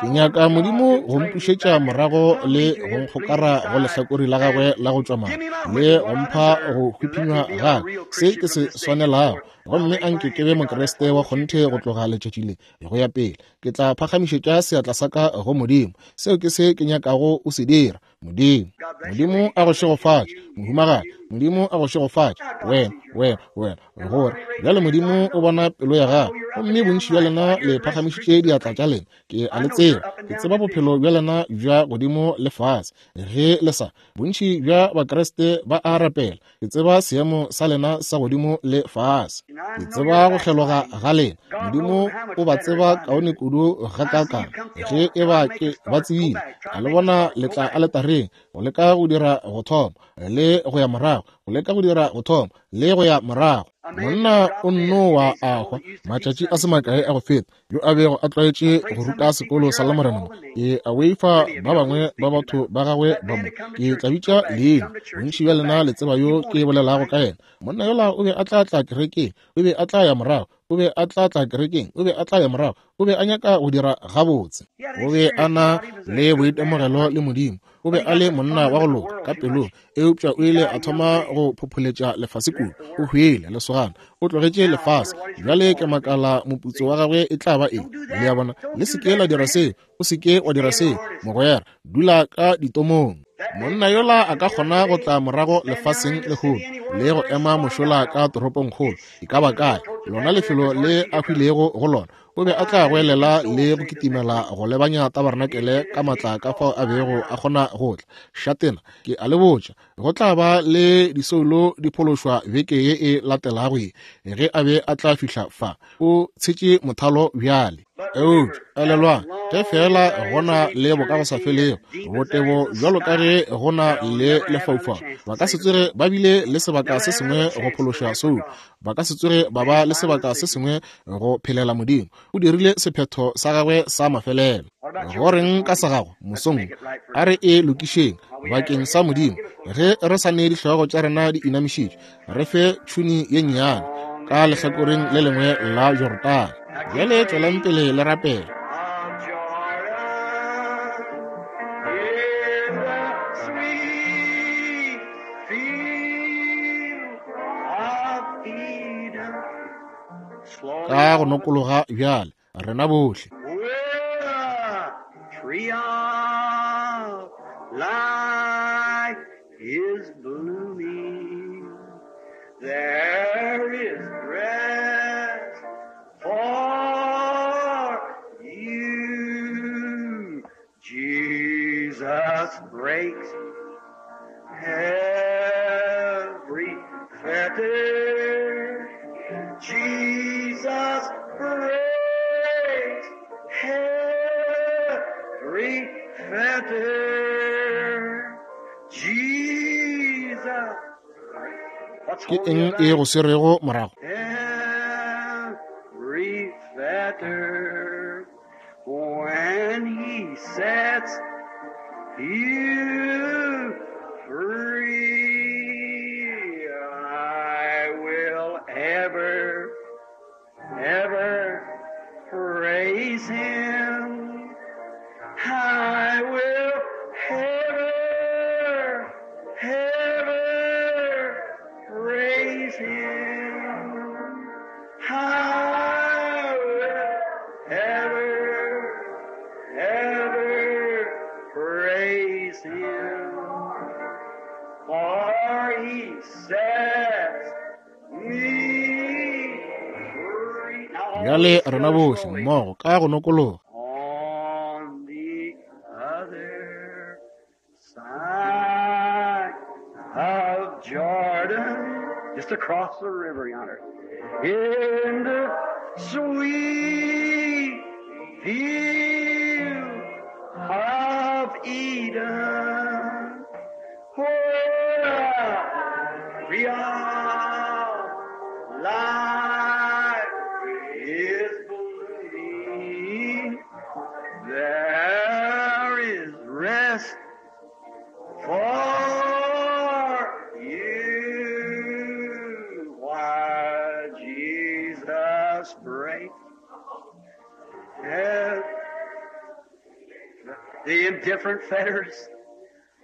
ke nyaka Modimo go mpušetša morago le go nkgokara go lehlakori la gagwe la go tšwa madi, le go mpha go hwiphinywa ga ka, se ke se swanelago, gomme a nke ke be Mokriste wa kgonthe go tloga letšatši le go ya pele. Ke tla phagamišetša seatla sa ka go Modimo. Seo ke se ke nyakago o se dira. Modimo, Modimo a go šegofatše, mohumagadi. Modimo a go šegofatše, wena, wena, wena. Gore bjale Modimo o bona pelo ya gago, gomme bontši bja lena le phagamišitše diatla tša lena. Ke a le tseba, ke tseba bophelo bja lena bja godimo le fase. Ge le sa, bontši bja Bakriste ba a rapela. Ke tseba seemo sa lena sa godimo le fase. Ke tseba go kgeloga ga lena. Modimo o ba tseba kaone kudu gakaakang. Ge e ba ke ba tsebile, a le bona le tla aletareng go leka go dira go thoma le go ya morago, go leka go dira go thoma le go ya morago. Monna o nno wa a hwa matšatši a se makae a go feta, yo a bego a tlwaetše go ruta sekolo sa Lamorena mo. Ke a boifa ba bangwe ba batho ba gagwe ba mo. Ke tla bitša leina. Bontši bja lena le tseba yo ke bolelago ka yena. Monna yola o be a tla tla kerekeng, o be a tla ya morago, o be a tla tla kerekeng, o be a tla ya morago, o be a nyaka go dira gabotse. O be a na le boitemogelo le Modimo. O be a le monna wa go loka ka pelong, eupša o ile a thoma go phopholetša lefase kudu. O hwile, lesogana. O tlogetše lefase. Bjale ke makala moputso wa gagwe e tla ba eng. Le a bona? Le se ke la dira seo. O se ke wa dira seo, mogwera. Dula ka ditomong. Monna yola a ka kgona go tla morago lefaseng lehono le go ema mošola ka toropongkgolo, e ka ba kae, lona lefelo le a hwilego go lona. O be a tla goelela le go kitimela go lebanya tabarenakele ka matla ka fao a bego a kgona go tla. Šatena, ke a le botša, go tla ba le disoulo di phološwa beke ye e latelago ye, ge a be a tla fihla fa. O tshetše mothalo bjale. Eupša elelwang, ge feela go na le bokagosafelego, botebo bjalo ka ge go na le lefaufau, ba ka se tsoge ba bile le sebaka se sengwe go phološa soulo. Ba ka se tsoge ba ba le sebaka se sengwe go phelela Modimo. O dirile sephetho sa gagwe sa mafelelo. Go reng ka sa gago mosong? A re e lokišeng bakeng sa Modimo. Ge re sa ne dihlogo tša rena di inamišitšwe, re fe tšhuni ye nnyane ka lehlakoreng le lengwe la Jorodane. Bjale tšwelang pele le rapela. Ka go nokologa bjale, rena bohle. Is blooming. There is rest for you. Jesus breaks every fetter. Jesus breaks every fetter. Jesus. Ke eng e go swerego morago? Every fetter, when he sets you free, I will ever, ever praise him. I will ever, ever praise him. I will ever, ever praise him. For he sets me free. Now all Bjale these rena go bohle slowly. mmogo ka go nokologa. On the other side of Jordan, just across the river yonder, in the sweet field of Eden, where tree of life is blooming, there is rest for you. Why Jesus breaks the indifferent fetters,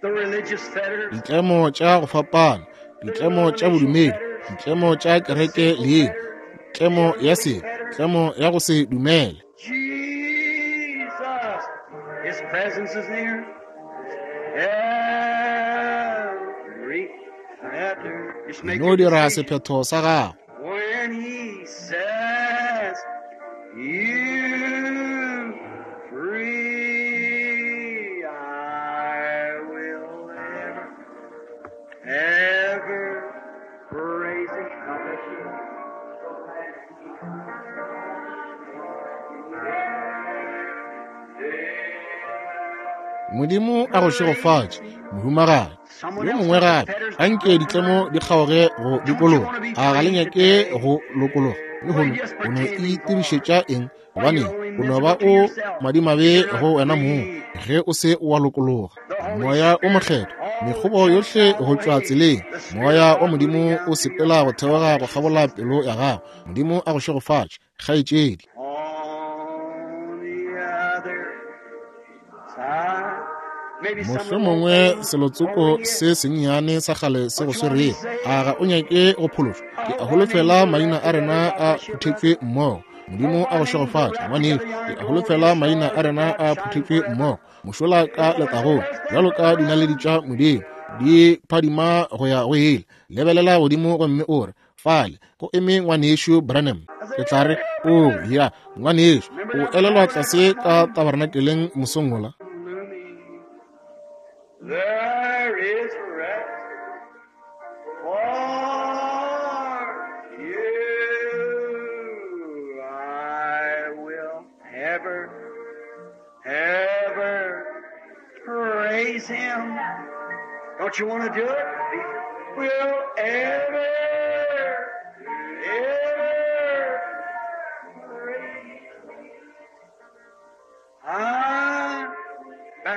the religious fetters, Ditlemo tša go fapana, ditlemo tša bodumedi, ditlemo tša kereke leina, tlemo ya sebe, tlemo ya go se dumele. Jesus, His presence is near. Every fetter. Just make No your dira decision. sephetho sa gago. When He says you free, I will ever, ever praise Him. God bless you. Modimo a go šegofatše, mohumagadi. Yo mongwe gape, a nke ditlemo di kgaoge go dikologa. A ga le nyake go lokologa? Lehono o no itirišetša eng? Gobaneng, o no ba o madimabe go wena mong ge o se wa lokologa. Moya o mokgethwa, mekgobo yohle go tšwa tseleng. Moya wa Modimo o sepela go theoga go kgabola pelo ya gago. Modimo a go šegofatše, kgaetšedi. On the other side. Maybe some little Mohlomongwe thing selotsoko over here. se sennyane sa kgale se go swerego. A ga o nyake go phološwa? Ke a holofela maina a rena a phuthetšwe mmogo. Modimo a go šegofatše, ngwanešu. Ke a holofela maina a rena a phuthetšwe mmogo. Mošola ka letagong, bjalo ka dinaledi tša Modimo, di phadima go ya go ile. Lebelela godimo gomme o re, fale go eme ngwanešu Branham. Ke tla re, O ya, ngwanešu, o elelwa tlase ka tabernakeleng mosong wola? There is rest for you. I will ever, ever praise Him. Don't you want to do it? Will ever, ever praise Him. Ah,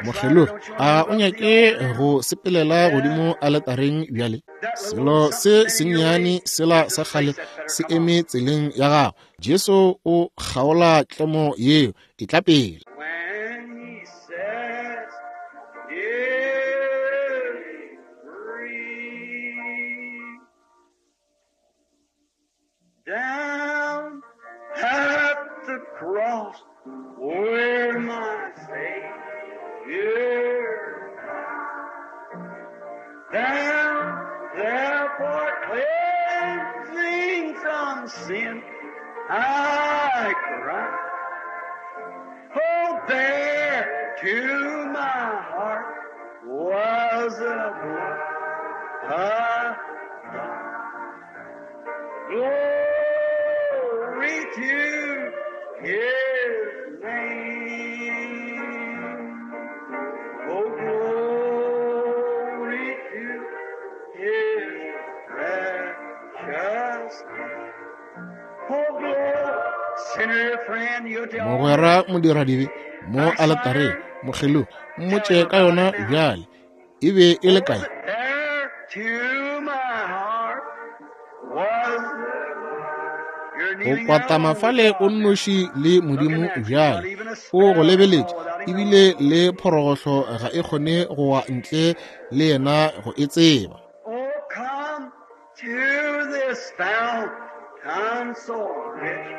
Mokgelogi, a o nyake go sepelela godimo aletareng bjale? Selo se sennyane sela sa kgale se eme tseleng ya gago. Jesu o kgaola tlemo yeo, e tla pele. When he says, "Is free," down at the cross where my Savior died, down there for cleansing from sin, I cry. Oh, there to my heart was a blood. Glory to His name. Oh, glory to His precious name. Oh, glory. Sinner friend, you tell Mogwera modiradibe mo aletareng, mokgelogi, mmotše ka yona bjale. E be e le kae? There to my heart was You're Go kneeling kwatama down with fale o God. nnoši le Modimo bjale. O go lebeletše, ebile le phorogohlo ga e kgone go wa ntle le yena go e tseba. Oh, come to this fountain so rich,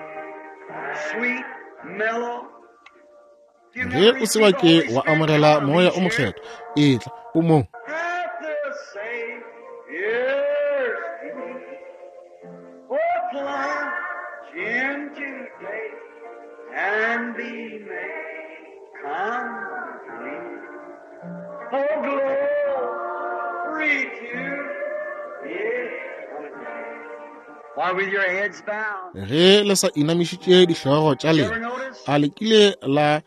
sweet, mellow. You Ge never o se wa received the ke Holy wa Spirit, amogela come, moya he's o here. mokgethwa, etla o mo. At the Savior's feet. Oh, plunge in today and be made complete. Oh, glory to His. While with your heads bowed, Ge le sa inamišitše dihlogo tša you lena, ever notice a le kile la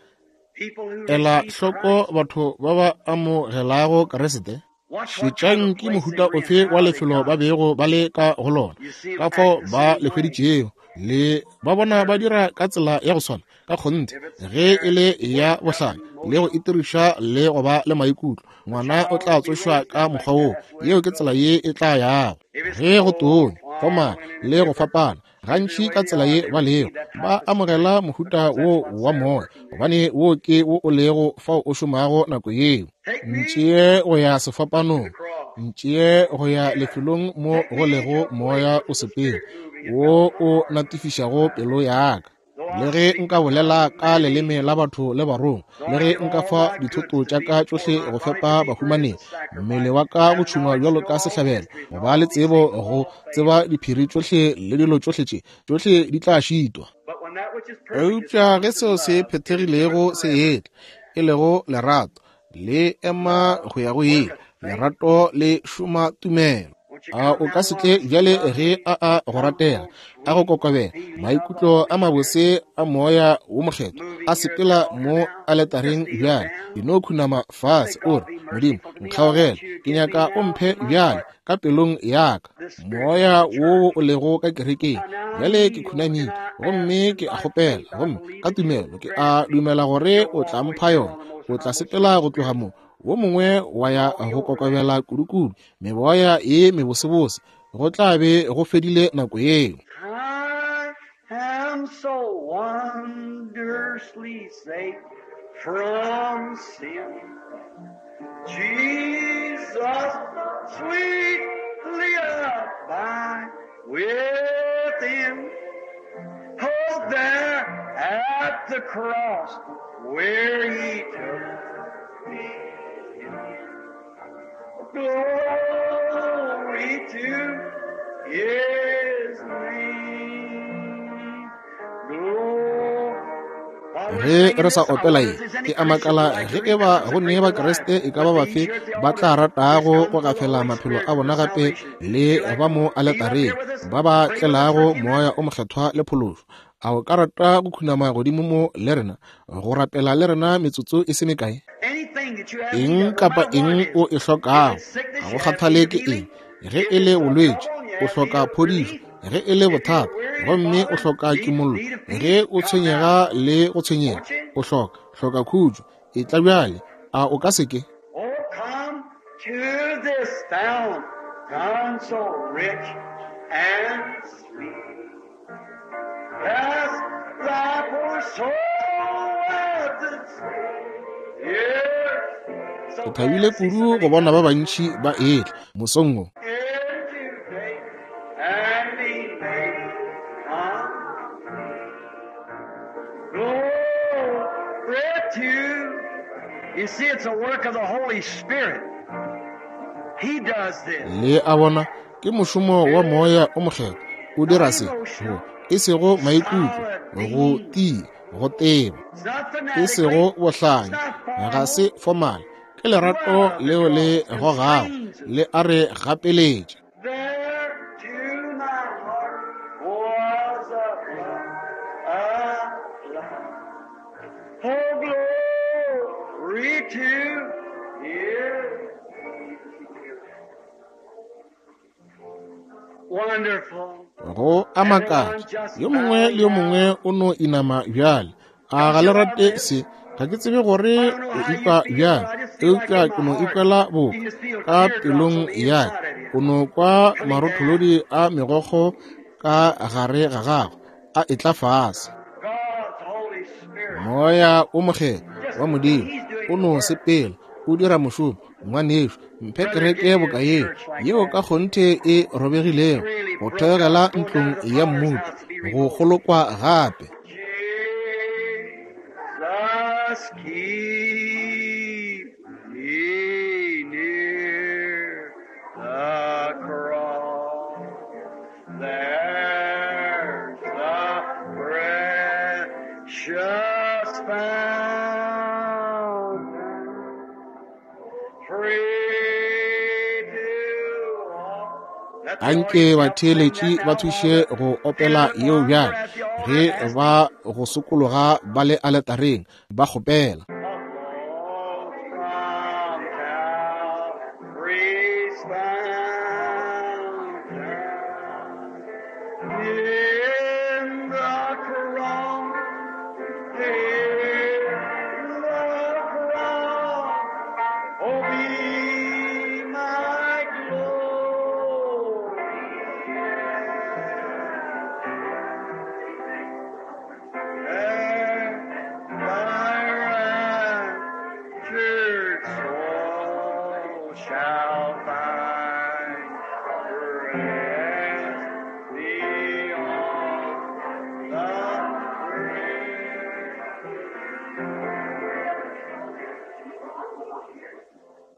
people who ela receive hloko Christ? batho ba ba amogelago Kriste? Watch what kind Šetšang of ke place they mohuta were in, ofe wa how they lefelo ba got it. bego ba le ka go lona, You see ka them fao act the ba same le way. hweditšego. Le ba bona ba dira ka tsela ya go swana ka kgonthe, If it's ge e le parents ya worked up, bohlanya le go emotional, itiriša le go ba le maikutlo, ngwana o tla child will be tsošwa raised ka up like mokgwa woo. that. That's the way Yeo it ke tsela goes. ye e tla yago. If it's Ge go cold, tonya, komana quarreling, le go and different, fapana, usually the gantši way ka they tsela are, ye they ba lego, receive that ba type of spirit amogela mohuta because that's wo what's wa there moya, working there. gobane wo ke wo o lego fao o šomago nako yeo. Take me Ntšee go ya to the sefapanong, cross. ntšee go ya lefelong mo Take go me lego to a place moya where o the sepela, Spirit moving and wo melts my o heart. natifišago pelo ya ka. Though Le I ge speak nka the bolela tongues of ka men and leleme angels, la batho le barongwa, though le I ge give nka all fa my goods dithoto to tša feed ka the poor, tšohle my go body to fepa be burned as bahumanegi, a sacrifice, mmele wa ka go have tšhungwa knowledge to bjalo know ka all sehlabelo, mysteries go and ba le all these tsebo things go all tseba fail. diphiri tšohle le dilo tšohle tše, tšohle di tla šitwa. But when that which is perfect is Eupša come, ge which is seo se love, it endureth phethegilego se forever. etla, e lego lerato, le ema Love go ya go ile. worketh faith. Lerato le šoma tumelo. Won't you A come o now ka se while tle this bjale ge lovely, a a go ratega, humble, a go sweet kokobela, feeling of the maikutlo Holy a Spirit mabose a moya wo mokgethwa moving a here at the sepela altar mo now? Just aletareng kneel bjale. down. E no khunama Say, fase o God, re, be Modimo, merciful to me. I nkgaogele, want you to ke give me nyaka o now mphe in my bjale heart ka pelong ya ka the spirit of moya the wo church. o lego ka kerekeng. Now I Bjale ke kneel and khunamile I ask gomme and ke a by kgopela, faith I gomme believe ka that you will tumelo ke grant a it me. dumela gore You'll o tla walk away mpha here yona. on the most O tla humble, sweet sepela go tloga spirit. mo, wo mongwe wa ya All be go over that. kokobela kudukudu, meboya ye mebosebose, go tla be go fedile nako yeo. I am so wondrously safe from sin. Jesus sweetly abide within. Oh, there at the cross where he took me in. Glory to his name. Ge re sa opela ye, ke a makala ge e ba go ne Bakriste e ka ba bafe ba tla ratago go gafela maphelo a bona gape le ba mo aletareng, ba ba tlelago Moya o Mokgethwa le phološo. A o ka rata go khunama godimo mo le rena, go rapela le rena metsotso e se mekae? Eng kapa eng o e hlokago, ga go kgathale ke eng, ge e le bolwetši, o hloka phodišo, ge e le bothata, gomme o hloka kimollo, ge o tshwenyega le go tshwenyega, o hloka, hloka khutšo, etla bjale, a o ka se ke? Oh, come to this fountain so rich and sweet. Cast thy poor soul at its feet. Ke thabile kudu go bona ba bantši ba etla mosong wo. Today and be made complete. Glory to. You see, it's a work of the Holy Spirit. He does this. Le a bona, ke mošomo wa Moya o Mokgethwa o dira se, go e sego maikutlo, go tia, go teba, It's not e sego fanatically. bohlanya, ga se formal, ke lerato leo le gogago, le a re gapeletša. There to my heart was a flood, a flood. Oh, glory to you. Wonderful. Go a makatša, yo mongwe le yo mongwe o no inama bjale. A ga le rate se? Ga ke tsebe gore o ikwa bjang, eupša ke no ikwela boka ka pelong ya ka. O no kwa marotholodi a megokgo ka gare ga gago a etla fase. God's Holy Spirit. Moya o Mokgethwa wa Modimo o no sepela o dira mošomo. Ngwanešu, mphe kereke boka yeo, yeo ka kgonthe e robegilego, go theogela ntlong ya mmutu, go kgolokwa gape. Jesus, keep me near the cross. There's the precious fountain, free to all. Let the Anke audience help sing batheeletši that ba now while thuše the go opela in the yeo choir bjale, at the ge altar ask ba go sokologa ba le aletareng ba kgopela. the Lord from Calvary's fountain. In the cross, in the cross, oh, be my glory. There thy raptured soul shall find rest beyond the grave.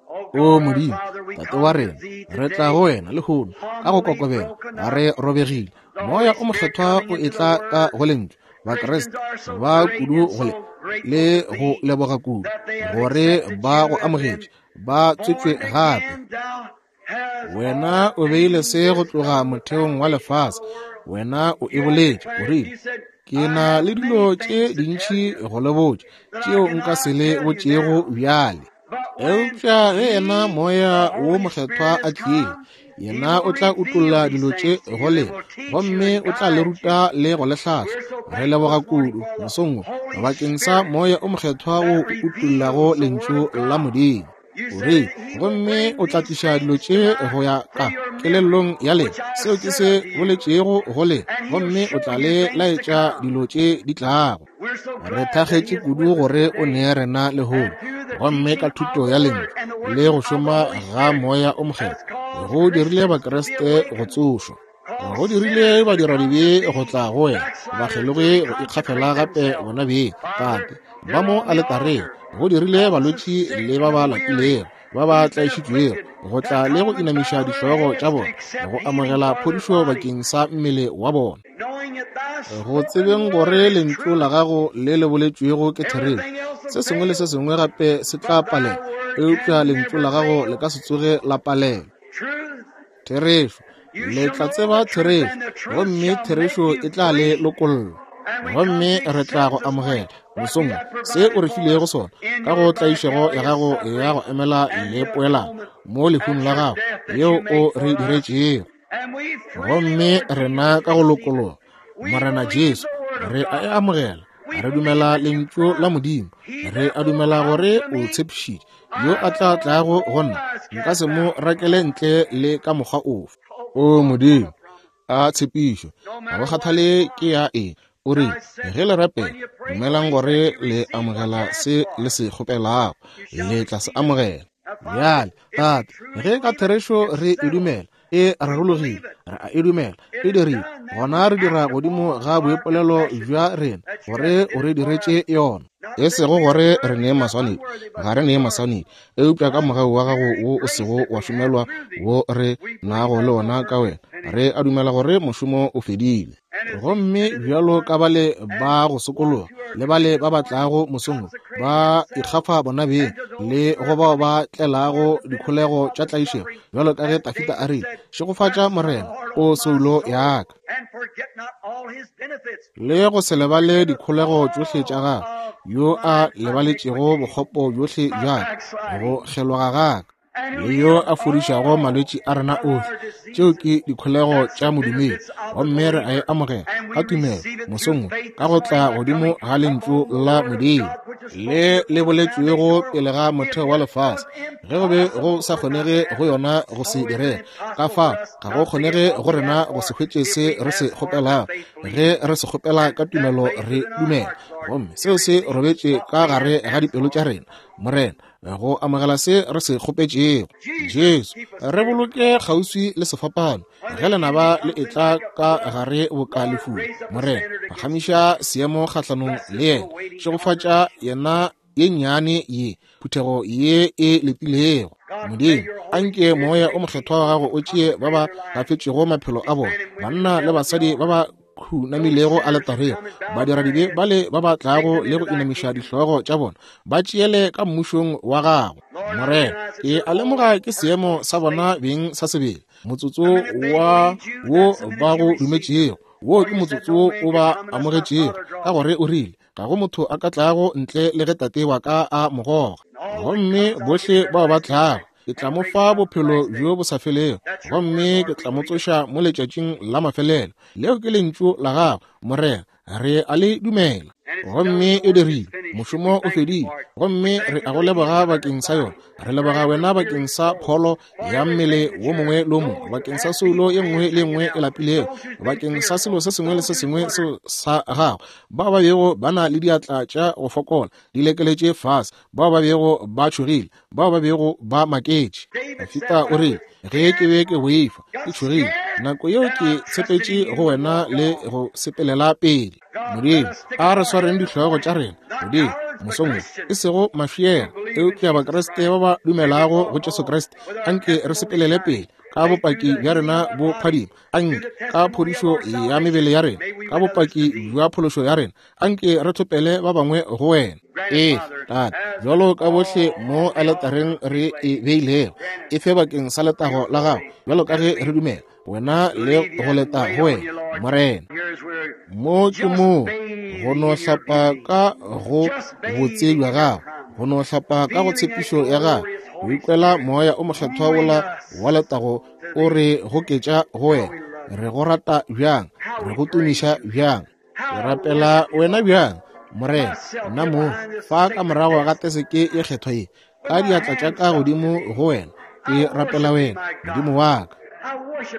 O Oh God, our Modimo, Father, we Tate come wa to rena, thee re tla today, go wena lehono ka go humbly kokobela, broken ga up, re robegile. the Moya Holy o Spirit Mokgethwa coming o into the etla ka Word. go lentšu. Christians Bakriste are so ba great kudu and go le so grateful le to go thee leboga kudu that they have gore accepted ba you go and been amogetše, ba tswetšwe born gape. again. Thou hast Wena o beile ordained se go this tloga from the motheong wa foundation of lefase. the world. Wena o e You have boletše, o declared, rile, you said, Ke I na have le many dilo tše things to tell dintši you go le botša, that I tšeo nka se cannot le tell you botšego now. bjale. But when Eupša ge yena He, Moya the wo Holy Mokgethwa Spirit, a has tlile, come, He yena will o tla reveal utolla these dilo tše things to go you and lena, will teach you gomme and o tla le guide you. ruta le go le hlahla. We're so Re thankful leboga this morning kudu for the mosong wo Holy bakeng sa Spirit Moya o Mokgethwa wo that o utollago reveals the Word lentšu of la God. Modimo. You O said rile, that He will gomme bring o tla these tliša dilo things to tše my go ya to ka your memory, kelellong ya lena, which I have seo ke said se unto you, boletšego go lena, and He'll gomme o show tla you le things to laetša come. dilo tše di tlago. We're so Re glad that He thakgetše is kudu with us gore o today. nee rena lehono, And through the gomme ka teaching of thuto the ya Word lentšu and the le working go of the šoma Holy ga Spirit Moya o has Mokgethwa, caused go dirile Christians to be Bakriste go awakened, tsošwa, caused go dirile sinners to come to badiradibe go thee, tla go wena, backsliders to bakgelogi go reconsecrate ikgafela gape themselves. bona beng. Father, Tate, ba they're mo on the aletareng, altar. go dirile Cause the balwetši sick le and ba the ba weary lapilego, ba ba who've been tlaišitšwego, afflicted go to tla le go come and inamiša bow their dihlogo tša heads to bona, accept go healing amogela for their phodišo body, bakeng sa mmele wa bona. knowing that thou Go tsebeng gore lentšu la gago le le boletšwego ke therešo, se sengwe le se sengwe gape se tla palela, eupša lentšu la gago le ka se tsoge la palela. Therešo, le tla tseba therešo, gomme therešo e tla le lokolla. Gomme re tla go amogela mosong se o re filego sona ka go tlaišego ya gago ya go emela le poelano mo lehung la gago yeo o re diretšego. Gomme rena ka go lokologa, Morena Jesu, re a e amogela. Re dumela lentšu la Modimo. Re a dumela gore o tshepišitše yo a tla tlago go nna, nka se mo rakele ntle le ka mokgwa ofe. O Modimo, a tshepišo, ga go kgathale ke ya eng, o re ge le rapela, dumelang gore le amogela se le se kgopelago, le tla se amogela. Bjale, Tate, ge ka therešo re e dumela, e rarologile, re a e dumela, e dirile, gona re dira godimo ga boipolelo bja rena gore o re diretše yona. E sego gore re nee maswanedi, ga re nee maswanedi, eupša ka mogau wa gago wo o sego wa šomelwa wo re nago le ona ka wena, re a dumela gore mošomo o fedile. Gomme bjalo ka bale ba go sokologa le bale ba ba tlago mosong ba ikgafa bona beng le go bao ba tlelago dikholego tša tlaišego, bjalo ka ge Tafita a rile, šegofatša Morena, o soulo ya ka, le go se lebale dikholego tšohle tša gagwe, yo a lebaletšego bokgopo bjohle bja ka, go kgeloga ga ka, le yo a fodišago malwetši a rena ohle. Tšeo ke dikholego tša modumedi, gomme re a e amogela ka tumelo mosong ka go tla godimo ga lentšu la Modimo le le boletšwego pele ga motheo wa lefase, ge go be go sa kgonege go yona go se direga. Ka fa ga go kgonege go rena go se hwetše se re se kgopelago ge re se kgopela ka tumelo re dumela, gomme seo se robetše ka gare ga dipelo tša rena, Morena, go amogela se re se kgopetšego. Jesu, re boloke kgauswi le sefapano ge lenaba le etla ka gare boka lefula. Morena, phagamiša seemo kgahlanong le yena, šegofatša yena ye nnyane ye, phuthego ye e letilego. Modimo, anke Moya o Mokgethwa wa gago o tšee ba ba gafetšego maphelo a bona, banna le basadi ba ba khunamilego aletareng, badiradibe bale ba ba tlago le go inamiša dihlogo tša bona, ba tšeele ka mmušong wa gago. Morena, ke a lemoga ke seemo sa bona beng sa sebele, motsotso wa wo ba go dumetšego, wo ke motsotso o ba amogetšego, ka gore o rile, ga go motho a ka tlago ntle le ge Tate wa ka a mo goga. Gomme bohle bao ba tlago, ke tla mo fa bophelo bjo bo sa felego, gomme ke tla mo tsoša mo letšatšing la mafelelo. Leo ke lentšu la gago, Morena, re a le dumela. Gomme e dirile, mošomo o fedile, gomme re a go leboga bakeng sa yona. Re leboga wena bakeng sa pholo ya mmele wo mongwe le wo mongwe, bakeng sa soulo ye nngwe le nngwe e lapilego, bakeng sa selo se sengwe le se sengwe seo sa gago. Bao ba bego ba na le diatla tša go fokola di lekeletše fase, bao ba bego ba tšhogile, bao ba bego ba maketše. Dafita o rile, ge ke be ke boifa, ke tšhogile, nako yeo ke tshepetše go wena le go sepelela pele. Modimo, a re swareng dihlogo tša rena godimo mosong wo, e sego mafiela, eupša Bakriste ba ba dumelago go Jesu Kriste. Anke re sepelele pele ka bopaki bja rena bo phadima, anke ka phodišo ya mebele ya rena, ka bopaki bja phološo ya rena, anke re thopele ba bangwe go wena. Ee, Tate, bjalo ka bohle mo aletareng re e beilego, e fe bakeng sa letago la gago, bjalo ka ge re dumela wena le go leta go wena, Morena. Mo ke moo go no hlapa ka go botse bja gago, go no hlapa ka go tshepišo ya gago, go ikwela Moya o Mokgethwa wola wa letago o re goketša go wena. Re go rata bjang, re go tumiša bjang, re rapela wena bjang, Morena. Nna mo fa ka morago ga teseke ye kgethwa ye, ka diatla tša ka godimo go wena, ke rapela wena, Modimo wa ka.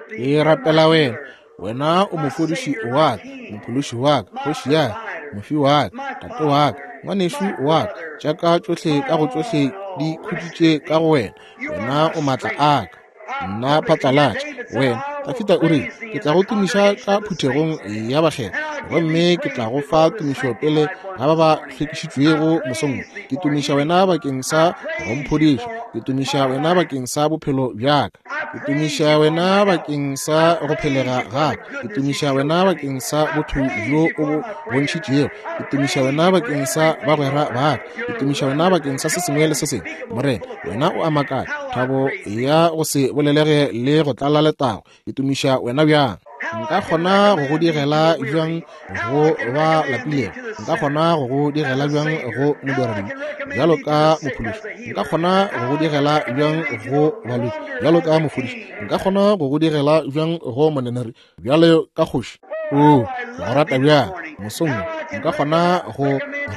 Ke rapela wena, wena o mofodiši wa ka, mophološi wa ka, kgoši ya ka, mofi wa ka, tate wa ka, ngwanešu wa ka. Tša ka tšohle ka go tšohle di khutšitše ka go wena, wena o maatla a ka. Nna phatlalatša wena. Dafita o rile, ke tla go tumiša ka phuthegong ya bakgethwa, gomme ke tla go fa tumišo pele ga ba ba hlwekišitšwego mosong. Ke tumiša wena bakeng sa go mphodiša, ke tumiša wena bakeng sa bophelo bja ka. Ke tumiša wena bakeng sa go phelega ga ka. Ke tumiša wena bakeng sa botho bjo o bo bontšhitšego. Ke tumiša wena bakeng sa bagwera ba ka. Ke tumiša wena bakeng sa se sengwe le se sengwe. Morena, wena o a makatša, thabo ya go se bolelege le go tlala letago. Ke tumiša wena bjang! Nka kgona go go digela bjang go ba lapilego? Nka kgona go go digela bjang go modiradibe bjalo ka mophološi? Nka kgona go go digela bjang go balwetši bjalo ka mofodiši? Nka kgona go go digela bjang go moneneri bjalo ka kgoši? Oo, ke go rata bjang mosong wo! Nka kgona go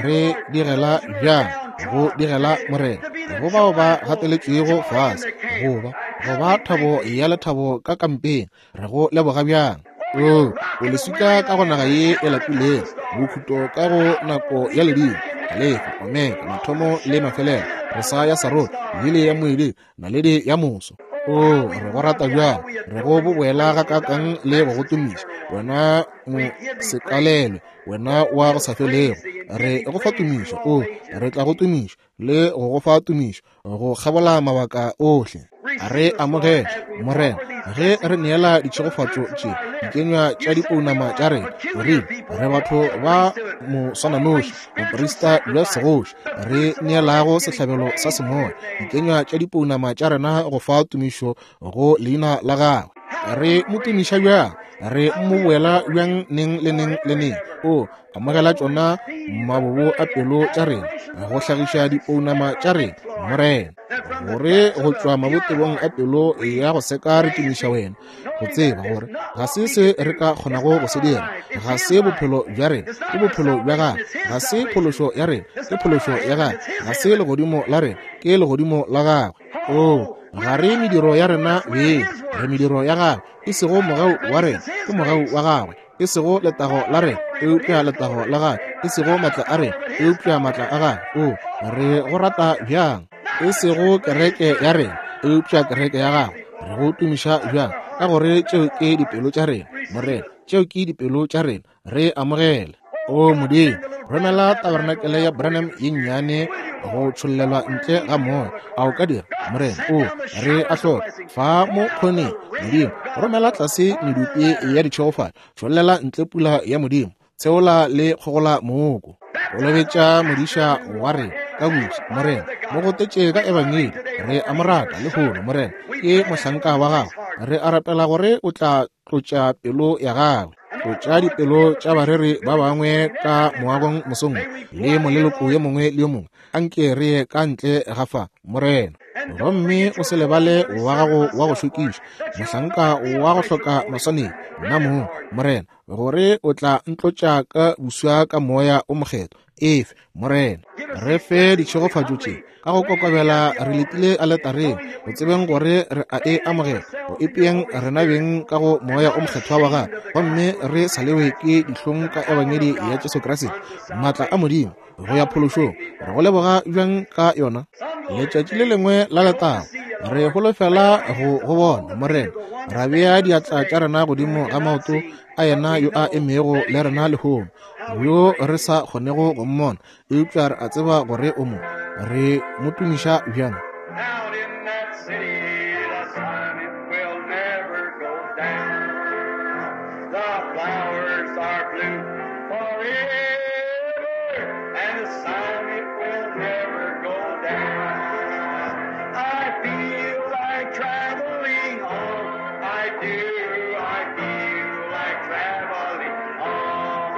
re digela bjang go digela Morena go bao ba gateletšwego fase, goba go ba thabo ya lethabo ka kampeng. Re go leboga bjang! Oo, o leswika ka go naga ye e lapilego, bokhuto ka go nako ya ledimo, Alefa, Omega, mathomo le mafelelo, re sa ya Sarone, lili ya moeding, naledi ya moso. Oo, re go rata bjang! Re go boboela gakaakang le go go tumiša, wena mosekalelwe, wena wa go sa felego. Re go fa tumišo, oo, re tla go tumiša le go go fa tumišo go kgabola mabaka ohle. Re amogele, Morena, ge re neela ditšhegofatšo tše, dikenywa tša dipounama tša rena. O rile, re batho ba moswananoši, boprista bja segoši, re neelago sehlabelo sa semoya, dikenywa tša dipounama tša rena go fa tumišo go leina la gagwe. Re mo tumiša bjang! Re mo boela bjang neng le neng le neng! O amogela tšona mabobo a pelo tša rena go hlagiša dipounama tša rena, Morena, gore go tšwa mabotebong a pelo ya go seka re tumiša wena, go tseba gore ga se se re ka kgonago go se dira, ga se bophelo bja rena, ke bophelo bja gagwe, ga se phološo ya rena, ke phološo ya gagwe, ga se legodimo la rena, ke legodimo la gagwe. Oo, ga re mediro ya rena beng, re mediro ya gagwe, e sego mogau wa rena, ke mogau wa gagwe, e sego letago la rena, eupša letago la gagwe, e sego matla a rena, eupša matla a gagwe. O, re go rata bjang! E sego kereke ya rena, eupša kereke ya gagwe. Re go tumiša bjang, ka gore tšeo ke dipelo tša rena, Morena, tšeo ke dipelo tša rena. Re amogele. O Modimo, romela tabernakelé ya Branham ye nnyane go tšhollelwa ntle ga moya. A o ka dira, Morena? O, re a hloka. Fa mo kgoneng, Modimo, romela tlase medupi ya ditšhegofatšo, tšhollela ntle pula ya Modimo, tsheola le kgogola mooko. Kolobetša modiša wa rena ka buša, Morena, mo gotetše ka Ebangedi. Re a mo rata lehono, Morena, ke mohlanka wa gago. Re a rapela gore o tla tlotša pelo ya gagwe, tlotša dipelo tša bareri ba bangwe ka moagong mosong le moleloko yo mongwe le yo mongwe. Anke re ye ka ntle ga fa, Morena, gomme o se lebale wa gago wa go šokiša, mohlanka wa go hloka maswanedi, nna mong, Morena, gore o tla ntlotša ka buswa ka Moya o Mokgethwa. Efe, Morena, re fe ditšhegofatšo tše ka go kokobela re letile aletareng, go tsebeng gore re a e amogela, go ipeeng rena beng ka go Moya o Mokgethwa wa gagwe, gomme re sa lewe ke dihlong ka Ebangedi ya Jesu Kriste, maatla a Modimo go ya phološong. Re go leboga bjang ka yona! Letšatši le lengwe la letago re holofela go go bona, Morena, ra bea diatla tša rena godimo ga maoto a yena yo a emego le rena lehono, yo re sa kgonego go mmona, eupša re a tseba gore o mo. Re mo tumiša bjang! Out in that city, the sun it will never go down. The flowers are blue forever, and the sun it will never go down. I feel like traveling on. I do, I feel like traveling on.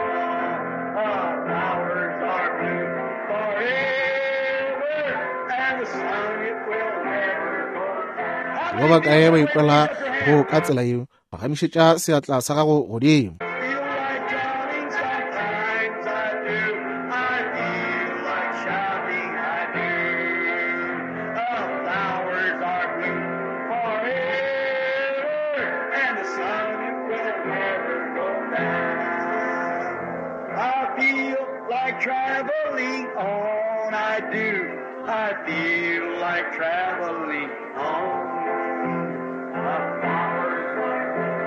The flowers are blue forever, and the sun it will never go down. Ba bakae ba ikwela go ka tsela yeo? Phagamišetša seatla sa gago godimo. Feel like shouting sometimes, I do. I feel like shouting, I do. The flowers are blue forever, and the sun it will never go down. I feel like traveling on, I do. I feel like traveling on. The flowers are blue.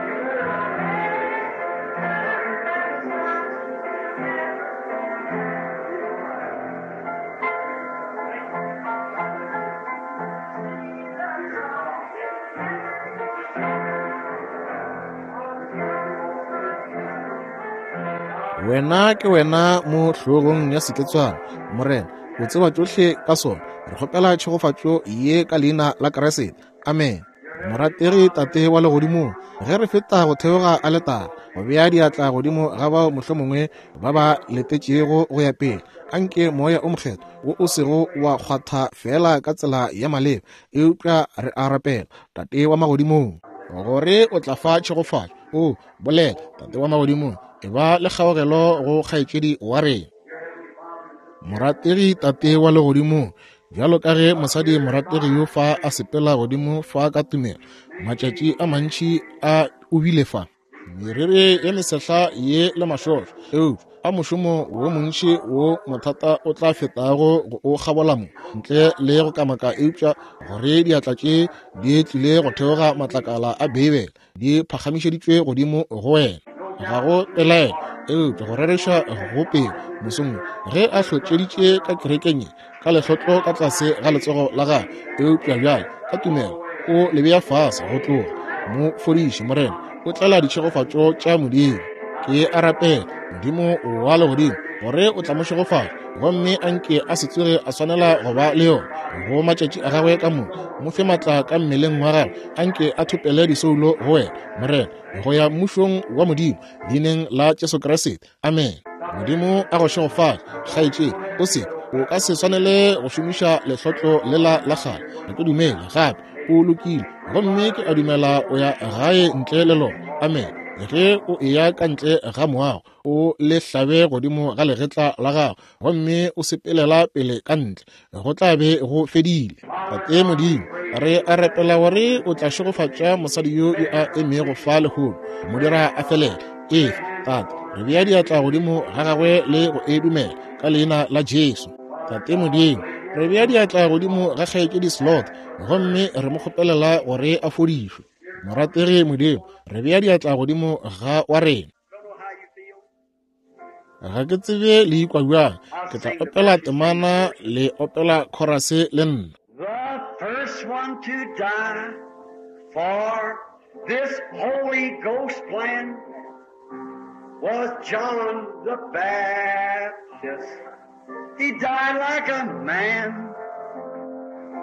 Wena ke wena mo hlogong ya seketswana, Morena. O tseba tšohle ka sona. Re kgopela tšhegofatšo ye ka leina la Kriste. Amen. Morategi Tate wa Legodimong, ge re feta go theoga aletara, go bea diatla godimo ga bao mohlomongwe ba ba letetšego go ya pele, anke Moya o Mokgethwa wo o sego wa kgwatha feela ka tsela ya maleba, eupša re a rapela, Tate wa Magodimong, gore o tla fa tšhegofatšo. O bolela, Tate wa Magodimong, e ba le kgaogelo go kgaetšedi wa rena. Morategi Tate wa Legodimong, bjalo ka ge mosadi morategi yo fa a sepela godimo fa ka tumelo, matšatši a mantši a o bile fa, meriri ye mesehla ye le mašošo, eupša a mošomo wo montši wo mothata o tla fetago go o kgabola mo, ntle le go kamaka, eupša gore diatla tše di tlile go theoga matlakala a Beibele di phagamišeditšwe godimo go wena. Ga go pelaelo, eupša go rereša go pele mosong ge a hlotšeditše ka kerekeng ye ka lehlotlo ka tlase ga letsogo la gagwe, eupša bjale ka tumelo o le bea fase go tloga. Mo fodiše, Morena, o tlela ditšhegofatšo tša Modimo. Ke a rapela, Modimo wa legodimo, gore o tla mo šegofatša, gomme a nke a se tsoge a swanela go ba le yona go matšatši a gagwe ka moka. Mo fe matla ka mmeleng wa gagwe, a nke a thopele disoulo go wena, Morena, go ya mmušong wa Modimo, leineng la Jesu Kriste. Amen. Modimo a go šegofatše, kgaetšedi. O se o ka se swanele go šomiša lehlotlo lela la kgale. Ga ke dumele gape o lokile, gomme ke a dumela o ya gae ntle le lona. Amen. Ge o eya ka ntle ga moago, o le hlabe godimo ga legetla la gago, gomme o sepelela pele ka ntle, go tla be go fedile. Tate Modimo, re a rapela gore o tla šegofatša mosadi yo yo a emego fa lehono, mo dira a felele. Efe, Tate, re bea diatla godimo ga gagwe le go e dumela ka leina la Jesu. Tate Modimo, re bea diatla godimo ga kgaetšedi Slot, gomme re mo kgopelela gore a fodišwe. Morategi Modimo, re bea diatla godimo ga wa rena. Ga ke tsebe le ikwa bjang. Ke tla opela temana le opela chorus le nna. The first one to die for this Holy Ghost plan was John the Baptist. He died like a man.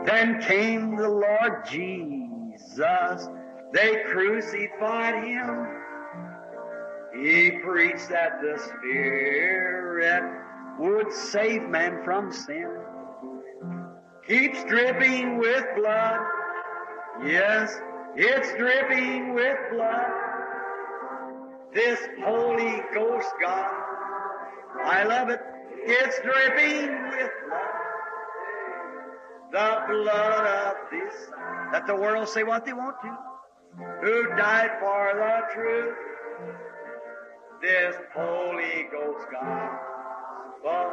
Then came the Lord Jesus. They crucified him. He preached that the Spirit would save man from sin. Keeps dripping with blood. Yes, it's dripping with blood. This Holy Ghost God, I love it. It's dripping with blood. The blood of this. Let the world say what they want to. Who died for the truth. This Holy Ghost gospel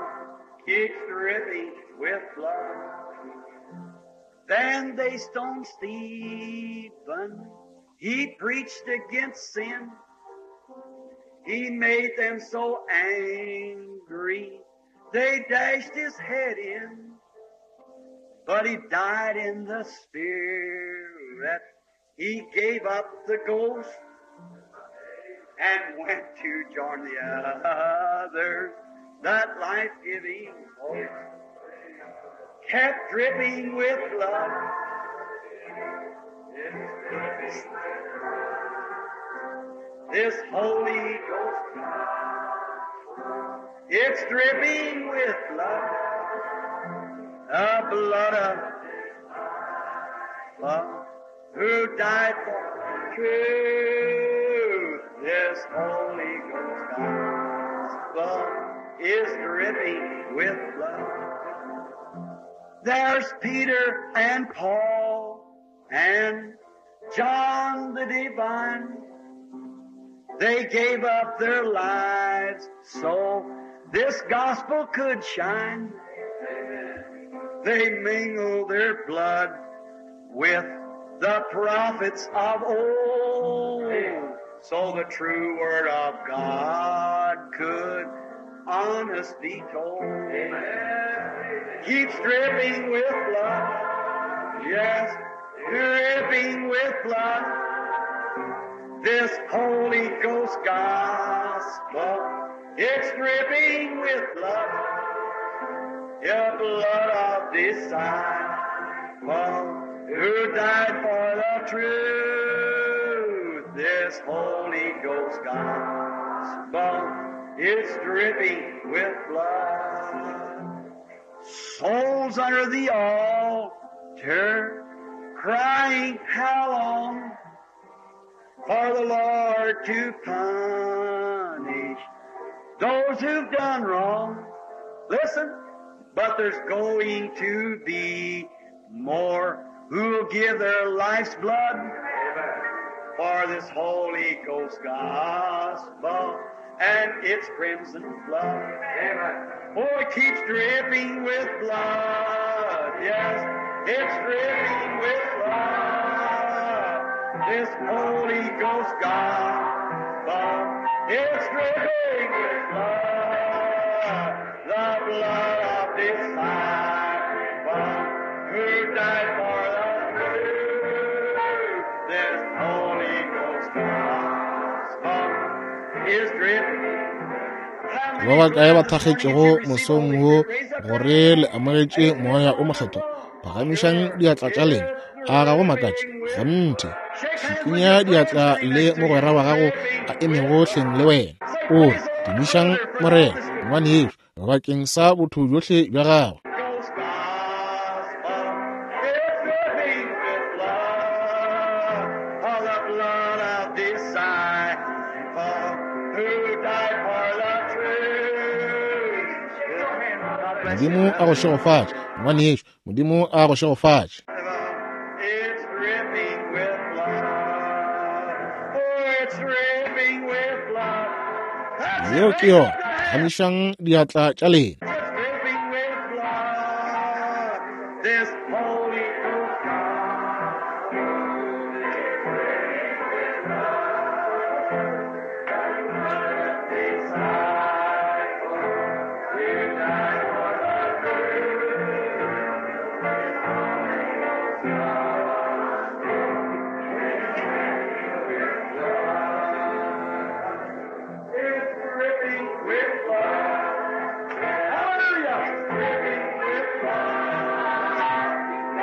keeps dripping with blood. Then they stoned Stephen. He preached against sin. He made them so angry, they dashed his head in. But he died in the Spirit. He gave up the ghost and went to join the others. That life-giving host kept dripping with blood. This Holy Ghost, it's dripping with blood, the blood of love, who died for truth. This Holy Ghost gospel is dripping with blood. There's Peter and Paul and John the Divine. They gave up their lives so this gospel could shine. They mingled their blood with the prophets of old, so the true word of God could honest be told. Keeps dripping with blood. Yes, dripping with blood. This Holy Ghost gospel It's dripping with blood, the blood of disciple who died for the truth. This Holy Ghost gospel is dripping with blood. Souls under the altar crying, how long for the Lord to punish those who've done wrong? Listen, but there's going to be more who'll give their life's blood for this Holy Ghost gospel and its crimson flood. Oh, it keeps dripping with blood. Yes, it's dripping with blood. This Holy Ghost gospel, it's dripping with blood. The blood of disciple who died for the truth. This Holy Ghost gospel is dripping. Ba bakae ba thakgetšego mosong wo gore le amogetše moya o mokgethwa? Phagamišang diatla tša lena. A ga go makatše? Kgonthe. Šikinya diatla le mogwera wa gago a emego hleng le wena. O re, tumišang Morena, ngwanešo, bakeng sa botho bjohle bja gagwe. Ghost gospel is dripping with blood, of the blood of disciple who died for the truth. God bless you. Modimo a go šegofatše, ngwanešo. Modimo a go šegofatše. It's dripping with blood. Oh, it's dripping with blood. That's Yeo it. ke yona. Phagamišang diatla tša lena. It's dripping with blood. This Holy Ghost It's dripping with blood. Hallelujah! It's dripping with blood.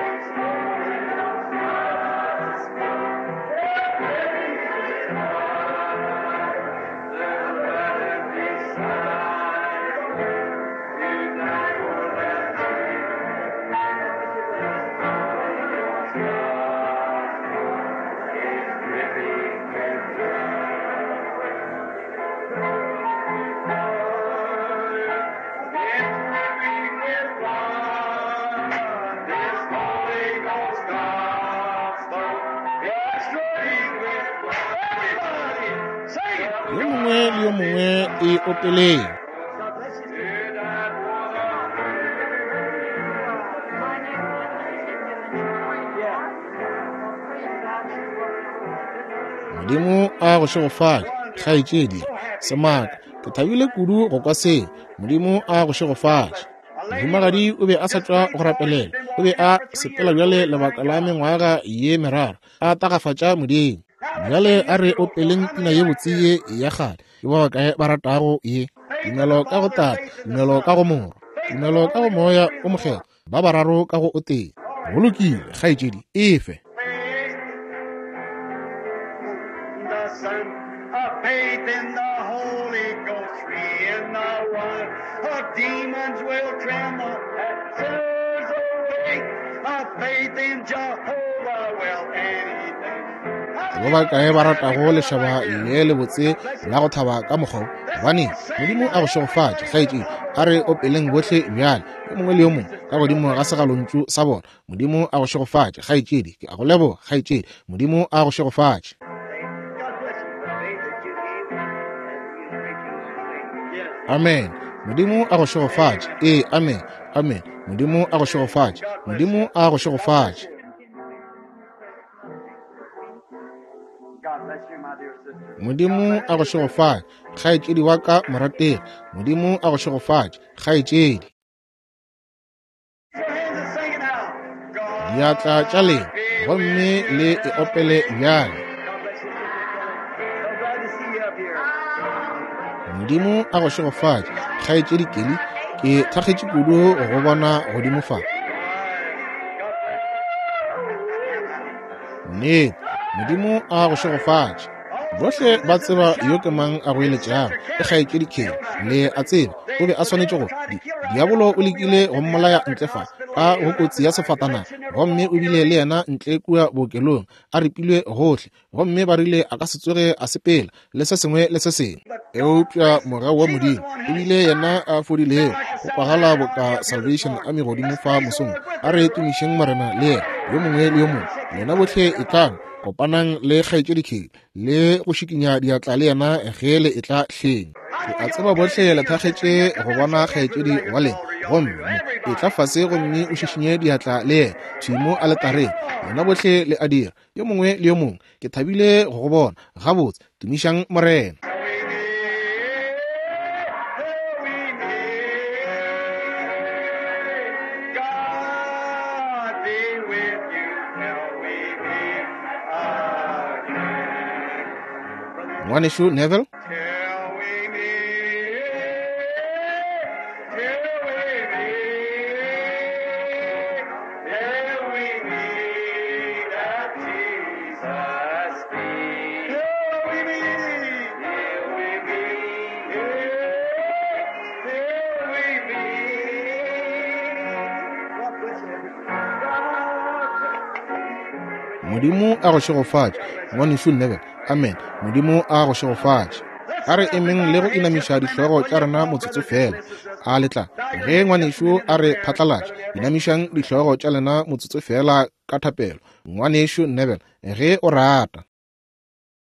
It's Holy Ghost gospel. It's dripping with blood. The blood of disciple who died for the truth. Holy Ghost gospel is dripping with blood. Yo mongwe le yo mongwe e opeleng. Modimo a go šegofatše, kgaetšedi. Semaka, ke thabile kudu go kwa seo. Modimo a go šegofatše. Mohumagadi o be a sa tšwa go rapelela. O be a sepela bjale lebaka la mengwaga ye meraro, a tagafatša Modimo. Bjale a re opeleng pina ye botse ye ya kgale. Ke ba bakae ba ratago ye? Tumelo ka go Tate, tumelo ka go Morwa, tumelo ka go Moya o Mokgethwa, ba bararo ka go o tee. Go lokile, kgaetšedi, efe. The Son of faith in the Holy Ghost, three in the one. The demons will tremble at sinners awake. Of faith in Jehovah will anything. Ba bakae ba ratago lešaba le lebotse la go thaba ka mokgwa wo? Gobane Modimo a go šegofatše, kgaetšedi. A re opeleng bohle bjale, yo mongwe le yo mongwe ka godimo ga segalontšu sa bona. Modimo a go šegofatše, kgaetšedi. Ke a go leboga, kgaetšedi. Modimo a go šegofatše. God bless you for the faith that you gave and you preaching this thing. Yes. Amen. Modimo a go šegofatše. Ee, amen. Amen. Modimo a go šegofatše. Modimo a go šegofatše. God bless you, my dear sister. Modimo a go šegofatše, kgaetšedi wa ka morategi. Modimo a go šegofatše, kgaetšedi. Your hands and sing it out. God Diatla tša lena gomme le e opele bjale. God bless you, Sister Kelly. So glad to see you up here. Modimo a go šegofatše, Kgaetšedi Kelly. Ke thakgetše kudu go go bona godimo fa. Nnete, Modimo a go šegofatše. Bohle ba tseba yo ke mang a goeletšago, ke Kgaetšedi Kelly. Le a tseba, o be a swanetše go. Di, diabolo o lekile go mmolaya ntle fa, ka go kotsi ya sefatanaga, gomme o bile le yena ntle kua bookelong, a ripilwe gohle, gomme ba rile a ka se tsoge a sepela le se sengwe le se sengwe. Eupša mogau wa Modimo e bile yena a fodilego, go kwagala boka Salvation Army godimo fa mosong. A re tumišeng Morena le yena, yo mongwe le yo mongwe. Lena bohle etlang, kopanang le Kgaetšedi Kelly le go šikinya diatla le yena ge le etla hleng. Ke a tseba bohle le thakgetše go bona kgaetšedi wa lena, gomme etla fase gomme o šišinye diatla le yena thwi mo aletareng. Lena bohle le a dira, yo mongwe le yo mongwe. Ke thabile go go bona. Gabotse, tumišang Morena. God be with you till we meet again. Ngwanešu Neville. Till we meet, till we meet, till we meet at Jesus' feet. Till we meet, till we meet, till we meet. God bless everybody. God bless. Modimo a go šegofatše, Ngwanešu Neville. Amen. Modimo a go šegofatše. A re emeng le go inamiša dihlogo tša rena motsotso feela. A le tla, ge ngwanešu a re phatlalatša, inamišang dihlogo tša lena motsotso feela ka thapelo. Ngwanešu Neville, ge o rata.